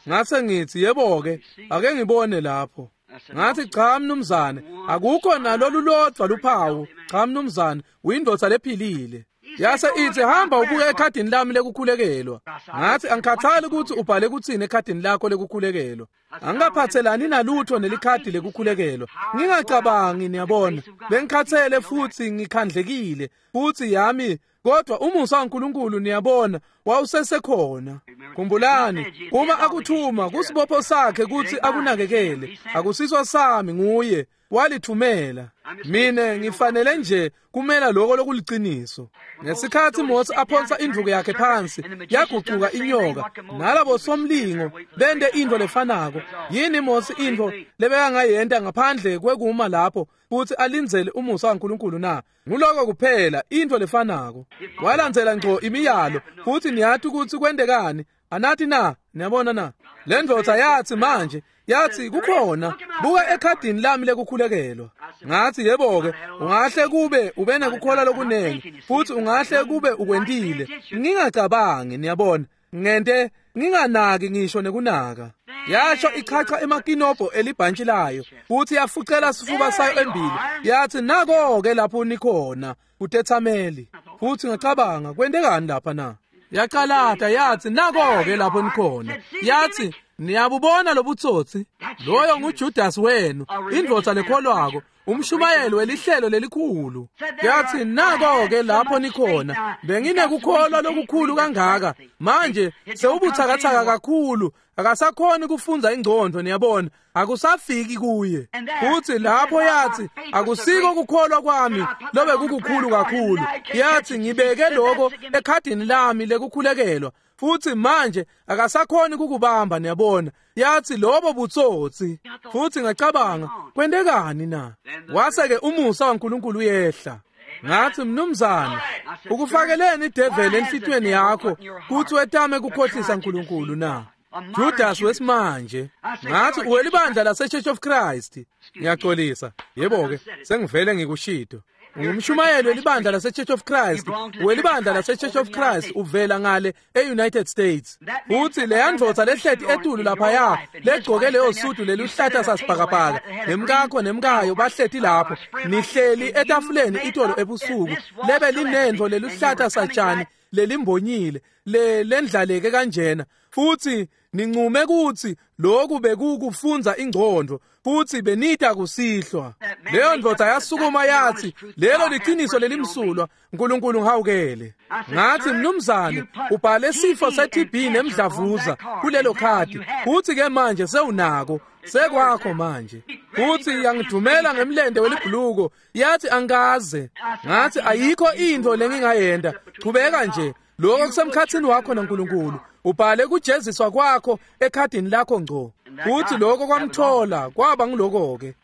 Ngase ngithi, yebo-ke, ake ngibone lapho. Ngathi, cha mnumzane, akukho nalolu lodvwa luphawu. Cha mnumzane, uyindvodza lephilile. Yase ithi, hamba ubuke ekhadini lami lekukhulekelwa. Ngathi, angikhathali ukuthi ubhale kuthini ekhadini lakho lekukhulekelwa. Angikaphathelani nalutho nelikhadi lekukhulekelwa. Ngingacabangi, niyabona. Bengikhathele futhi ngikhandlekile, futhi yami, kodwa umusa waNkulunkulu, niyabona, wawusesekhona. Khumbulani, uma akuthuma kusibopho sakhe ukuthi akunakekele. Akusiso sami, nguye walithumela. Mina ngifanele nje kumela lokho lokuliciniso. Ngesikhathi Mose aphonsa indvuku yakhe phansi, yagucuka inyoka, nalabo somlingo bende into lefanako. Yini Mose into lebekangayenta ngaphandle kwekuma lapho futhi alindzele umusa waNkulunkulu na? Nguloko kuphela into lefanako. Walandzela ngco imiyalo, futhi niyathi ukuthi kwentekani. Anathi na? Niyabona na? Le ndvodza yathi manje, yathi kukhona, buka ekhadini lami lekukhulekelwa. Ngathi, yebo-ke, ungahle kube ube nekukholwa lokunengi, futhi ungahle kube ukwentile. Ngingacabangi, niyabona, ngente nginganaki ngisho nekunaka. Yasho ichacha emakinobho elibhantshi layo, futhi yafucela sifuba sayo embili. Yathi, nako-ke lapho nikhona, kutethameli. Futhi ngacabanga, kwentekani lapha na? Yacalata yathi, nako-ke lapho nikhona. Yathi, niyabubona lobutsotsi? Loyo nguJudas wenu, indvodza lekholwako, Umshumayeli welihlelo lelikhulu. Yathi nako-ke lapho nikhona, benginekukholwa lokukhulu kangaka. Manje sewubuthakathaka kakhulu, akasakhoni kufundza ingcondvo, niyabona, akusafiki kuye. Futhi lapho yathi akusiko kukholwa kwami lobe kukukhulu kakhulu. Yathi ngibeke lokho ekhadini lami lekukhulekelwa. Futhi manje akasakhoni kukubamba, niyabona. Yathi lobo butsotsi. Futhi ngacabanga, kwentekani na? Wase-ke umusa waNkulunkulu uyehla. Ngathi mnumzane, ukufakeleni ideveli enhlitiyweni yakho kuthi wetame kukhohlisa uNkulunkulu na? Judas wesimanje. Ngathi uwelibandla lase-Church of Christ. Ngiyaxolisa. Yebo-ke, sengivele ngikushito. Ungumshumayeli welibandla lase-Church of Christ. Welibandla lase-Church of Christ uvela ngale e-United States. Futhi leya ndvodza lehleti etulu laphaya legcoke leyo sudu leluhlata sasibhakabhaka nemkakho nemkayo bahleti lapho, nihleli etafuleni itolo ebusuku lebe linendvo leluhlata satshani lelimbonyile le lendlaleke kanjena, futhi nincume kuthi lokhu bekukufundza ingcondvo, futhi benita kusihlwa. Leyo ndvodza yasukuma yathi lelo liqiniso lelimsulwa, uNkulunkulu ngihawukele. Ngathi mnumzane, ubhale sifo se-T B nemdlavuza kulelo khadi, futhi ke manje sewunako, sekwakho manje. Futhi yangidumela ngemlente welibhuluko, yathi angikaze. Ngathi ayikho into lengingayenda, chubeka nje, lokho kusemkhathini wakho naNkulunkulu. Ubhale kujeziswa kwakho ekhadini lakho ngco. Futhi lokho kwamthola, kwaba ngiloko-ke.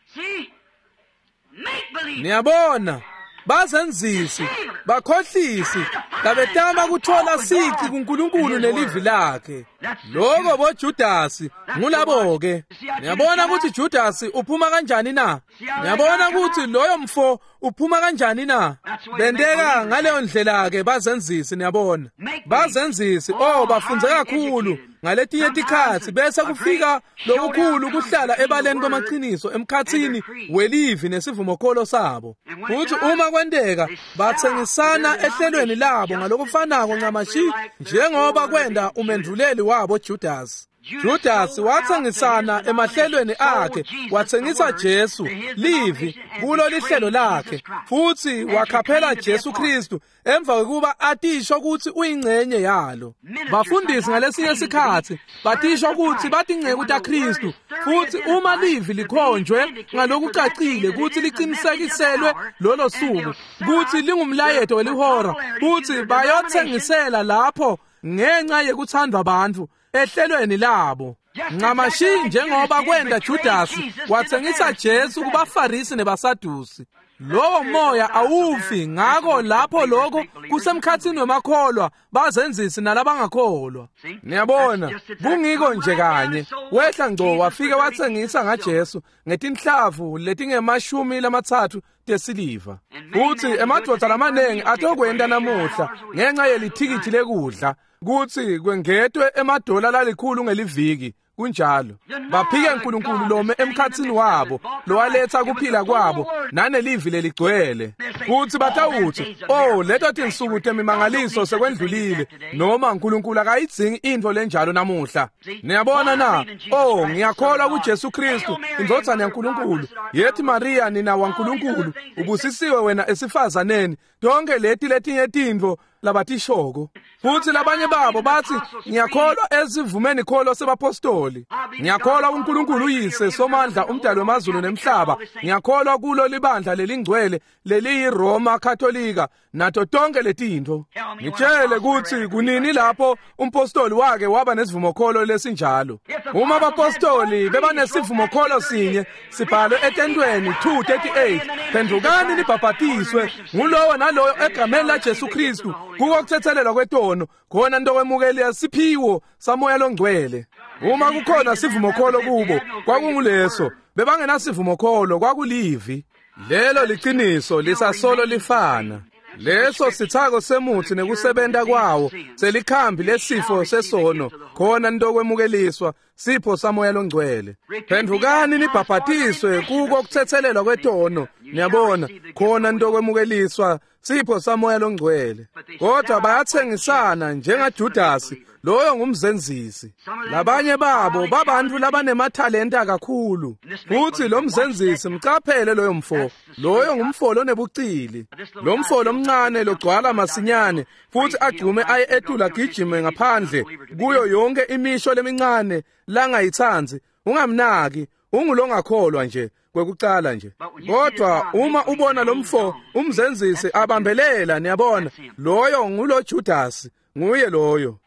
Niyabona, bazenzisi, bakhohlisi, labetama kuthola sici kuNkulunkulu nelivi lakhe. Lokho boJudasi ngulabo-ke. Niyabona ukuthi Judasi uphuma kanjani na? Niyabona ukuthi loyo mfo uphuma kanjani na? Benteka ngaleyo ndlela-ke bazenzisi, niyabona. Bazenzisi, oh, bafundze kakhulu ngaletinye tikhatsi, bese kufika lokukhulu kuhlala ebaleni kwamaqiniso emkhathini welivi nesivumokholo sabo. Futhi uma kwenteka bathengisana ehlelweni labo ngalokufanako ncamashi njengoba kwenda umendvuleli wabo Judas. Judas wathengisana emahlelweni akhe, wathengisa Jesu livi kulo lihlelo lakhe, futhi wakhaphela Jesu Kristu emva kokuba atisho ukuthi uyingcenye yalo. Bafundisi ngalesinye isikhathi batisho ukuthi batinceku taKristu, futhi uma livi likhonjwe ngalokucacile ukuthi liqinisekiselwe lolo suku ukuthi lingumlayeto welihora, futhi bayothengisela lapho ngenxa yekuthandwa abantu ehlelweni labo. Ncamashi njengoba kwenda Judas wathengisa Jesu kubaFarisi nebaSadusi. Lowo moya awufi, ngakho lapho lokho kusemkhathini wemakholwa bazenzisi nalabangakholwa. Niyabona, kungiko nje kanye. Wehla ngco wafike wathengisa ngaJesu ngetinhlavu letingemashumi lamatsatfu tesiliva. Futhi emadvodza lamaningi atokwenta namuhla ngenxa yelithikithi lekudla kuthi kwengetwe emadola lalikhulu ngeliviki. Kunjalo baphike uNkulunkulu lome emkhathini wabo lowaletha kuphila kwabo nanelivi leligcwele. Futhi batawuthi, oh, leto tinsuku temimangaliso sekwendlulile, noma uNkulunkulu akayidzingi into lenjalo namuhla. Niyabona na? Oh, ngiyakholwa kuJesu Kristu indvodzana yaNkulunkulu. Yethi Maria nina waNkulunkulu, ubusisiwe wena esifazaneni. Tonke leti letinye tintfo labatishoko. Futhi labanye babo bathi ngiyakholwa esivumeni kholo sebapostoli, ngiyakholwa uNkulunkulu uyise somandla umdali wemazulu nemhlaba, ngiyakholwa kulo libandla lelingcwele leliyiRoma Katolika nato tonke letintfo. Ngitshele ukuthi kunini lapho umpostoli wake waba nesivumokholo lesinjalo. Uma abapostoli bebanesivumokholo sinye sibhalwe etentweni two thirty-eight, phendukani nibhabhatiswe ngulowo naloyo egameni laJesu Kristu kuko kuthethelelwa kwetono, khona ntokwemukela siphiwo samoya longcwele. Uma kukhona sivumokholo kubo kwakunguleso, bebangenasivumokholo kwakulivi. Lelo liqiniso lisasolo lifana. Leso sithako semuthi nekusebenta kwawo selikhambi lesifo sesono, khona ntokwemukeliswa sipho samoya longcwele. Phendukani nibhabhatiswe kuko kuthethelelwa kwetono, niyabona, khona ntokwemukeliswa sipho samoya longcwele. Kodwa bayathengisana njengaJudasi Loyo ngumzenzisi. Labanye babo babantu labanemathalenta kakhulu. Futhi lo mzenzisi mcaphele loyo mfo. Loyo ngumfo lonebucili. Lo mfo lomncane logcwala masinyane futhi agcume aye etula gijime ngaphandle kuyo yonke imisho lemincane langayitsanzi. Ungamnaki, ungulongakholwa nje kwekucala nje. Kodwa uma ubona lo mfo umzenzisi abambelela, niyabona, loyo ngulo Judas, nguye loyo.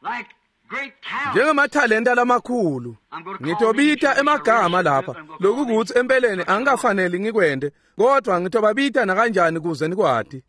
Njengamathalenta lamakhulu ngitobita emagama lapha lokukuthi empeleni angikafanele ngikwende, kodwa ngitobabita nakanjani kuze nikwati.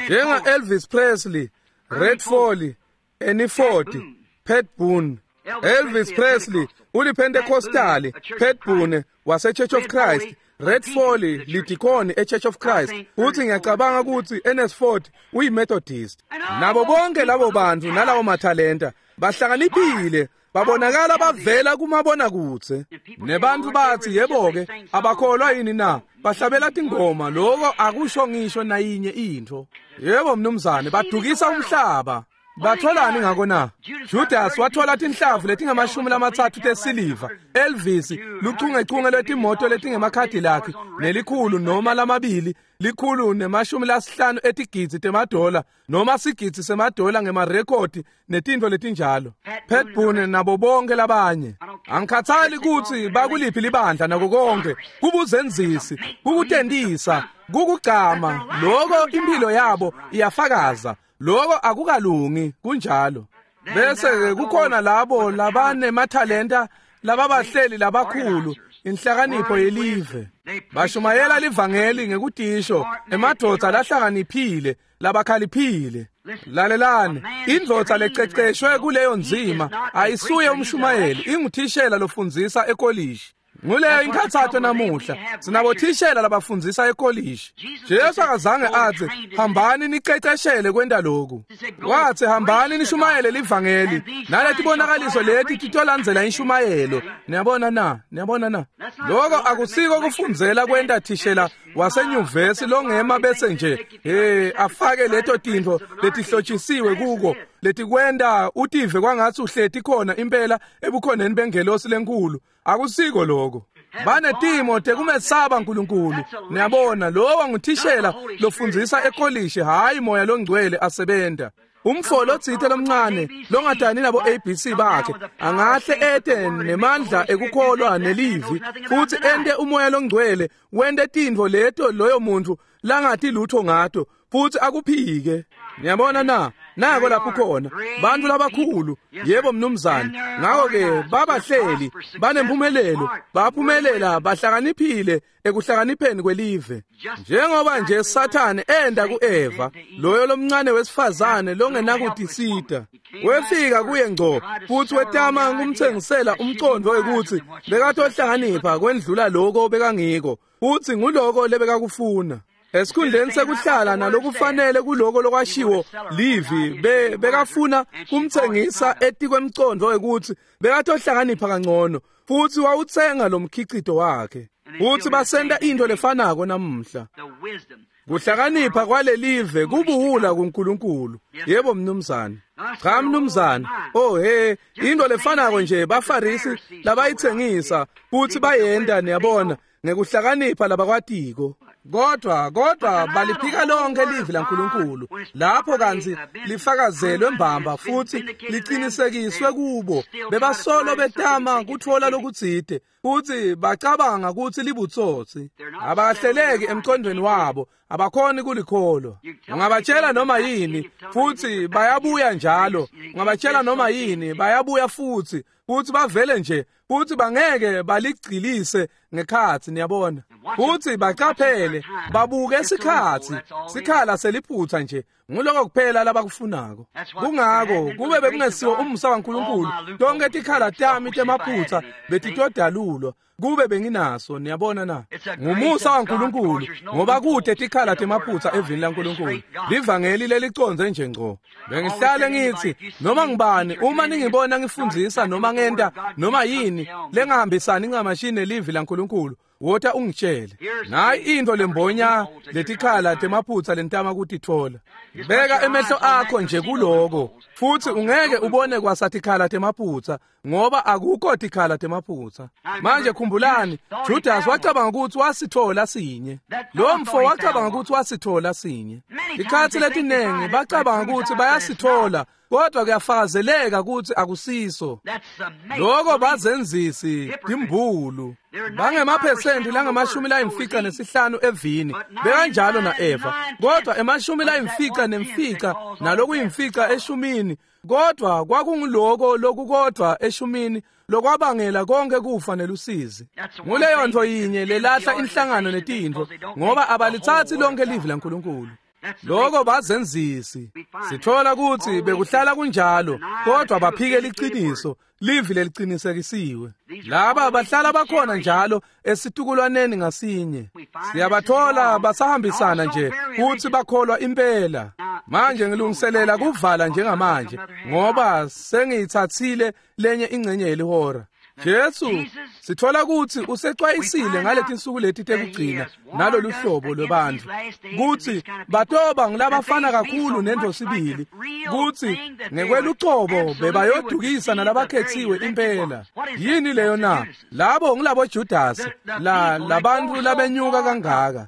Njenga Elvis Presley, Red Foley, Ernie Ford, Pat Boone. Elvis Presley uliPentecostali, Pat Boone wase Church of Christ, Red Foley lidikoni eChurch of Christ. Uthi ngiyacabanga ukuthi Ernest Ford uyiMethodist. Nabo bonke labo bantu nalawo mathalenta bahlakaniphile, babonakala bavela kumabonakudze. Nebantu bathi yebo-ke abakholwa yini na? Bahlabela tingoma, lokho akusho ngisho nayinye into. Yebo mnumzane, badukisa umhlaba. Batholani ngako na? Judas wathola tinhlavu letingamashumi lamatsatfu tesiliva. Elvis luchungechunge lwetimoto letingemakhadi lakhe nelikhulu noma lamabili, likhulu nemashumi lasihlanu etigidzi temadola noma sigidzi semadola ngemarekhodi netintfo letinjalo. Pat Boone nabo bonke labanye. Angikhathali kutsi bakuliphi libandla nako konke, kubuzenzisi, kukutentisa, kukugcama, loko impilo yabo iyafakaza. Lokho akukalungi kunjalo. Bese kukhona labo labanemathalenta lababahleli labakhulu inhlakanipho yelive. Bashumayela livangeli ngekutisho emadvodza lahlakaniphile labakhaliphile. Lalelani, indvodza lececeshwe kuleyo nzima ayisuye umshumayeli, inguthishela lofundzisa ekolishi. Nguleyo inkhathato namuhla, sinabothishela labafundzisa ekolishi. Jesu akazange atsi hambani niceceshele kwenta lokhu. Watsi hambani nishumayele livangeli naletibonakaliso leti titolandzela inshumayelo. Niyabona na? Niyabona na? Lokho akusiko kufundzela kwenta thishela wasenyuvesi longema bese nje eh afake leto tintfo letihlotshisiwe kuko letikwenta utive kwangatsi uhleti khona impela ebukhoneni bengelosi lenkulu. Akusiko lokho. Banetimo tekumesaba uNkulunkulu. Niyabona, lowo nguthishela lofundzisa ekolishi, hayi moya longcwele asebenta. Umfo lotsite lomncane longadani nabo A B C bakhe angahle ete nemandla ekukholwa nelivi futhi ente umoya longcwele wente tintfo leto loyo muntu langati lutho ngato futhi akuphike. Niyabona na? Nako lapho khona bantu labakhulu, yebo mnumzane. Ngako-ke babahleli banempumelelo, baphumelela bahlakaniphile ekuhlakanipheni kwelive. Njengoba nje Sathane enda ku-Eva, loyo lomncane wesifazane longenakutisita, wefika kuye ngco futhi wetama kumthengisela umcondo wekuthi bekatohlakanipha kwendlula loko bekangiko, futhi nguloko lebekakufuna. Esikhundleni sekuhlala nalokufanele kuloko lokwashiwo livi, be bekafuna kumtsengisa etikwemcondo wekuthi bekatohlakanipha kangcono, futhi wawutsenga lo mkhicito wakhe. Futhi basenta into lefanako namuhla. Kuhlakanipha kwalelive kubuhula kuNkulunkulu. Yebo mnumzane. Cha mnumzane. Oh he, into lefanako nje baFarisi labayitsengisa futhi bayenda, niyabona, ngekuhlakanipha labakwatiko. Kodwa kodwa baliphika lonke livi laNkulunkulu lapho kantsi lifakazelwe mbamba futhi liqinisekiswe kubo. Bebasolo betama kutfola lokutsite futhi bacabanga kutsi libutsotsi. Abahleleki emqondweni wabo, abakhoni kulikholwa. Ungabatshela noma yini futhi bayabuya njalo. Ungabatshela noma yini bayabuya futhi futhi bavele nje futhi bangeke baligcilise ngekhatsi, niyabona. Futhi bacaphele babuke isikhatsi, sikhala seliphutha nje, nguloko kuphela labakufunako. Kungako kube bekungesiwo umusa waNkulunkulu, tonke tikhala tami temaphutha betitodalulwa kube benginaso, niyabona na? Ngumusa waNkulunkulu ngoba kude tikhala temaphutha evini laNkulunkulu. Livangeli lelicondze nje ngco. Bengihlale ngithi noma ngibani uma ningibona ngifundzisa noma ngenta noma yini lengahambisani ncamashini nelivi laNkulunkulu, Wota ungitshele. Nayi into lembonya letikhala temaphutsa lentama kutitfola. Beka emehlo akho nje kuloko, futsi ungeke ubone kwasatikhala temaphutsa, ngoba akukho tikhala temaphutsa. Manje khumbulani, Judas wacabanga ukuthi wasithola sinye. Lo mfo wacabanga ukuthi wasithola sinye. Ikhathi letinengi bacabanga ukuthi bayasithola, kodwa kuyafakazeleka ukuthi akusiso. Lokho bazenzisi timbulu. Bangemaphesenti langamashumi layimfica nesihlanu evini, bekanjalo na-Eva, kodwa emashumi layimfica nemfica nalokuyimfica eshumini, kodwa kwakunguloko lokukodwa eshumini lokwabangela konke kufa nelusizi. Nguleyo nto yinye lelahla inhlangano netintfo, ngoba abalithathi lonke livi laNkulunkulu. Lokho bazenzisi. Sithola ukuthi bekuhlala kunjalo, kodwa baphike liqiniso, livi leliqinisekisiwe. Laba bahlala bakhona njalo esitukulwaneni ngasinye. Siyabathola basahambisana nje futhi bakholwa impela. Manje ngilungiselela kuvala njengamanje, ngoba sengiyithathile lenye ingcenye yelihora. Jesu sithola ukuthi usecwayisile ngaletinsuku leti tekugcina nalolu hlobo lwebantfu, kutsi batoba ngulabafana kakhulu nento sibili, kutsi ngekwelucobo bebayodukisa nalabakhetsiwe impela. Yini leyo na? Labo ngulabo Judas, la labantfu labenyuka kangaka.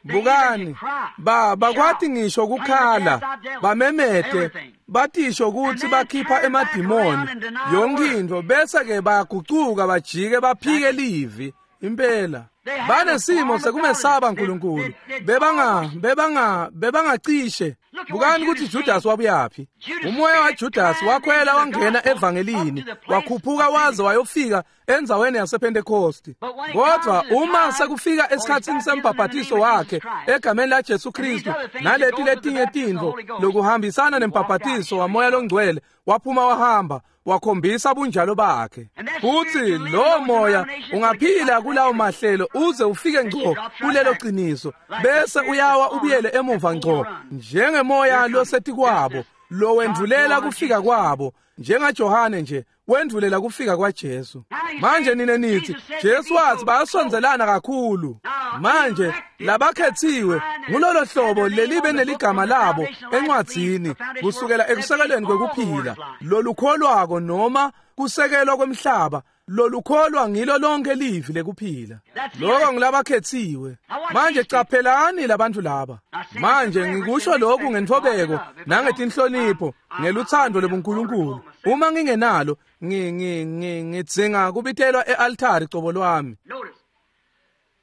Bukani, ba bakwati ngisho kukhala, bamemete, batisho kutsi bakhipha emadimoni yonke intfo, bese ke bayagucuka bajike baphike livi impela. Banesimo sekumesaba uNkulunkulu, bebanga bebanga bebangacishe. Bukani ukuthi Judas wabuyaphi. Umoya waJudas wakhwela wangena evangelini, wakhuphuka waze wayofika endzaweni yasePentecost. Kodwa uma sekufika esikhatsini sembhabhatiso wakhe egameni la Jesu Kristu naleti letinye tintfo lokuhambisana nembhabhatiso wamoya longcwele, waphuma wahamba wakhombisa bunjalo bakhe. Futhi lo moya ungaphila kulawo mahlelo uze ufike ngco kulelo qiniso, bese uyawa ubuyele emuva ngco njengemoya losetikwabo lo wendvulela kufika kwabo, njengaJohane nje wendvulela kufika kwaJesu. Manje nine nithi Jesu wathi bayasondelana kakhulu. Manje labakhethiwe ngulolo hlobo lelibe neligama labo encwadzini kusukela ekusekelweni kwekuphila, lolukholwako noma kusekelwa kwemhlaba, lolukholwa ngilo lonke livi lekuphila. Lokho ngilabakhethiwe. Manje caphelani labantu laba. Manje ngikusho lokhu ngentfobeko nangetinhlonipho ngeluthando lobuNkulunkulu. Uma ngingenalo ngidzinga kubitelwa e-altari cobo lwami.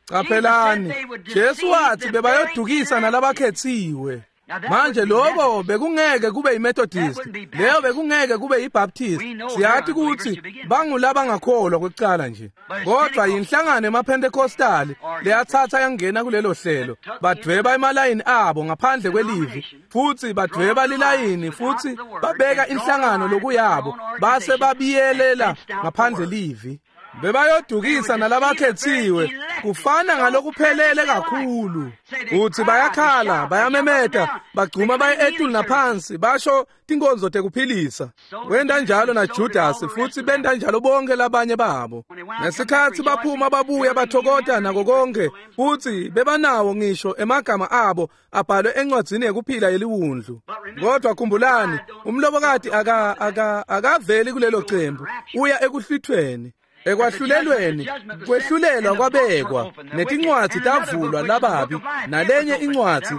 Caphelani, Jesu wathi bebayodukisa nalabakhethiwe. Manje lokho bekungeke kube yiMethodist, leyo bekungeke kube yiBaptist. Siyathi ukuthi bangulabangakholwa kwekucala nje, kodwa yinhlangano emaPentecostal leyathatha yangena kulelo hlelo, badweba emalayini abo ngaphandle kwelivi, futhi badweba lilayini futhi babeka inhlangano lokuyabo, base babiyelela ngaphandle livi. Bebayodukisa nalabakhethiwe, kufana ngalokuphelele kakhulu. Uthi bayakhala, bayamemeta, bagcuma baye etulu naphansi, basho tinkonzo tekuphilisa. Wenda njalo naJudas, futhi benda njalo bonke labanye babo. Ngesikhathi baphuma babuya bathokota nako konke, futhi bebanawo ngisho emagama abo abhalwe encwadzini yekuphila yeliwundlu. Kodwa khumbulani, umlobokati aka aka akaveli kulelo cembu, uya ekuhlwithweni. Ekwahlulelweni kwehlulelwa kwabekwa, netincwadzi tavulwa lababi, nalenye incwadzi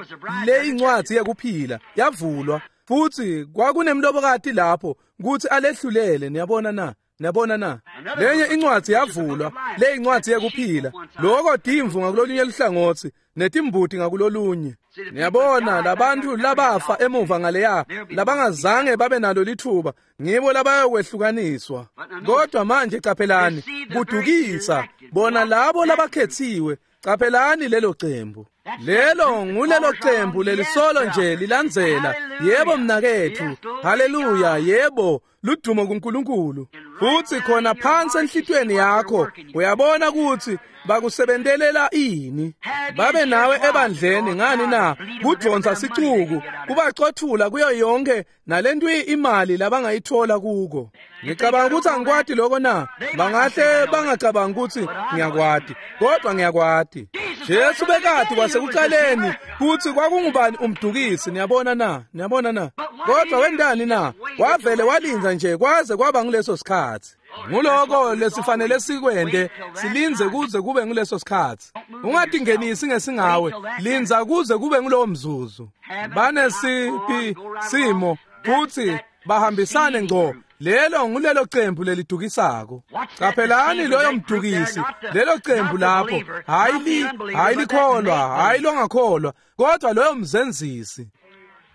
le incwadzi yekuphila yavulwa, futhi kwakunemlobokati lapho kuthi alehlulele. Niyabona na? Niyabona na? Lenye incwadzi yavulwa, le incwadzi yekuphila. Lokho timvu ngakulolunye luhlangothi netimbuti ngakulolunye. Niyabona labantu labafa emuva ngaleya labangazange babe nalo lithuba, ngibo labayokwehlukaniswa. Kodwa manje caphelani, kudukisa bona labo labakhethiwe. Caphelani lelo cembu. Lelo ngulelo cembu lelisolo nje lilandzela. Yebo mnaketfu, haleluya, yebo, ludumo kuNkulunkulu. Futsi khona phansi enhlitiyweni yakho uyabona kutsi bakusebentelela ini. Babe nawe ebandleni ngani na? Kudvonsa sicuku, kubacothula kuyo yonke nalento imali labangayithola kuko. Ngicabanga ukuthi angikwati lokho na? Bangahle bangacabanga ukuthi ngiyakwati, kodwa ngiyakwati. Jesu bekati kwasekuqaleni kutsi kwakungubani umdukisi. Niyabona na? Niyabona na? Kodwa wendani na? Wavele walinza nje kwaze kwaba nguleso sikhatsi. Nguloko lesifanele sikwente, silinze kuze kube nguleso sikhatsi. Ungatingenisi ngesingawe, linza kuze kube ngulowo mzuzu. Banesiphi simo futsi bahambisane ngco. Lelo ngulelo cembu lelidukisako. Qaphelani loyo mdukisi, lelo cembu lapho, hayi li, hayi likholwa, hayi longakholwa, kodwa loyo mzenzisi.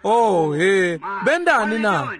Oh he, bendani na?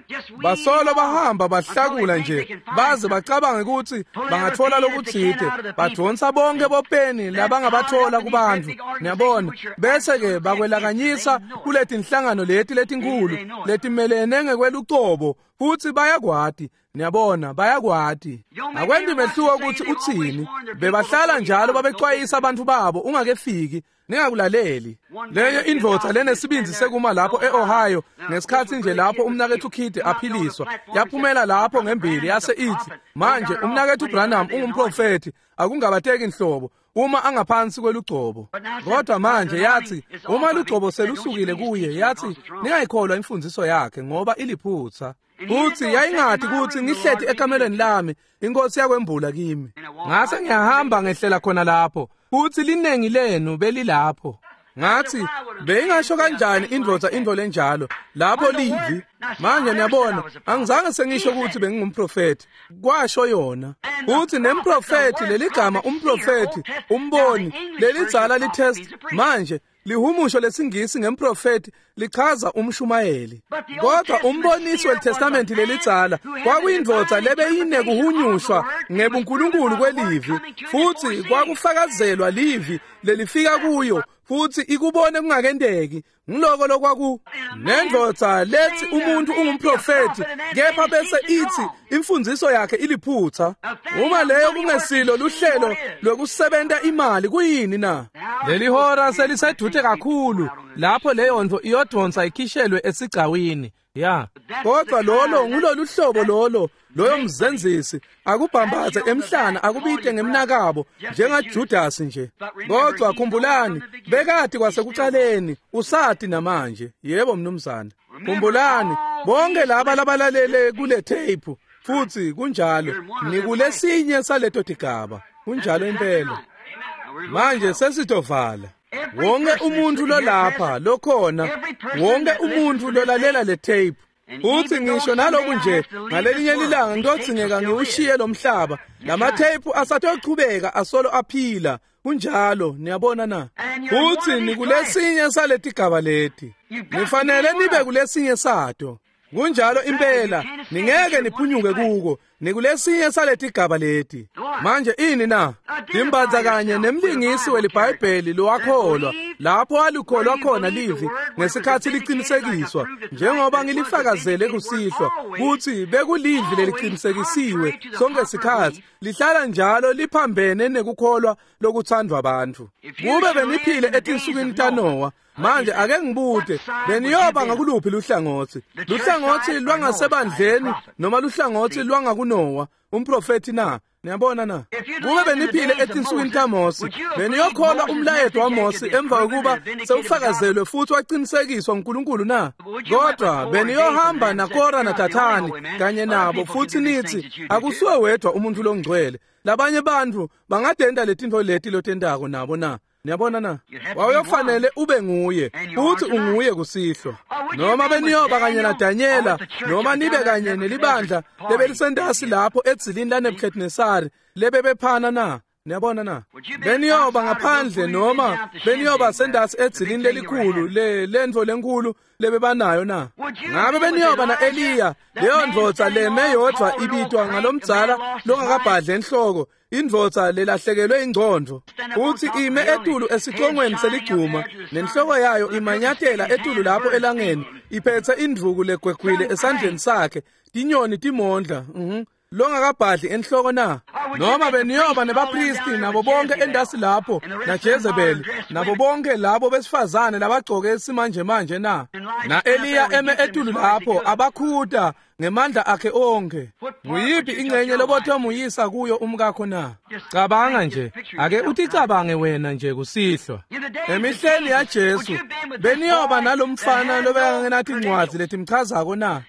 Basolo bahamba bahlakula nje baze bacabange ukuthi bangathola lokuthide, badonsa bonke bopeni labangabathola kubantu. Niyabona, bese ke bakwelakanyisa kuletinhlangano leti letinkulu letimelene ngekwelucobo, futhi bayakwati. Niyabona, bayakwati. Akwendi mehluko ukuthi uthini. Bebahlala njalo babexwayisa abantu babo ungakefiki, ningakulaleli. Leyo indvodza lenesibindzi sekuma lapho e-Ohio ngesikhatsi nje lapho umnaketfu Kidd aphiliswa, yaphumela lapho ngembili yase ithi, manje umnaketfu Branham ungumprofethi, akungabateki nhlobo uma angaphansi kwelugcobo. Kodwa manje yathi uma lugcobo selusukile kuye, yathi ningayikholwa imfundiso yakhe ngoba iliphutsa. Futhi yayingati ukuthi ngihleti ekamelweni lami, inkosi yakwembula kimi. Ngase ngiyahamba ngehlela khona lapho, futhi linengi lenu belilapho. Ngathi beyingasho kanjani indvodza into lenjalo lapho livi? Manje niyabona, angizange sengisho ukuthi bengingumprofethi, kwasho yona. Futhi nemprofethi, leligama umprofethi, umboni, lelidzala litest manje lihumusho lesingisi ngemprofethi lichaza umshumayeli. Kodwa umbonisi weTestament lelidzala kwakuyindvodza lebeyinekuhunyushwa ngebuNkulunkulu kwelivi, futhi kwakufakazelwa livi lelifika kuyo futhi ikubone kungakendeki. Ngiloko lokwaku nendvodza lethi umuntu ungumprofethi kepha bese ithi imfundiso yakhe iliphutha. Uma leyo kungesilo luhlelo lokusebenta imali, kuyini na? Leli hora selisedute kakhulu lapho leyo nto iyodonsa ikhishelwe esigcawini. Ya, kodwa lolo ngulolu hlobo lolo loyo mzenzisi akubhambathe emhlana akubite ngemnakabo njengaJudas nje. Kodwa khumbulani, bekati kwasekuqaleni, usati namanje. Yebo mnumzane. Khumbulani bonke laba labalalele kule tape, futhi kunjalo, nikulesinye saleto tigaba. Kunjalo impela. Manje sesitovala. Wonke umuntu lolapha lokhona, wonke umuntu lolalela le tape, futhi ngisho naloku nje ngalelinye lilanga ngitodzingeka ngiwushiye lo mhlaba, lamatheyiphu asatochubeka asolo aphila. Kunjalo, niyabona na? Futhi nikulesinye saletigaba leti, nifanele nibe kulesinye sato. Kunjalo impela, ningeke niphunyuke kuko, nikulesinye saletigaba leti. Manje ini na? Timbanza kanye nemlingisi weliBhayibheli lowakholwa lapho alikholwa khona livi ngesikhathi liqinisekiswa, njengoba ngilifakazele kusihlwa kuthi bekulivi leliqinisekisiwe sonke sikhathi, lihlala njalo liphambene nekukholwa lokuthandwa abantu. Kube beniphile etinsukwini taNowa, manje ake ngibute, beniyoba ngakuluphi luhlangothi? Luhlangothi lwangasebandleni noma luhlangothi lwangakuNowa umprofethi na? Niyabona na? Kube beniphile etinsukwini taMose, beniyokholwa umlayeto waMose emva kokuba sewufakazelwe futhi waqinisekiswa uNkulunkulu na? Kodwa beniyohamba naKora naDathani kanye nabo futhi nithi akusuwe wedwa umuntu longcwele, labanye bantu bangadenda letinto leti lotendako nabo na? Niyabona na? Wawuyofanele ube nguye, futhi unguye kusihlwa. Noma beniyoba kanye naDanyela, noma nibe kanye nelibandla lebelisentasi lapho edzilini laNebuchadnezzar lebebephana na? Niyabona na? Beniyoba ngaphandle noma beniyoba sendasi edzilini lelikhulu le lentfo lenkulu lebebanayo na? Ngabe beniyoba na-Eliya, leyo ndvodza leme yodvwa ibitwa ngalomdzala longakabhadli enhloko, indvodza lelahlekelwe ingcondvo, futsi ime etulu esicongweni seligcuma, nenhloko yayo imanyatela etulu lapho elangeni, iphetse indvuku legwegwile esandleni sakhe, tinyoni timondla. Mhm. Longakabhadli enhloko na? Noma beniyoba nebapristi nabo bonke endasi lapho naJezebeli nabo bonke labo besifazane labagcoke simanje manje na? Na-Eliya eme etulu lapho abakhuta ngemandla akhe onke. Nguyiphi ingcenye lobotomuyisa kuyo umkakho na? Cabanga nje, ake uticabange wena nje kusihlwa. Emihleni yaJesu beniyoba nalomfana lobekangenathi incwadzi letimchazako na?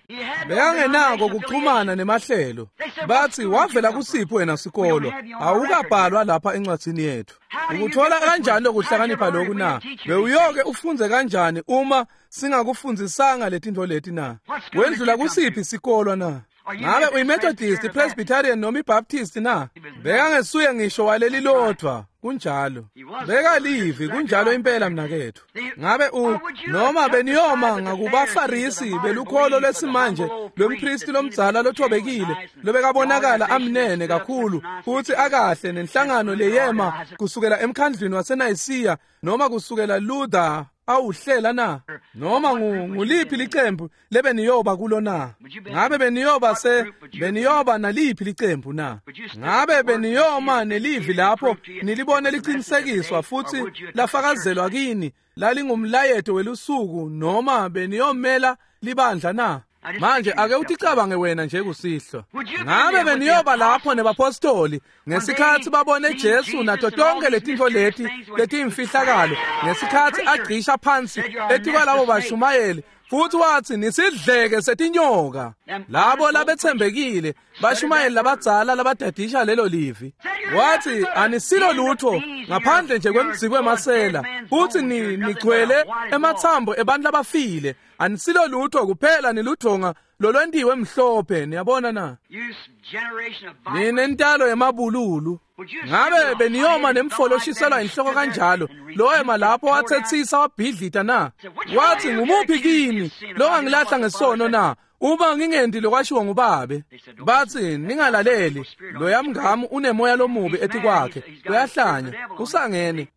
Bekangenako kuxhumana nemahlelo. Bathi wavela kusiphi wena sikolo? Awukabhalwa lapha encwadzini yethu. Ukuthola kanjani lokuhlakanipha lokhu na? Bewuyoke ufunze kanjani uma singakufundzisanga letintfo leti na? Wendlula kusiphi sikolo na? Ngabe uyiMethodist, iPresbyterian noma iBaptist na? Bekangesuye ngisho waleli lodvwa, kunjalo. Bekalivi, kunjalo impela mnaketfu. Ngabe u noma beniyoma ngakubaFarisi belukholo lwesimanje lompristi lomdzala lothobekile lobekabonakala amnene kakhulu futsi akahle nenhlangano leyema kusukela emkhandlwini waseNayisiya noma kusukela Luther awuhlela na? Noma nguliphi licembu lebeniyoba kulo na? Ngabe beniyoba se beniyoba naliphi licembu na? Ngabe beniyoma nelivi lapho nilibone liqinisekiswa futsi lafakazelwa kini lalingumlayeto welusuku, noma beniyomela libandla na? Manje ake uticabange wena nje kusihlwa. Ngabe beniyoba lapho nebapostoli ngesikhatsi babone Jesu nato tonke letintfo leti letimfihlakalo, ngesikhatsi agcisha phansi etikwalabo bashumayeli futsi watsi nisidleke setinyoka, labo labetsembekile bashumayeli labadzala labadadisha lelo livi, wathi anisilo lutho ngaphandle nje kwemdziko wemasela, futsi nigcwele ematsambo ebantfu labafile, anisilo lutho kuphela niludvonga lolwentiwe mhlophe. Niyabona na? Ninentalo yemabululu. Ngabe beniyoma nemfolo oshiselwa inhloko kanjalo lowema lapho wathethisa wabhidlita na? Wathi ngumuphi kini longangilahla ngesono na? Uma ngingendi lokwashiwo ngubabe. Bathi ningalaleli, loya mngamu unemoya lomubi etikwakhe, uyahlanya, usangene,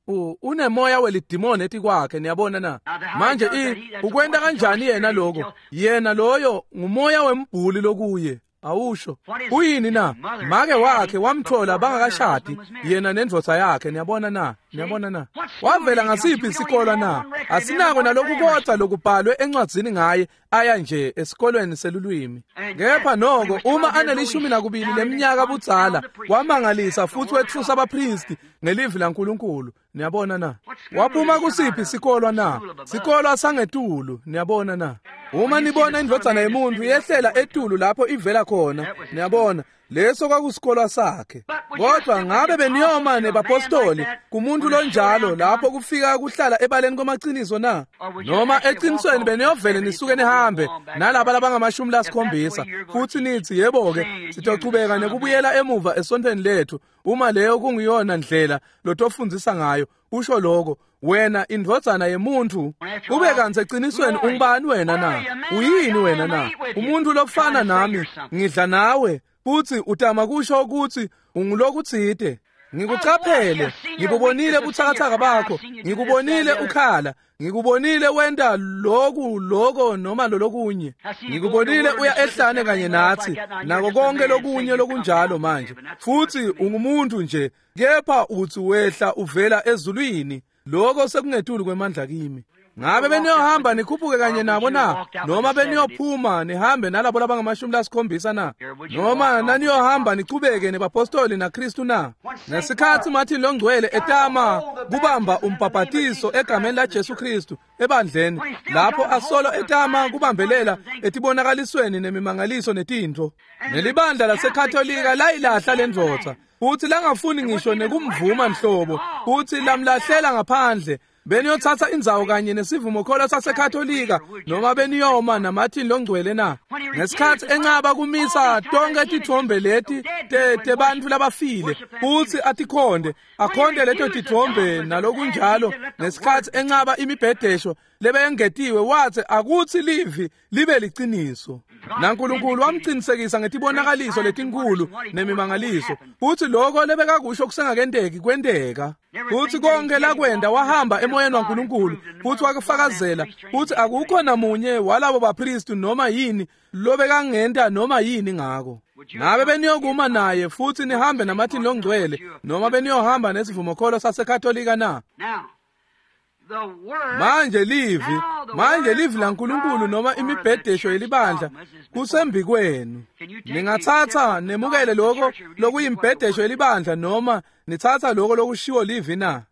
unemoya welidimoni etikwakhe. Niyabona na? Manje i ukwenta kanjani yena lokho? Yena loyo ngumoya wembhuli lokuye. Awusho uyini na? Make wakhe wamthola bangakashadi yena nendvodza yakhe. Niyabona na? Niyabona na? Wavela ngasiphi isikolo na? Asinako naloku kodwa lokubhalwe encwadzini ngaye aya nje esikolweni selulwimi. Kepha noko uma anelishumi nakubili leminyaka budzala wamangalisa futhi wetfusa abapristi ngelivi laNkulunkulu. Niyabona na? Waphuma kusiphi isikolo na? Sikolo sangetulu. Niyabona na? Uma nibona indvodzana yemuntu yehlela etulu lapho ivela khona, niyabona, leso kwakusikolwa sakhe. Kodwa ngabe beniyoma nebapostoli kumuntu lonjalo lapho kufika kuhlala ebaleni kwamaqiniso na? Noma eqinisweni beniyovele nisuke nihambe nalaba labangamashumi lasikhombisa futhi nithi yebo-ke sitochubeka nekubuyela emuva esontweni lethu, uma leyo kungiyona ndlela lotofundzisa ngayo. Usho lokho wena indvodzana yemuntu, ube kantsi eqinisweni ungubani wena na? Uyini wena na? Umuntu lofana nami, ngidla nawe, futhi utama kusho ukuthi ungulokutsite. Ngikucaphele, ngibubonile butsakatsaka bakho, ngikubonile ukhala, ngikubonile wenta loku loko noma lolokunye, ngikubonile uya ehlane kanye nathi nako konke lokunye lokunjalo manje, futhi ungumuntu nje, kepha uthi wehla uvela ezulwini. Lokho sekungetulu kwemandla kimi. Ngabe beniyohamba nikhuphuke kanye nabo na? Noma beniyophuma nihambe nalabo labangamashumi lasikhombisa na? Noma naniyohamba nichubeke nebapostoli naKristu na? Ngesikhatsi Martin Longcwele etama kubamba umbhabhatiso egameni laJesu Kristu ebandleni, lapho asolo etama kubambelela etibonakalisweni nemimangaliso netintfo, nelibandla laseKatolika layilahla lendvodza, futhi langafuni ngisho nekumvuma nhlobo, futhi lamlahlela ngaphandle. Beniyothatha indzawo kanye nesivumokholo saseKatolika noma beniyoma naMartin longcwele na? Ngesikhathi encaba kumisa tonke titfombe leti tebantfu labafile futsi atikhonde akhonde leto titfombe nalokunjalo, ngesikhathi encaba imibhedesho lebeyengetiwe, wathi akutsi livi libe liciniso. NaNkulunkulu wamcinisekisa ngetibonakaliso letinkulu nemimangaliso, futsi lokho lebekakusho kusengakenteki kwenteka. Futsi konke lakwenda wahamba emoyeni waNkulunkulu futsi wakufakazela, futsi akukho namunye walabo bapristi noma yini lobekangenta noma yini ngako. Ngabe beniyokuma naye futsi nihambe naMartin longcwele noma beniyohamba nesivumokholo saseKatolika na? Manje livi, manje livi laNkulunkulu noma imibhedesho yelibandla kusembikwenu. Ningatsatsa nemukele lokho lokuyimbhedesho yelibandla noma nitsatsa lokho lokushiwo livi na?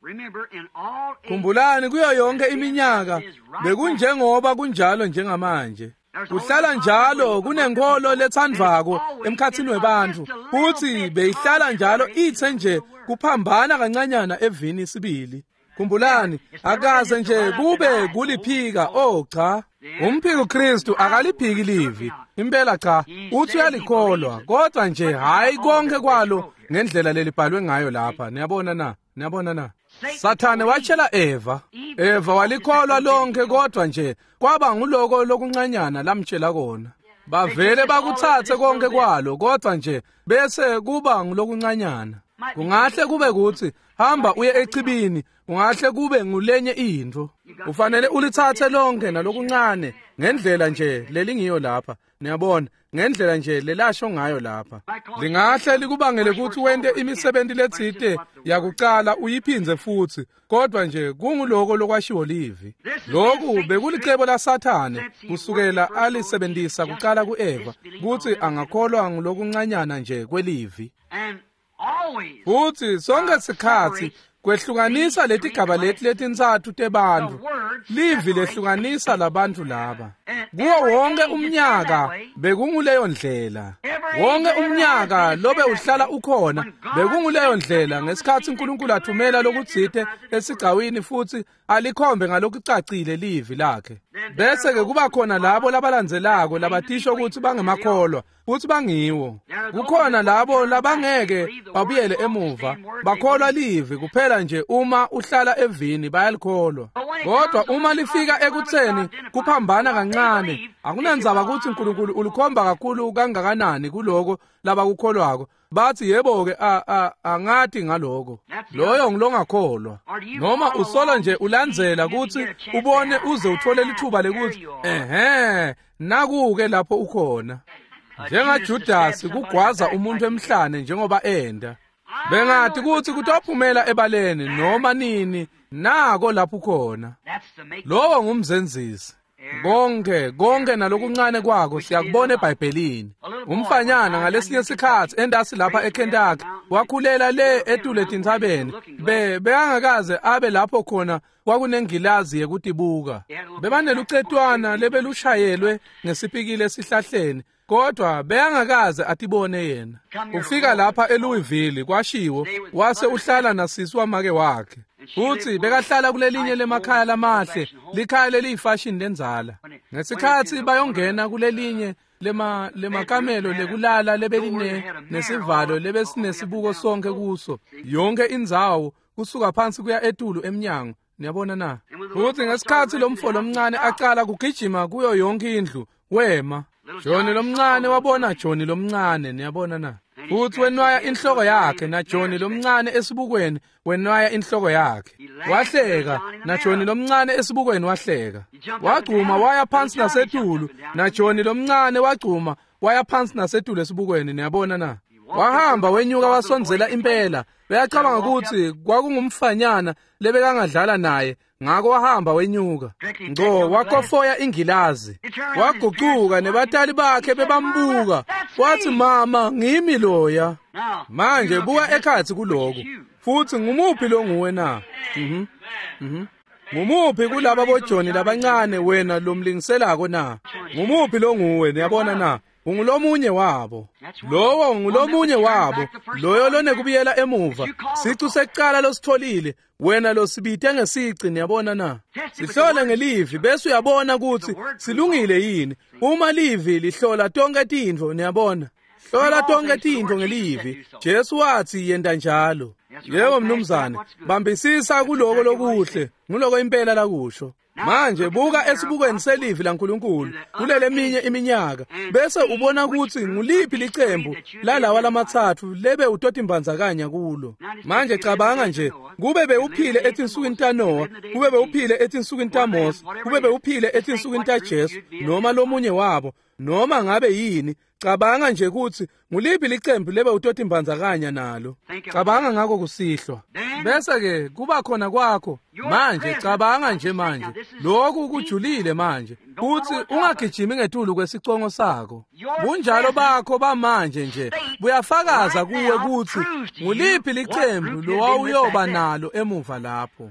Khumbulani, kuyo yonke iminyaka bekunjengoba kunjalo njengamanje. Kuhlala njalo kunenkholo letsandvwako emkhatsini webantfu, futsi beyihlala njalo itse nje kuphambana kancanyana evini sibili. Khumbulani, akaze nje kube kuliphika. Oh cha, umphiko Kristu akaliphiki livi impela, cha, uthi uyalikholwa, kodwa nje hayi konke kwalo ngendlela lelibhalwe ngayo lapha. Niyabona na? Niyabona na? Sathane watshela Eva, Eva walikholwa lonke, kodwa nje kwaba nguloko lokuncanyana lamtshela kona. Bavele bakutsatse konke kwalo, kodwa nje bese kuba ngulokuncanyana. Kungahle kube kuthi hamba uye echibini, kungahle kube ngulenye intfo. Ufanele ulitsatse lonke nalokuncane ngendlela nje lelingiyo lapha. Niyabona, ngendlela nje lelasho ngayo lapha. Lingahle likubangele ukuthi wente imisebenti letsite yakucala uyiphindze futsi, kodwa nje kunguloko lokwashiwo livi. Lokhu bekulicebo laSathane kusukela alisebentisa kucala kuEva, kutsi angakholwa ngulokuncanyana nje kwelivi. Futsi sonke sikhatsi kwehlukanisa letigaba leti letintsatfu tebantfu, livi lehlukanisa labantfu laba. Kuwo wonke umnyaka bekunguleyo ndlela. Wonke umnyaka lobe uhlala ukhona bekunguleyo ndlela, ngesikhatsi uNkulunkulu athumela lokutsite esigcawini futsi alikhombe ngalokucacile livi lakhe. Bese ke kuba khona labo labalandzelako labatisho ukuthi bangemakholwa futsi bangiwo. Kukhona labo labangeke babuyele emuva, bakholwa livi kuphela nje uma uhlala evini bayalikholwa. Kodwa uma lifika ekutseni kuphambana kancane, akunandzaba ukuthi uNkulunkulu ulikhomba kakhulu kangakanani kuloko labakukholwako, bathi yebo ke angati ngaloko. Loyo ngilongakholwa. Noma usola nje ulandzela kutsi ubone uze uthole lithuba lekuthi ehhe nakuke lapho ukhona. NjengaJudasi kugwaza umuntu emhlane njengoba enda. Bengathi kutsi kutophumela ebaleni noma nini, nako lapho ukhona. Lowo ngumzenzisi. Konke konke nalokuncane kwako siyakubona eBhayibhelini. Umfanyana ngalesinye sikhatsi endasi lapha eKentucky wakhulela le etule etintsabeni, be bekangakaze abe lapho khona kwakunengilazi yekutibuka. Bebanelucetwana lebelushayelwe ngesipikile esihlahleni, kodwa beyangakaze atibone yena. Ufika lapha eLouisville kwashiwo, wase uhlala nasisi wamake wakhe. Futsi bekahlala kulelinye lemakhaya lamahle, likhaya leliyifashini lendzala. Ngesikhatsi bayongena kulelinye lema lemakamelo lekulala lebeline nesivalo lebesinesibuko sonke kuso, yonke indzawo kusuka phansi kuya etulu emnyango. Niyabona na? Futsi ngesikhatsi lomfo lomncane acala kugijima kuyo yonke indlu, wema. Johnny lomncane wabona Johnny lomncane, niyabona na? Futsi wenwaya inhloko yakhe, na Johnny lomncane esibukweni wenwaya inhloko yakhe. Wahleka, na Johnny lomncane esibukweni wahleka. Wagcuma waya phansi nasetulu, na Johnny lomncane wagcuma waya phansi nasetulu esibukweni, niyabona na? Wahamba wenyuka wasondzela impela. Beyacabanga ukuthi kwakungumfanyana lebekangadlala naye, ngako wahamba wenyuka ngco wakofoya ingilazi. Wagucuka nebatali bakhe bebambuka, wathi mama ngimi loya. Manje buka ekhatsi kuloku, futsi ngumuphi longuwe na? Mhm. Mhm. Ngumuphi kulaba boJohnny labancane wena lomlingiselako na? Ngumuphi longuwe, niyabona na? Ungulomunye wabo. Lowo ngulomunye wabo, loyo lonekubuyela emuva. Sicu sekucala lositholile, wena losibite ngesici, niyabona na? Sihlole ngelivi bese uyabona kutsi silungile yini. Uma livi lihlola tonke tintfo, niyabona. Hlola tonke tintfo ngelivi. Jesu watsi yenta njalo. Yebo mnumzane, bambisisa kuloko lokuhle, nguloko impela lakusho. Manje buka esibukweni selivi laNkulunkulu kuleleminye iminyaka bese ubona kutsi nguliphi licembu lalawa lamatsatfu lebe utotimbandzakanya kulo. Manje cabanga nje, kube bewuphile etinsukwini taNoah, kube bewuphile etinsukwini taMose, kube bewuphile etinsukwini taJesu noma lomunye wabo, noma ngabe yini, cabanga nje kutsi nguliphi licembu lebe utotimbandzakanya nalo. Cabanga ngako kusihlwa. Bese ke kuba khona kwakho manje, cabanga nje manje, lokhu kujulile manje, kutsi ungagijimi ngetulu kwesicongo sako. Bunjalo bakho bamanje nje buyafakaza kuwe kutsi nguliphi licembu lowawuyoba nalo emuva lapho.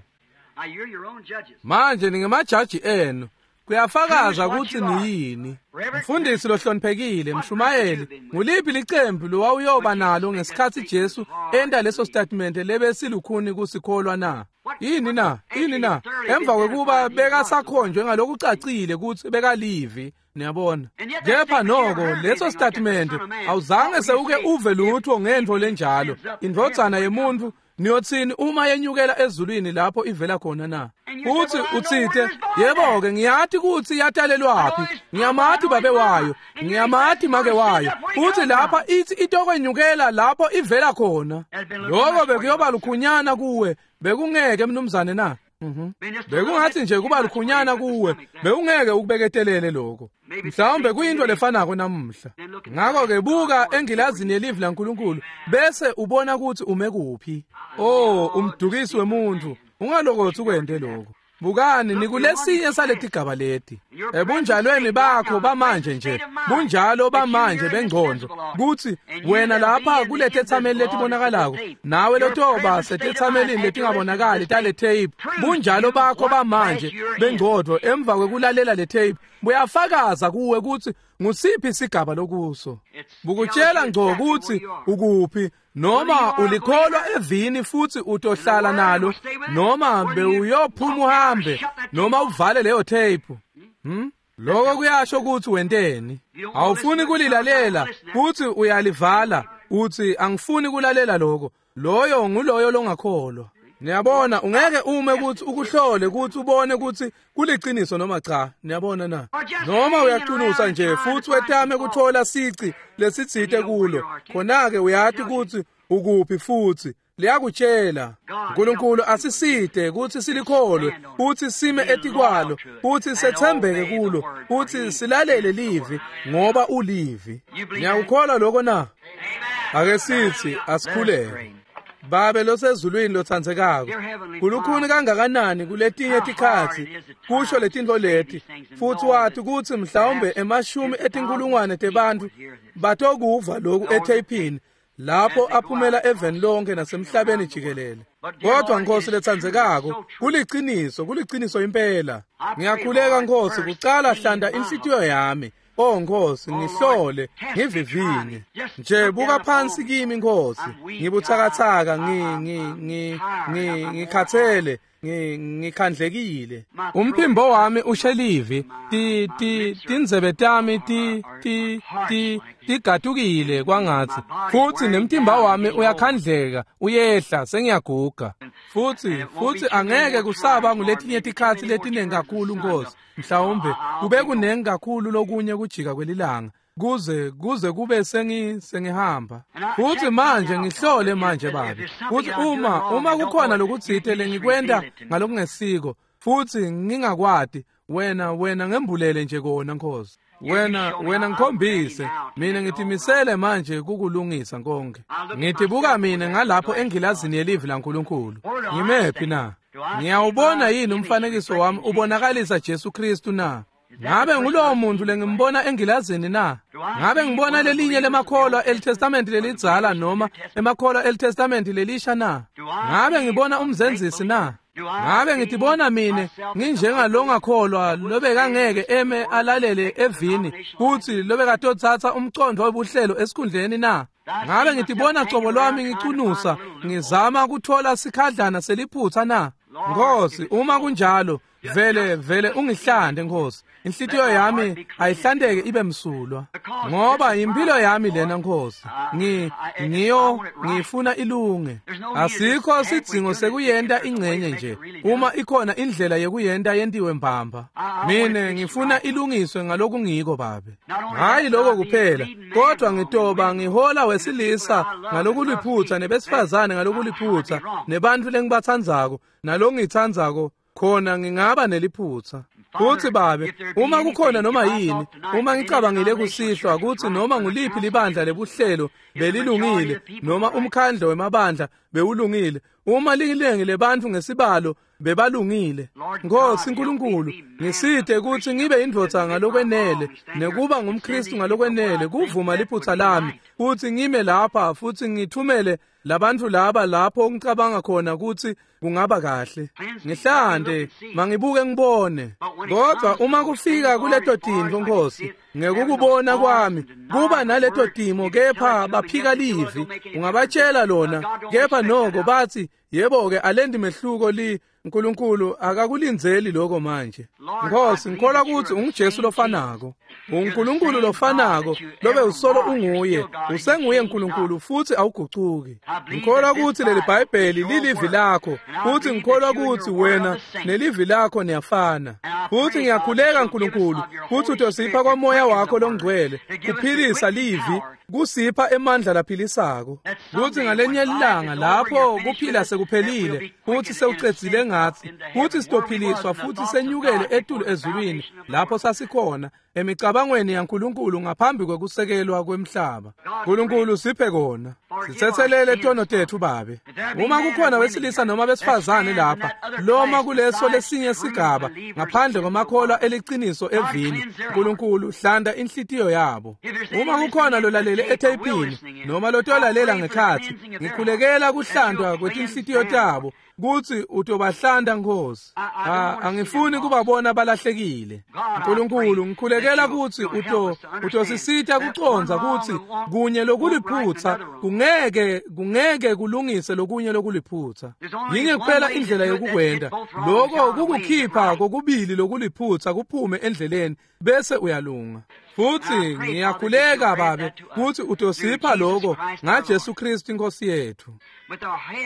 Manje ningemajaji enu. Kuyafakaza kutsi niyini. Mfundisi lohloniphekile, mshumayeli, nguliphi licembu lowawuyoba nalo ngesikhatsi Jesu enta leso statement lebesilukhuni kusikholwa na? Yini na? Yini na? Emva kwekuba bekasakhonjwe ngalokucacile kutsi bekalivi, niyabona. Kepha noko leso statement awuzange sewuke uve lutho ngentfo lenjalo. Indvodzana yemuntfu niyotsini uma yenyukela ezulwini lapho ivela khona na? Uthi utsite, yebo ke ngiyati kutsi yatalelwaphi, ngiyamati babe wayo, ngiyamati make wayo. Uthi lapha ithi itokwenyukela lapho ivela khona. Lokho bekuyoba lukhunyana kuwe, bekungeke mnumzane na? Mhm. Bekungathi nje kuba lukhunyana kuwe, bewungeke ukubeketelele lokho. Mhlawumbe kuyinto lefanako namuhla. Ngakho ke buka engilazini yelivi laNkulunkulu bese ubona ukuthi ume kuphi. Oh, umdukisi wemuntu, ungalokothi ukwente lokho. Bukani nikulesinye saletigaba leti. Ebunjalweni bakho bamanje nje, bunjalo bamanje bengcondo, kutsi wena lapha kuletethameli letibonakalako, nawe lotoba setethamelini letingabonakali tale tape, bunjalo bakho bamanje bengcondo emva kwekulalela le tape buyafakaza kuwe kutsi ngusiphi isigaba lokuso. Bukutshela ngco kutsi ukuphi, noma ulikholwa evini futhi utohlala nalo, noma bewuyophuma uhambe, noma uvale leyo tape. Hmm? Lokho kuyasho kutsi wenteni. Awufuni kulilalela, kuthi uyalivala, uthi angifuni kulalela lokho. Loyo nguloyo longakholwa. Niyabona, ungeke ume kutsi ukuhlole kutsi ubone kutsi kuliciniso noma cha. Niyabona na? Noma uyacunusa nje futhi wetame kuthola sici lesitsite kulo, khona-ke uyati kutsi ukuphi futhi liyakutshela. uNkulunkulu asisite kutsi silikholwe, kutsi sime etikwalo, kutsi setsembeke kulo, kutsi silalele livi ngoba ulivi. Niyakukholwa lokho na? Ake sithi asikhuleke. Babe losezulwini lotsandzekako, kulukhuni kangakanani kuletinye tikhatsi kusho letintfo leti, futhi wathi kutsi mhlawumbe emashumi etinkulungwane tebantfu batokuva loku etheyphini lapho aphumela eveni lonke nasemhlabeni jikelele. Kodwa Nkosi letsandzekako, kuliciniso, kuliciniso impela. Ngiyakhuleka Nkosi, kucala hlanta inhlitiyo yami. Oh Nkosi, ngihlole, ngivivinye. Nje buka phansi kimi Nkosi, ngibuthakathaka, ngi ngi ngi ngi ngikhathele, ngikhandlekile. Umphimbo wami ushelivi, ti ti tindzebe tami ti ti ti tigatukile kwangathi, futhi nemtimba wami uyakhandleka, uyehla, sengiyaguga. Futhi futhi angeke kusaba nguletinye tikhatsi letiningi kakhulu Nkosi. Mhlawumbe kube kunengi kakhulu lokunye kujika kwelilanga kuze kuze kube sengi sengihamba. Futhi manje ngihlole manje babe, futhi uma uma kukhona lokutsite lengikwenta ngalokungesiko futhi ngingakwati, wena wena ngembulele nje kona Nkosi. Wena wena ngikhombise mina, ngitimisele manje kukulungisa konke. Ngitibuka mina ngalapho engilazini yelivi laNkulunkulu. Ngimephi na? Ngiyawubona yini umfanekiso wami ubonakalisa Jesu Kristu na? Ngabe ngulowo muntu lengimbona engilazini na? Ngabe ngibona lelinye lemakholwa eliTestament lelidzala noma emakholwa eliTestament lelisha na? Ngabe ngibona umzenzisi na? Ngabe ngitibona mine nginjengalongakholwa lobekangeke eme alalele evini kutsi lobekatotsatsa umcondvo webuhlelo esikhundleni na? Ngabe ngitibona cobo lwami ngicunusa ngizama kuthola sikhadlana seliphutsa na? Nkosi, uma kunjalo vele vele ungihlande Nkosi. Inhlitiyo yami ayihlanteke ibe msulwa, ngoba impilo yami lena Nkosi. Ngi ngiyo ngifuna ilunge. Asikho sidzingo sekuyenta ingcenye nje, uma ikhona indlela yekuyenta yentiwe mbamba. Mine ngifuna ilungiswe ngalokungiko Babe. Hayi lokho kuphela, kodwa ngitoba ngihola wesilisa ngalokuliphutsa nebesifazane ngalokuliphutsa nebantu lengibatsandzako nalongitsandzako khona ngingaba neliphutsa. Futhi Babe, uma kukhona noma yini, uma ngicabangile kusihlwa kutsi noma nguliphi libandla lebuhlelo belilungile noma umkhandlo wemabandla bewulungile, uma lilengi lebantfu ngesibalo bebalungile, Nkosi Nkulunkulu, ngisite kutsi ngibe indvodza ngalokwenele nekuba ngumKristu ngalokwenele kuvuma liphutsa lami futhi ngime lapha futhi ngithumele labantu laba lapho ngicabanga khona kutsi kungaba kahle. Ngihlande mangibuke ngibone. Kodwa uma kufika kuleto tintfo Nkosi, ngekukubona kwami kuba naleto timo, kepha baphika livi. Ungabatshela lona, kepha noko bathi yebo-ke alendi mehluko li Nkulunkulu akakulindzeli lokho manje. Nkosi, ngikholwa kutsi unguJesu lofanako, uNkulunkulu lofanako lobe usolo unguye, usenguye Nkulunkulu futhi awugucuki. Ngikholwa kutsi leli Bhayibheli lilivi lakho, futhi ngikholwa kutsi wena nelivi lakho niyafana. Futhi ngiyakhuleka Nkulunkulu kutsi utosipha kwamoya wakho longcwele kuphilisa livi, kusipha emandla laphilisako, kutsi ngalenye ilanga lapho kuphila sekuphelile futhi sewucedzile ngathi, kutsi sitophiliswa futhi senyukele etulu ezulwini lapho sasikhona emicabangweni yaNkulunkulu ngaphambi kwekusekelwa kwemhlaba. Nkulunkulu siphe kona. Sitsetselele tono tetfu Babe. Uma kukhona wesilisa noma besifazane lapha loma kuleso lesinye sigaba ngaphandle kwamakholwa eliciniso evini, Nkulunkulu hlanda inhlitiyo yabo. Uma kukhona lolalele etheyipini noma lotolalela ngekhatsi, ngikhulekela kuhlandwa kwetinhlitiyo tabo kutsi utobahlanda Nkosi. Angifuni kubabona balahlekile. Nkulunkulu, ngikhulekela kutsi uto utosisita kucondza kutsi kunye lokuliphutsa kungeke kungeke kulungise lokunye lokuliphutsa. Yinye kuphela indlela yokukwenta lokho, kukukhipha kokubili lokuliphutsa kuphume endleleni bese uyalunga. Futhi ngiyakhuleka Babe kutsi utosipha lokho ngaJesu Kristu iNkosi yethu.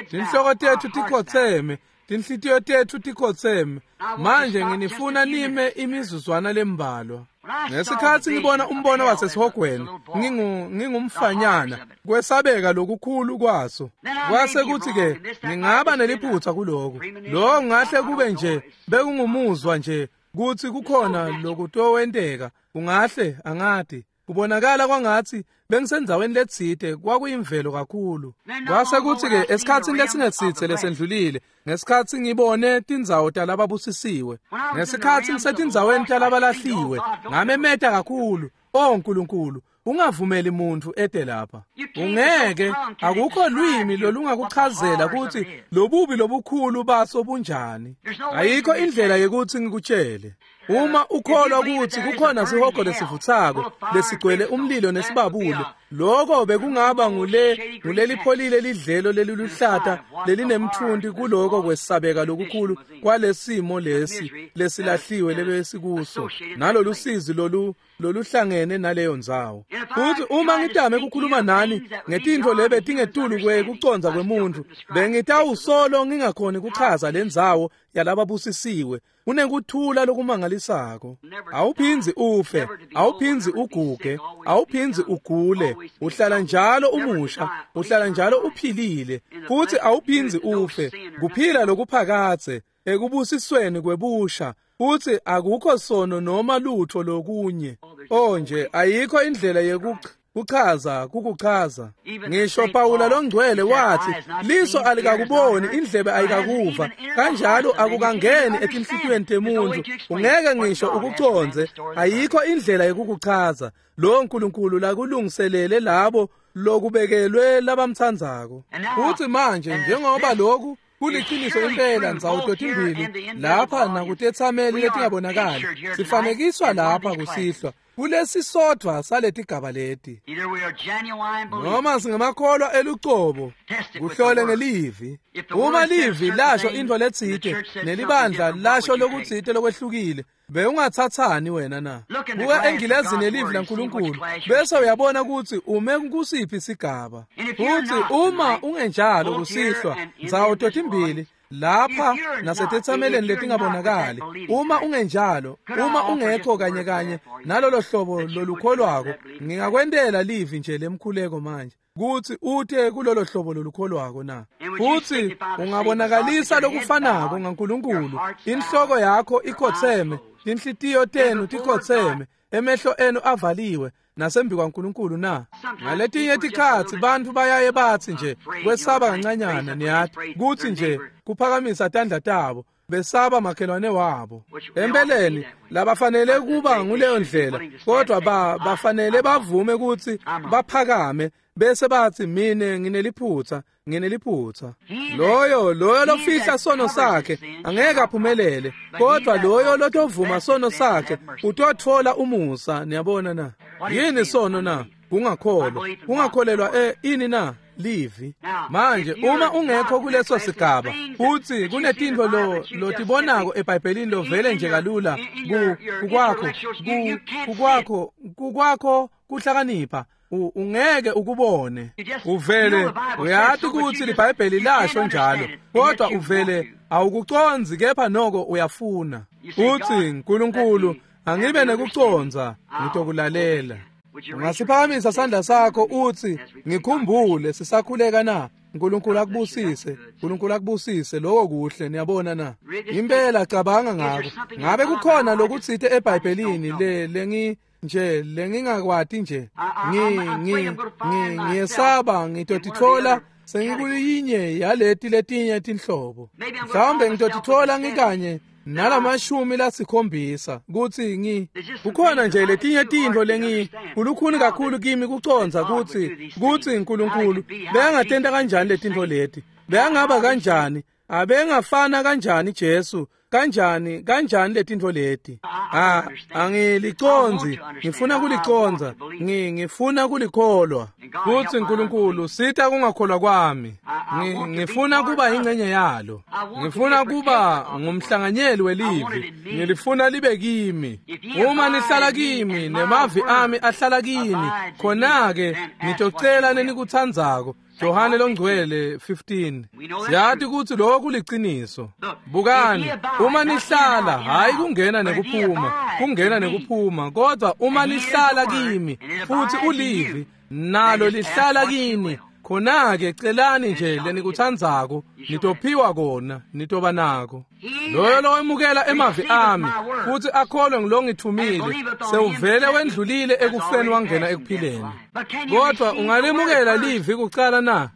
Tinhloko tetfu tikhotseme, tinhlitiyo tetfu tikhotseme. Manje nginifuna nime imizuzwana lembalwa. Ngesikhatsi ngibona umbono wasesihogweni, ngingu ngingumfanyana, kwesabeka lokukhulu kwaso. Kwase kuthi ke ngingaba neliphutsa kuloko. Lo ngahle kube nje bekungumuzwa nje kutsi kukhona lokutowenteka, kungahle angati. Kubonakala kwangatsi bengisendzaweni letsite, kwakuyimvelo kakhulu. Kwase kuthi ke esikhatsini lesingesitse lesendlulile, ngesikhatsi ngibone tindzawo talababusisiwe, ngesikhatsi ngisetindzaweni talabalahliwe, ngamemeta kakhulu, "O Nkulunkulu, ungavumeli muntu ede lapha." Ungeke, akukho lwimi lolungakuchazela kutsi lobubi lobukhulu baso bunjani. Ayikho indlela yekutsi ngikutshele. Uma ukholwa kutsi kukhona sihogo lesivutsako lesigcwele umlilo nesibabule, lokho bekungaba ngule ngulelipholile lidlelo leliluhlata lelinemthunti kuloko kwesabeka lokukhulu kwalesimo lesi lesilahliwe lebesikuso nalolusizi lolu loluhlangene naleyo ndzawo. Futhi uma ngitame ukukhuluma nani ngetintfo lebe tingetulu kwekucondza kwemuntu, bengitawusolo ngingakhoni kuchaza lendzawo yalababusisiwe. Unekuthula lokumangalisako. Awuphindzi ufe, awuphindzi uguge, awuphindzi ugule, uhlala njalo umusha, uhlala njalo uphilile, futhi awuphindzi ufe. Kuphila lokuphakadze ekubusisweni kwebusha, futhi akukho sono noma lutho lokunye. Oh nje ayikho indlela yekuchaza kukuchaza. Ngisho Pawula longcwele wathi liso alikakuboni, indlebe ayikakuva, kanjalo akukangeni etinhlitiyweni temuntu. Ungeke ngisho ukucondze, ayikho indlela yekukuchaza lo Nkulunkulu lakulungiselele labo lokubekelwe labamtsandzako. Futhi manje njengoba lokhu Kuliciniso impela ndzawo totimbili lapha nakutetsameli letingabonakali. Sifanekiswa lapha kusihlwa kulesisodvwa saletigaba leti. Noma singamakholwa elucobo, kuhlole ngelivi. Uma livi lasho intfo letsite nelibandla lasho lokutsite lokwehlukile, bewungatsatsani wena na? Buka engilazini yelivi laNkulunkulu bese uyabona kutsi ume kusiphi sigaba. Futsi uma ungenjalo kusihlwa ndzawo totimbili lapha nasetetsameleni letingabonakali, uma ungenjalo, uma ungekho kanye kanye nalolo hlobo lolukholwako, ngingakwentela livi nje lemkhuleko manje kutsi ute kulolo hlobo lolukholwako na. Futsi ungabonakalisa lokufanako ngaNkulunkulu, inhloko yakho ikhotseme, tinhlitiyo tenu tikhotseme, emehlo enu avaliwe nasembi kwaNkulunkulu na. Ngaletinye tikhatsi bantfu bayaye batsi nje kwesaba kancanyana, niyati kutsi nje kuphakamisa tandla tabo besaba makhelwane wabo. Empeleni labafanele kuba nguleyo ndlela, kodwa ba bafanele bavume kutsi baphakame bese batsi mine ngineliphutsa, ngineliphutsa. Loyo loyo lofihla sono sakhe angeke aphumelele, kodwa loyo lotovuma sono sakhe utotfola umusa. Niyabona na? Yini sono na? Kungakholwa. Kungakholelwa eh ini na? Livi. Manje uma ungekho kuleso sigaba, utsi kunetintfo lo lotibonako eBhayibhelini lovele nje kalula kukwakho kukwakho kukwakho kuhlakanipha, ungeke ukubone. Uvele uyati kutsi liBhayibheli lasho njalo, kodwa uvele awukucondzi, kepha noko uyafuna. Utsi Nkulunkulu angibe nekucondza, ngitokulalela. Ungasiphakamisa sandla sakho utsi ngikhumbule sisakhuleka na? Nkulunkulu akubusise, Nkulunkulu akubusise. Lokho kuhle, niyabona na? Impela cabanga ngako. Ngabe kukhona lokutsite eBhayibhelini le lengi nje lengingakwati nje? Ngi ngi ngiyesaba ngitotitfola sengikuyinye yaleti letinye tinhlobo. Mhlawumbe ngitotitfola ngikanye nalamashumi lasikhombisa kutsi ngi kukhona nje letinye tintfo lengi kulukhuni kakhulu kimi kucondza kutsi kutsi Nkulunkulu bekangatenta kanjani letintfo leti, bekangaba kanjani, abengafana kanjani Jesu, kanjani kanjani letintfo leti. Ah, angilicondzi, ngifuna kulicondza, ngi ngifuna kulikholwa. Kutsi Nkulunkulu sita kungakholwa kwami. Ngifuna kuba ingcenye yalo, ngifuna kuba ngumhlanganyeli welivi, ngilifuna libe kimi. Uma nihlala kimi nemavi ami ahlala kini, khona-ke nitocela lenikutsandzako. Johane longcwele fifteen. Siyati kutsi lokho kuliciniso. Bukani, uma nihlala, hayi kungena nekuphuma, kungena nekuphuma, kodwa uma nihlala kimi futhi ulivi nalo lihlala kini, khona-ke celani nje lenikutsandzako, nitophiwa kona, nitoba nako. Loyo lowemukela emavi ami futhi akholwe ngilongithumile sewuvele wendlulile ekufeni wangena ekuphileni. Kodwa ungalemukela livi kucala na?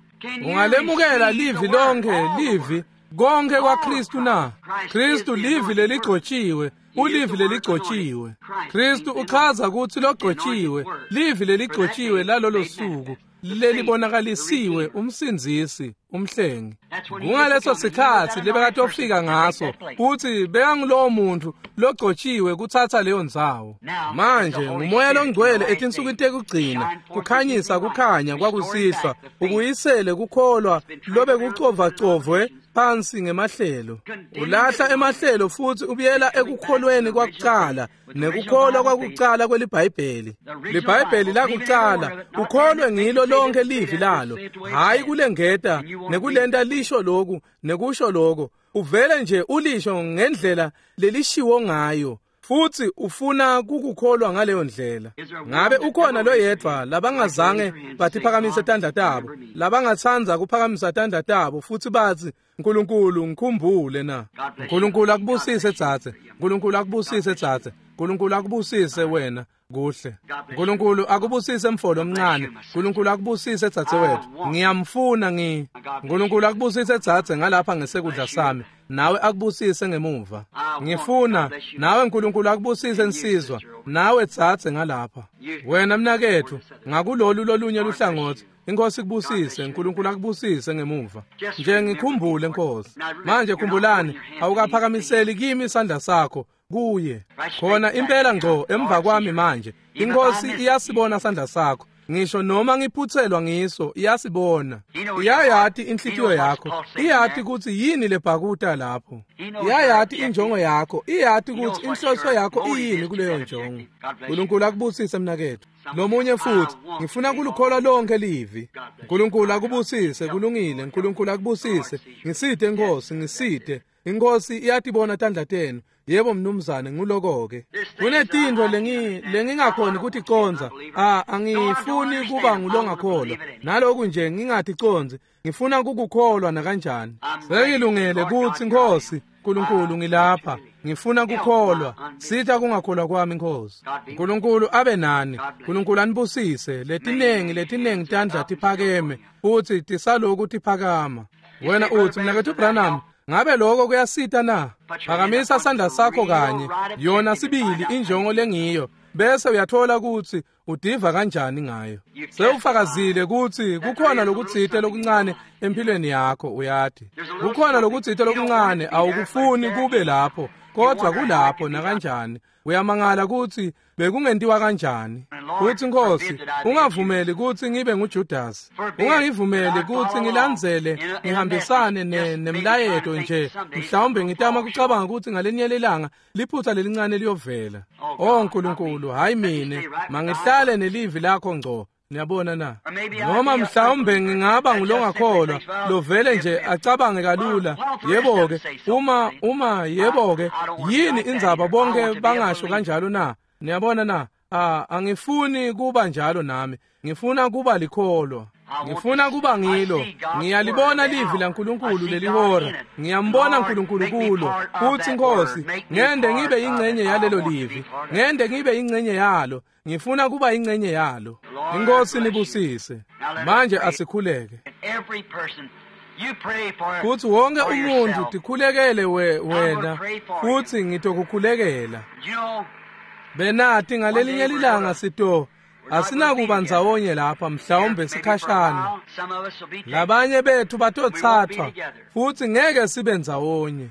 Ungalemukela livi lonke, livi konke kwaKristu na? Kristu livi leligcotshiwe, ulivi leligcotshiwe. Kristu uchaza kutsi logcotshiwe, livi leligcotshiwe lalolo suku lelibonakalisiwe, umsindzisi, umhlengi. Kungaleso sikhatsi lebekatofika ngaso kutsi bekangulowo muntu logcotshiwe kutsatsa leyo ndzawo. Manje nguMoya loNgcwele etinsukwini tekugcina kukhanyisa kukhanya kwakusihlwa, ukuyisele kukholwa lobe kucovacovwe phansi ngemahlelo. Ulahla emahlelo futhi ubuyela ekukholweni kwakucala, nekukholwa kwakucala kweliBhayibheli. LiBhayibheli lakucala ukholwe ngilo lonke livi lalo, hayi kulengeta nekulenta lisho loku nekusho loko. Uvele nje ulisho ngendlela lelishiwo ngayo, futhi ufuna kukukholwa ngaleyo ndlela. Ngabe ukhona loyedvwa labangazange batiphakamise tandla tabo, labangatsandza kuphakamisa tandla tabo futhi batsi Nkulunkulu ngikhumbule na? Nkulunkulu akubusise dzadze, Nkulunkulu akubusise dzadze, Nkulunkulu akubusise wena. Kuhle. Nkulunkulu akubusise mfolo omncane, Nkulunkulu akubusise dzadze wethu. Ngiyamfuna ngi Nkulunkulu akubusise dzadze ngalapha ngesekudla sami. Nawe akubusise ngemuva. Ngifuna nawe Nkulunkulu akubusise nsizwa, nawe tsatse ngalapha. Wena mnaketfu, ngakulolu lolunye luhlangotsi, Inkosi kubusise, Nkulunkulu akubusise ngemuva. Nje ngikhumbule Nkosi. Manje khumbulani, awukaphakamiseli kimi isandla sakho kuye. Khona impela ngco emva kwami manje. Inkosi iyasibona sandla sakho. Ngisho noma ngiphutselwa ngiso, iyasibona. Iyayati inhlitiyo yakho. Iyati kutsi yini lebhakuta lapho. Iyayati injongo yakho. Iyati kutsi inhloso yakho iyini kuleyo njongo. Nkulunkulu akubusise mnaketfu. Lomunye futhi, ngifuna kulukholwa lonke livi. Nkulunkulu akubusise, kulungile. Nkulunkulu akubusise. Ngisite Nkosi, ngisite. Inkosi iyatibona tandla tenu. Yebo mnumzane, nguloko-ke. Kunetintfo lengi lengingakhoni kuticonza. Ah, angifuni kuba ngulongakholwa. Naloku nje ngingaticondzi, ngifuna kukukholwa nakanjani. Sengilungele kutsi Nkosi, Nkulunkulu ngilapha. Ngifuna kukholwa. Sitha kungakholwa kwami Nkosi. Nkulunkulu abe nani. Nkulunkulu anibusise. Letinengi letinengi tandla tiphakeme futsi tisaloku tiphakama. Wena utsi mnaketfu Branham, ngabe lokho kuyasita na? Phakamisa sandla sakho kanye, yona sibili injongo lengiyo, bese uyathola kutsi udiva kanjani ngayo. Sewufakazile kutsi kukhona lokutsite lokuncane empilweni yakho, uyati. Kukhona lokutsite lokuncane awukufuni kube lapho, kodwa kulapho nakanjani. Uyamangala kutsi bekungentiwa kanjani. Futsi Nkosi, ungavumeli kutsi ngibe nguJudas. Ungangivumeli kutsi ngilandzele ngihambisane nemlayeto nje. Mhlawumbe ngitama kucabanga kutsi ngalenye lelanga liphutsa lelincane liyovela. Oh Nkulunkulu, hayi mine, mangihlale nelivi lakho ngco. Niyabona na? Noma mhlawumbe ngingaba ngulongakholwa lovele nje acabange kalula. Yebo-ke, uma uma yebo-ke, yini indzaba bonke bangasho kanjalo na? Niyabona na? Ah, angifuni kuba njalo nami. Ngifuna kuba likholwa. Ngifuna kuba ngilo. Ngiyalibona livi laNkulunkulu lelihora. Ngiyambona Nkulunkulu kulo. Futsi Nkosi, ngende ngibe ingcenye yalelo livi. Ngende ngibe ingcenye yalo. Ngifuna kuba ingcenye yalo. Inkosi nibusise. Manje asikhuleke. Futsi wonke umuntu tikhulekele we wena, futsi ngitokukhulekela. Benati ngalelinye lilanga sito asinakuba ndzawonye lapha, mhlawumbe sikhashana. Labanye bethu batotsathwa futsi ngeke sibe ndzawonye.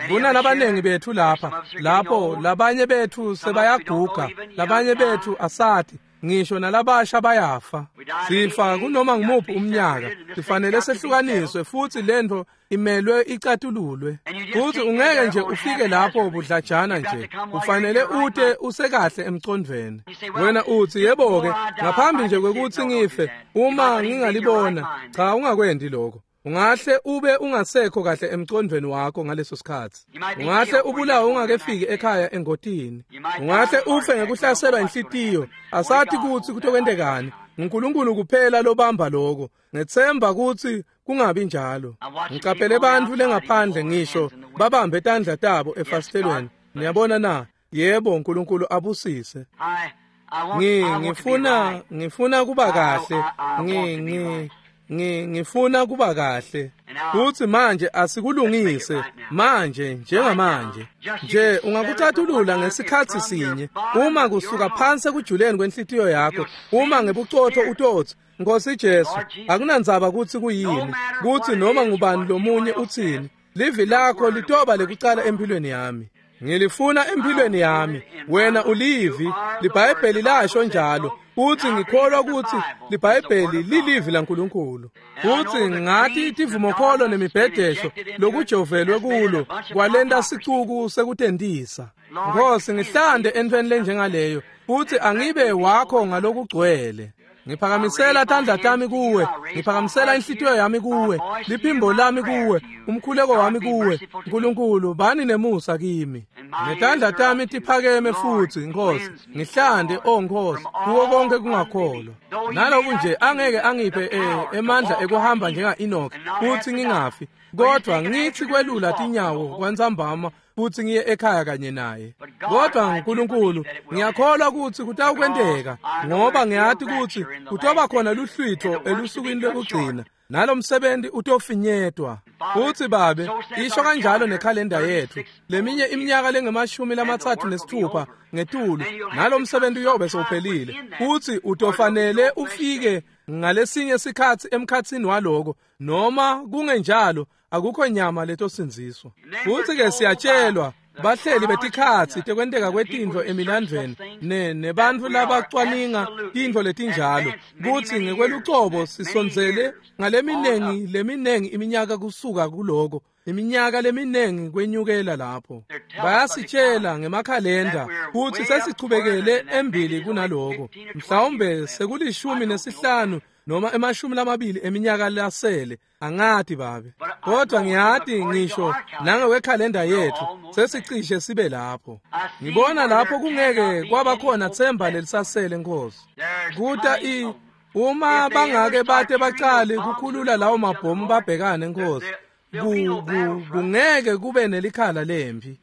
Kunalabanengi bethu lapha, lapho labanye bethu sebayaguga, labanye bethu asati, ngisho nalabasha bayafa. Sifa kunoma ngumuphi umnyaka, sifanele sehlukaniswe futsi lento imelwe icatululwe. Futsi ungeke nje ufike lapho budlajana nje, ufanele ute usekahle emcondvweni. Wena utsi yebo-ke, ngaphambi nje kwekutsi ngife, uma ngingalibona, cha ungakwendi lokho. Ungahle ube ungasekho kahle emcondvweni wakho ngaleso sikhatsi. Ungahle ubulawe ungakefiki ekhaya engotini. Ungahle ufe ngekuhlaselwa inhlitiyo. Asathi kutsi kutokwentekani. NguNkulunkulu kuphela lobamba lokho. Ngethemba kutsi kungabi njalo. Ngicaphele bantfu lengaphandle ngisho babambe tandla tabo efasitelweni. Niyabona na? Yebo, uNkulunkulu abusise. Ngi ngifuna ngifuna kuba kahle. Ngi ngi Ngi ngifuna kuba kahle. Futsi manje asikulungise manje njengamanje. Nje ungakucatulula ngesikhatsi sinye uma kusuka phansi ekujuleni kwenhlitiyo yakho, uma ngebucotho utotsi Nkosi Jesu, akunandzaba kutsi kuyini, kutsi noma ngubani lomunye utsini, livi lakho litoba lekucala empilweni yami. Ngilifuna empilweni yami. Wena ulivi, liBhayibheli lasho njalo. Futsi ngikholwa kutsi liBhayibheli lilivi laNkulunkulu. Futsi ngathi tivumokholo nemibhedesho lokujovelwe kulo kwalenta sicuku sekutentisa. Nkosi, ngihlande entweni lenjengaleyo, futsi angibe wakho ngalokugcwele. Ngiphakamisela tandla tami kuwe, ngiphakamisela inhlitiyo yami kuwe, liphimbo lami kuwe, umkhuleko wami kuwe. Nkulunkulu, bani nemusa kimi. Netandla tami tiphakeme futsi, Nkosi, ngihlande, oh Nkosi, kuko konke kungakholwa. Naloku nje angeke angiphe eh, emandla ekuhamba njenga Enoch, futsi ngingafi, kodwa ngithi kwelula tinyawo kwantsambama futsi ngiye ekhaya kanye naye. Kodwa Nkulunkulu, ngiyakholwa kutsi kutawukwenteka, ngoba ngiyati kutsi kutoba khona luhlwitho elusukwini lokugcina, nalomsebenzi utofinyetwa. Futsi Babe, isho kanjalo nekhalenda yethu, leminye iminyaka lengemashumi lamatsatfu nesithupha ngetulu, nalomsebenzi uyobe sewuphelile, futsi utofanele ufike ngalesinye sikhatsi emkhatsini waloko, noma kungenjalo akukho nyama letosindziswa. Futsi ke siyatshelwa bahleli betikhatsi tekwenteka kwetintfo emilandvweni ne nebantfu labacwaninga tintfo letinjalo, kutsi ngekwelucobo sisondzele ngaleminengi leminengi iminyaka kusuka kuloko, iminyaka leminengi kwenyukela lapho. Bayasitshela ngemakhalenda kutsi sesichubekele embili kunaloko, mhlawumbe sekulishumi nesihlanu noma emashumi lamabili eminyaka lasele, angati Babe. Kodwa ngiyati ngisho nangewekhalenda yethu sesicishe sibe lapho. Ngibona lapho kungeke kwaba khona themba lelisasele, Nkosi. Kuta i uma bangake bate bacale kukhulula lawo mabhomu babhekane, Nkosi, kungeke kube nelikhala lempi.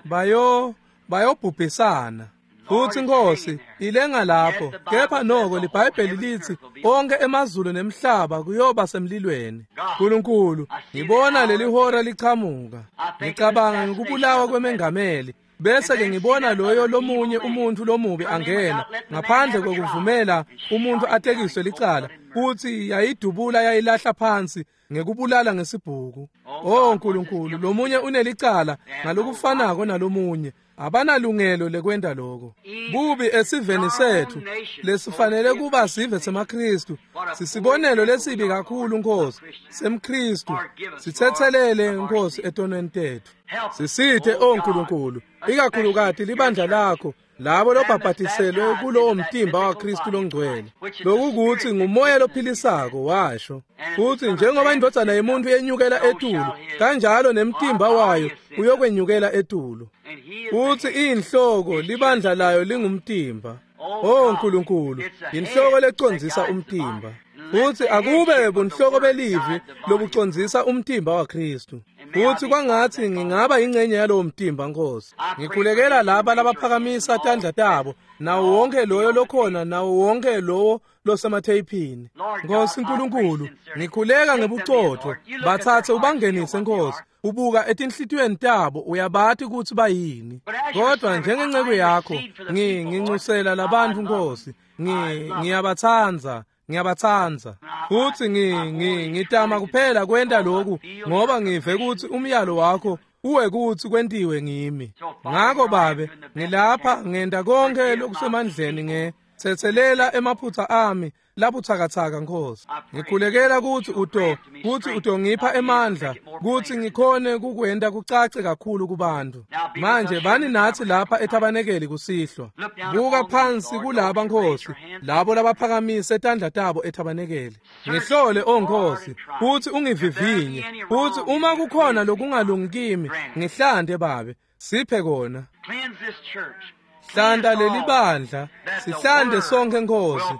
Bayo bayobhubhisana. Futsi Nkosi ilenga lapho, kepha noko liBhayibheli litsi onke emazulu nemhlaba kuyoba semlilweni. Nkulunkulu, ngibona leli hora lichamuka. Ngicabanga ngikubulawa kwemengameli, bese ke ngibona loyo lomunye umuntu lomubi angena ngaphandle kokuvumela umuntu atekiswe licala, futhi yayidubula yayilahla phansi ngekubulala ngesibhuku. Oh Nkulunkulu, lomunye unelicala ngalokufanako nalomunye, abanalungelo lekwenta lokho. Bubi esiveni sethu lesifanele kuba sive semaKristu, sisibonelo lesibi kakhulu, Nkosi, semKristu. Sithethelele, Nkosi, etonweni tethu. Sisithe, oh Nkulunkulu, ikakhulukati libandla lakho, labo lobhabhatiselwe kulowo mtimba waKristu longcwele, lokukuthi ngumoya lophilisako, washo. Futhi njengoba indvodzana yemuntu yenyukela etulu, kanjalo nemtimba wayo uyokwenyukela etulu. Futhi inhloko libandla layo lingumtimba. Oh Nkulunkulu, inhloko lecondzisa umtimba. Futhi akube bunhloko belivi lobucondzisa umtimba waKristu. Futhi kwangathi ngingaba ingcenye yalowo mtimba, Nkosi. Ngikhulekela laba labaphakamisa tandla tabo, nawo wonke loyo lokhona, nawo wonke lowo losematheyiphini. Nkosi Nkulunkulu, ngikhuleka ngebucotho, bathathe ubangenise, Nkosi. Ubuka etinhlitiyweni tabo, uyabati kutsi bayini. Kodwa njengenceku yakho, nginxusela labantfu, Nkosi. Ngiyabatsandza, ngiyabatsandza. Futsi ngitama kuphela kwenta lokhu ngoba ngive kutsi umyalo wakho uwe kutsi kwentiwe ngimi. Ngako Babe, ngilapha ngenta konke lokusemandleni nge tsetselela emaphutsa ami labutsakatsaka, Nkosi. Ngikhulekela kutsi uto kutsi utongipha emandla kutsi ngikhone kukwenta kucace kakhulu kubantu. Manje bani natsi lapha ethabanekeli kusihlwa. Buka phansi kulaba, Nkosi, labo labaphakamise tandla tabo ethabanekeli. Ngihlole, o Nkosi, futsi ungivivinye, futsi uma kukhona lokungalungi kimi, ngihlante Babe, siphe kona. Hlanta leli bandla, sihlante sonke, Nkosi,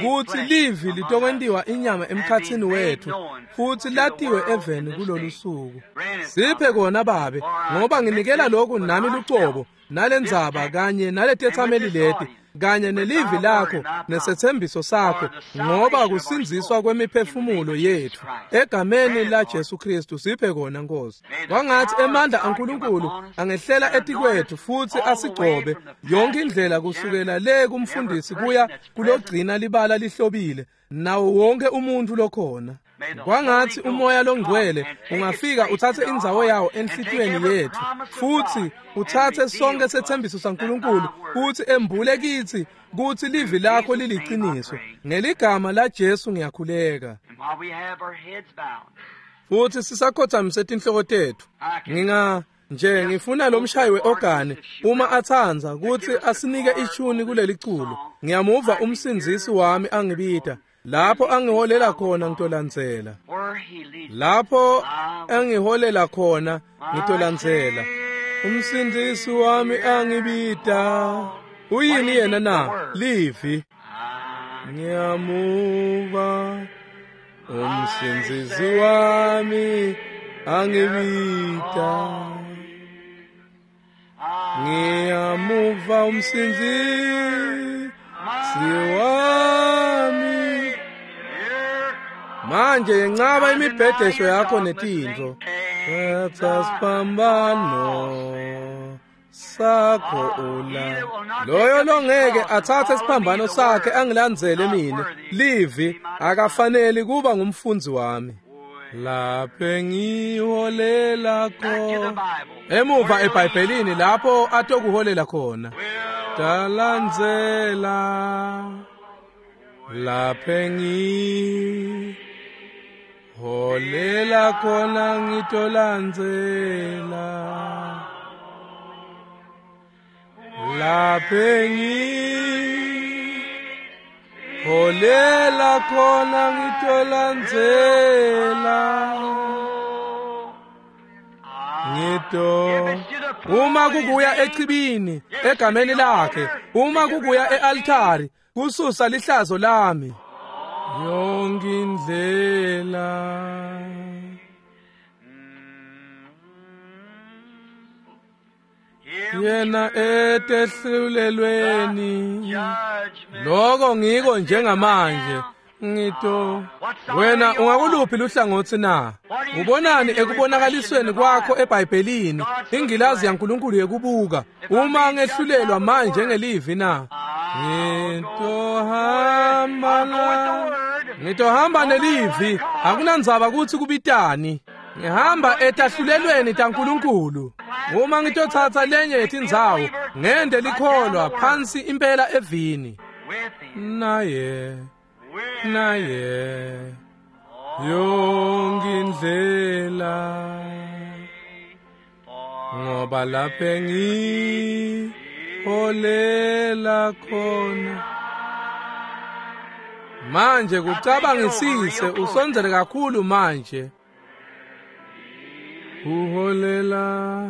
kutsi livi litokwentiwa inyama emkhatsini wethu, futsi latiwe eveni kulolu suku. Siphe kona Babe, ngoba nginikela lokhu nami lucobo, nalendzaba kanye naletetsameli leti, kanye nelivi lakho nesethembiso sakho, ngoba kusindziswa kwemiphefumulo yethu egameni la Jesu Kristu. Siphe kona, Nkosi. Kwangathi emandla aNkulunkulu angehlela etikwethu futhi asigcobe yonke indlela kusukela le kumfundisi kuya kulogcina libala lihlobile, nawo wonke umuntu lokhona. Kwangathi umoya longcwele ungafika uthathe indzawo yawo enhlitiyweni yethu, futhi uthathe sonke sethembiso saNkulunkulu, futhi embule kithi kutsi livi lakho liliciniso. Ngeligama la Jesu ngiyakhuleka. Futhi sisakhothamise tinhloko tethu, nginga nje ngifuna lo mshayi weorgani uma atsandza kutsi asinike ishuni kuleli culo. Ngiyamuva umsindzisi wami angibita, lapho angiholela khona ngitolandzela. Lapho angiholela khona ngitolandzela. Umsindzisi wami angibita. Uyini yena na? Livi. Ngiyamuva umsindzisi wami Angibita ngiyamuva umsindzisi wami. Manje yencaba imibhedesho yakho netintfo. Thatha siphambano sakho ula. Loyo longeke atsatse siphambano sakhe angilandzele mine, livi akafaneli kuba ngumfundzi wami. Laphe ngiholela khona emuva eBhayibhelini lapho atokuholela khona. Talandzela laphe ngiholela khona ngitolandzela. Laphe ngiholela khona ngitolandzela. Ngito uma kukuya echibini egameni lakhe, uma kukuya e-altari kususa lihlazo lami. Yonke indlela yena etehlulelweni. Lokho ngiko njengamanje. Ngito wena ungakuluphi luhlangotsi na? Ubonani ekubonakalisweni kwakho eBhayibhelini ingilazi yaNkulunkulu yekubuka uma ngehlulelwa manje ngelivi na? Ngitohamba ngitohamba nelivi, akunandzaba kutsi kubitani. Ngihamba etahlulelweni taNkulunkulu. Uma ngitotsatsa lenye yetindzawo ngende likholwa phansi impela evini. Naye naye yonke indlela, ngoba laphe ngiholela khona. Manje kucabangisise usondzele kakhulu manje. Uholela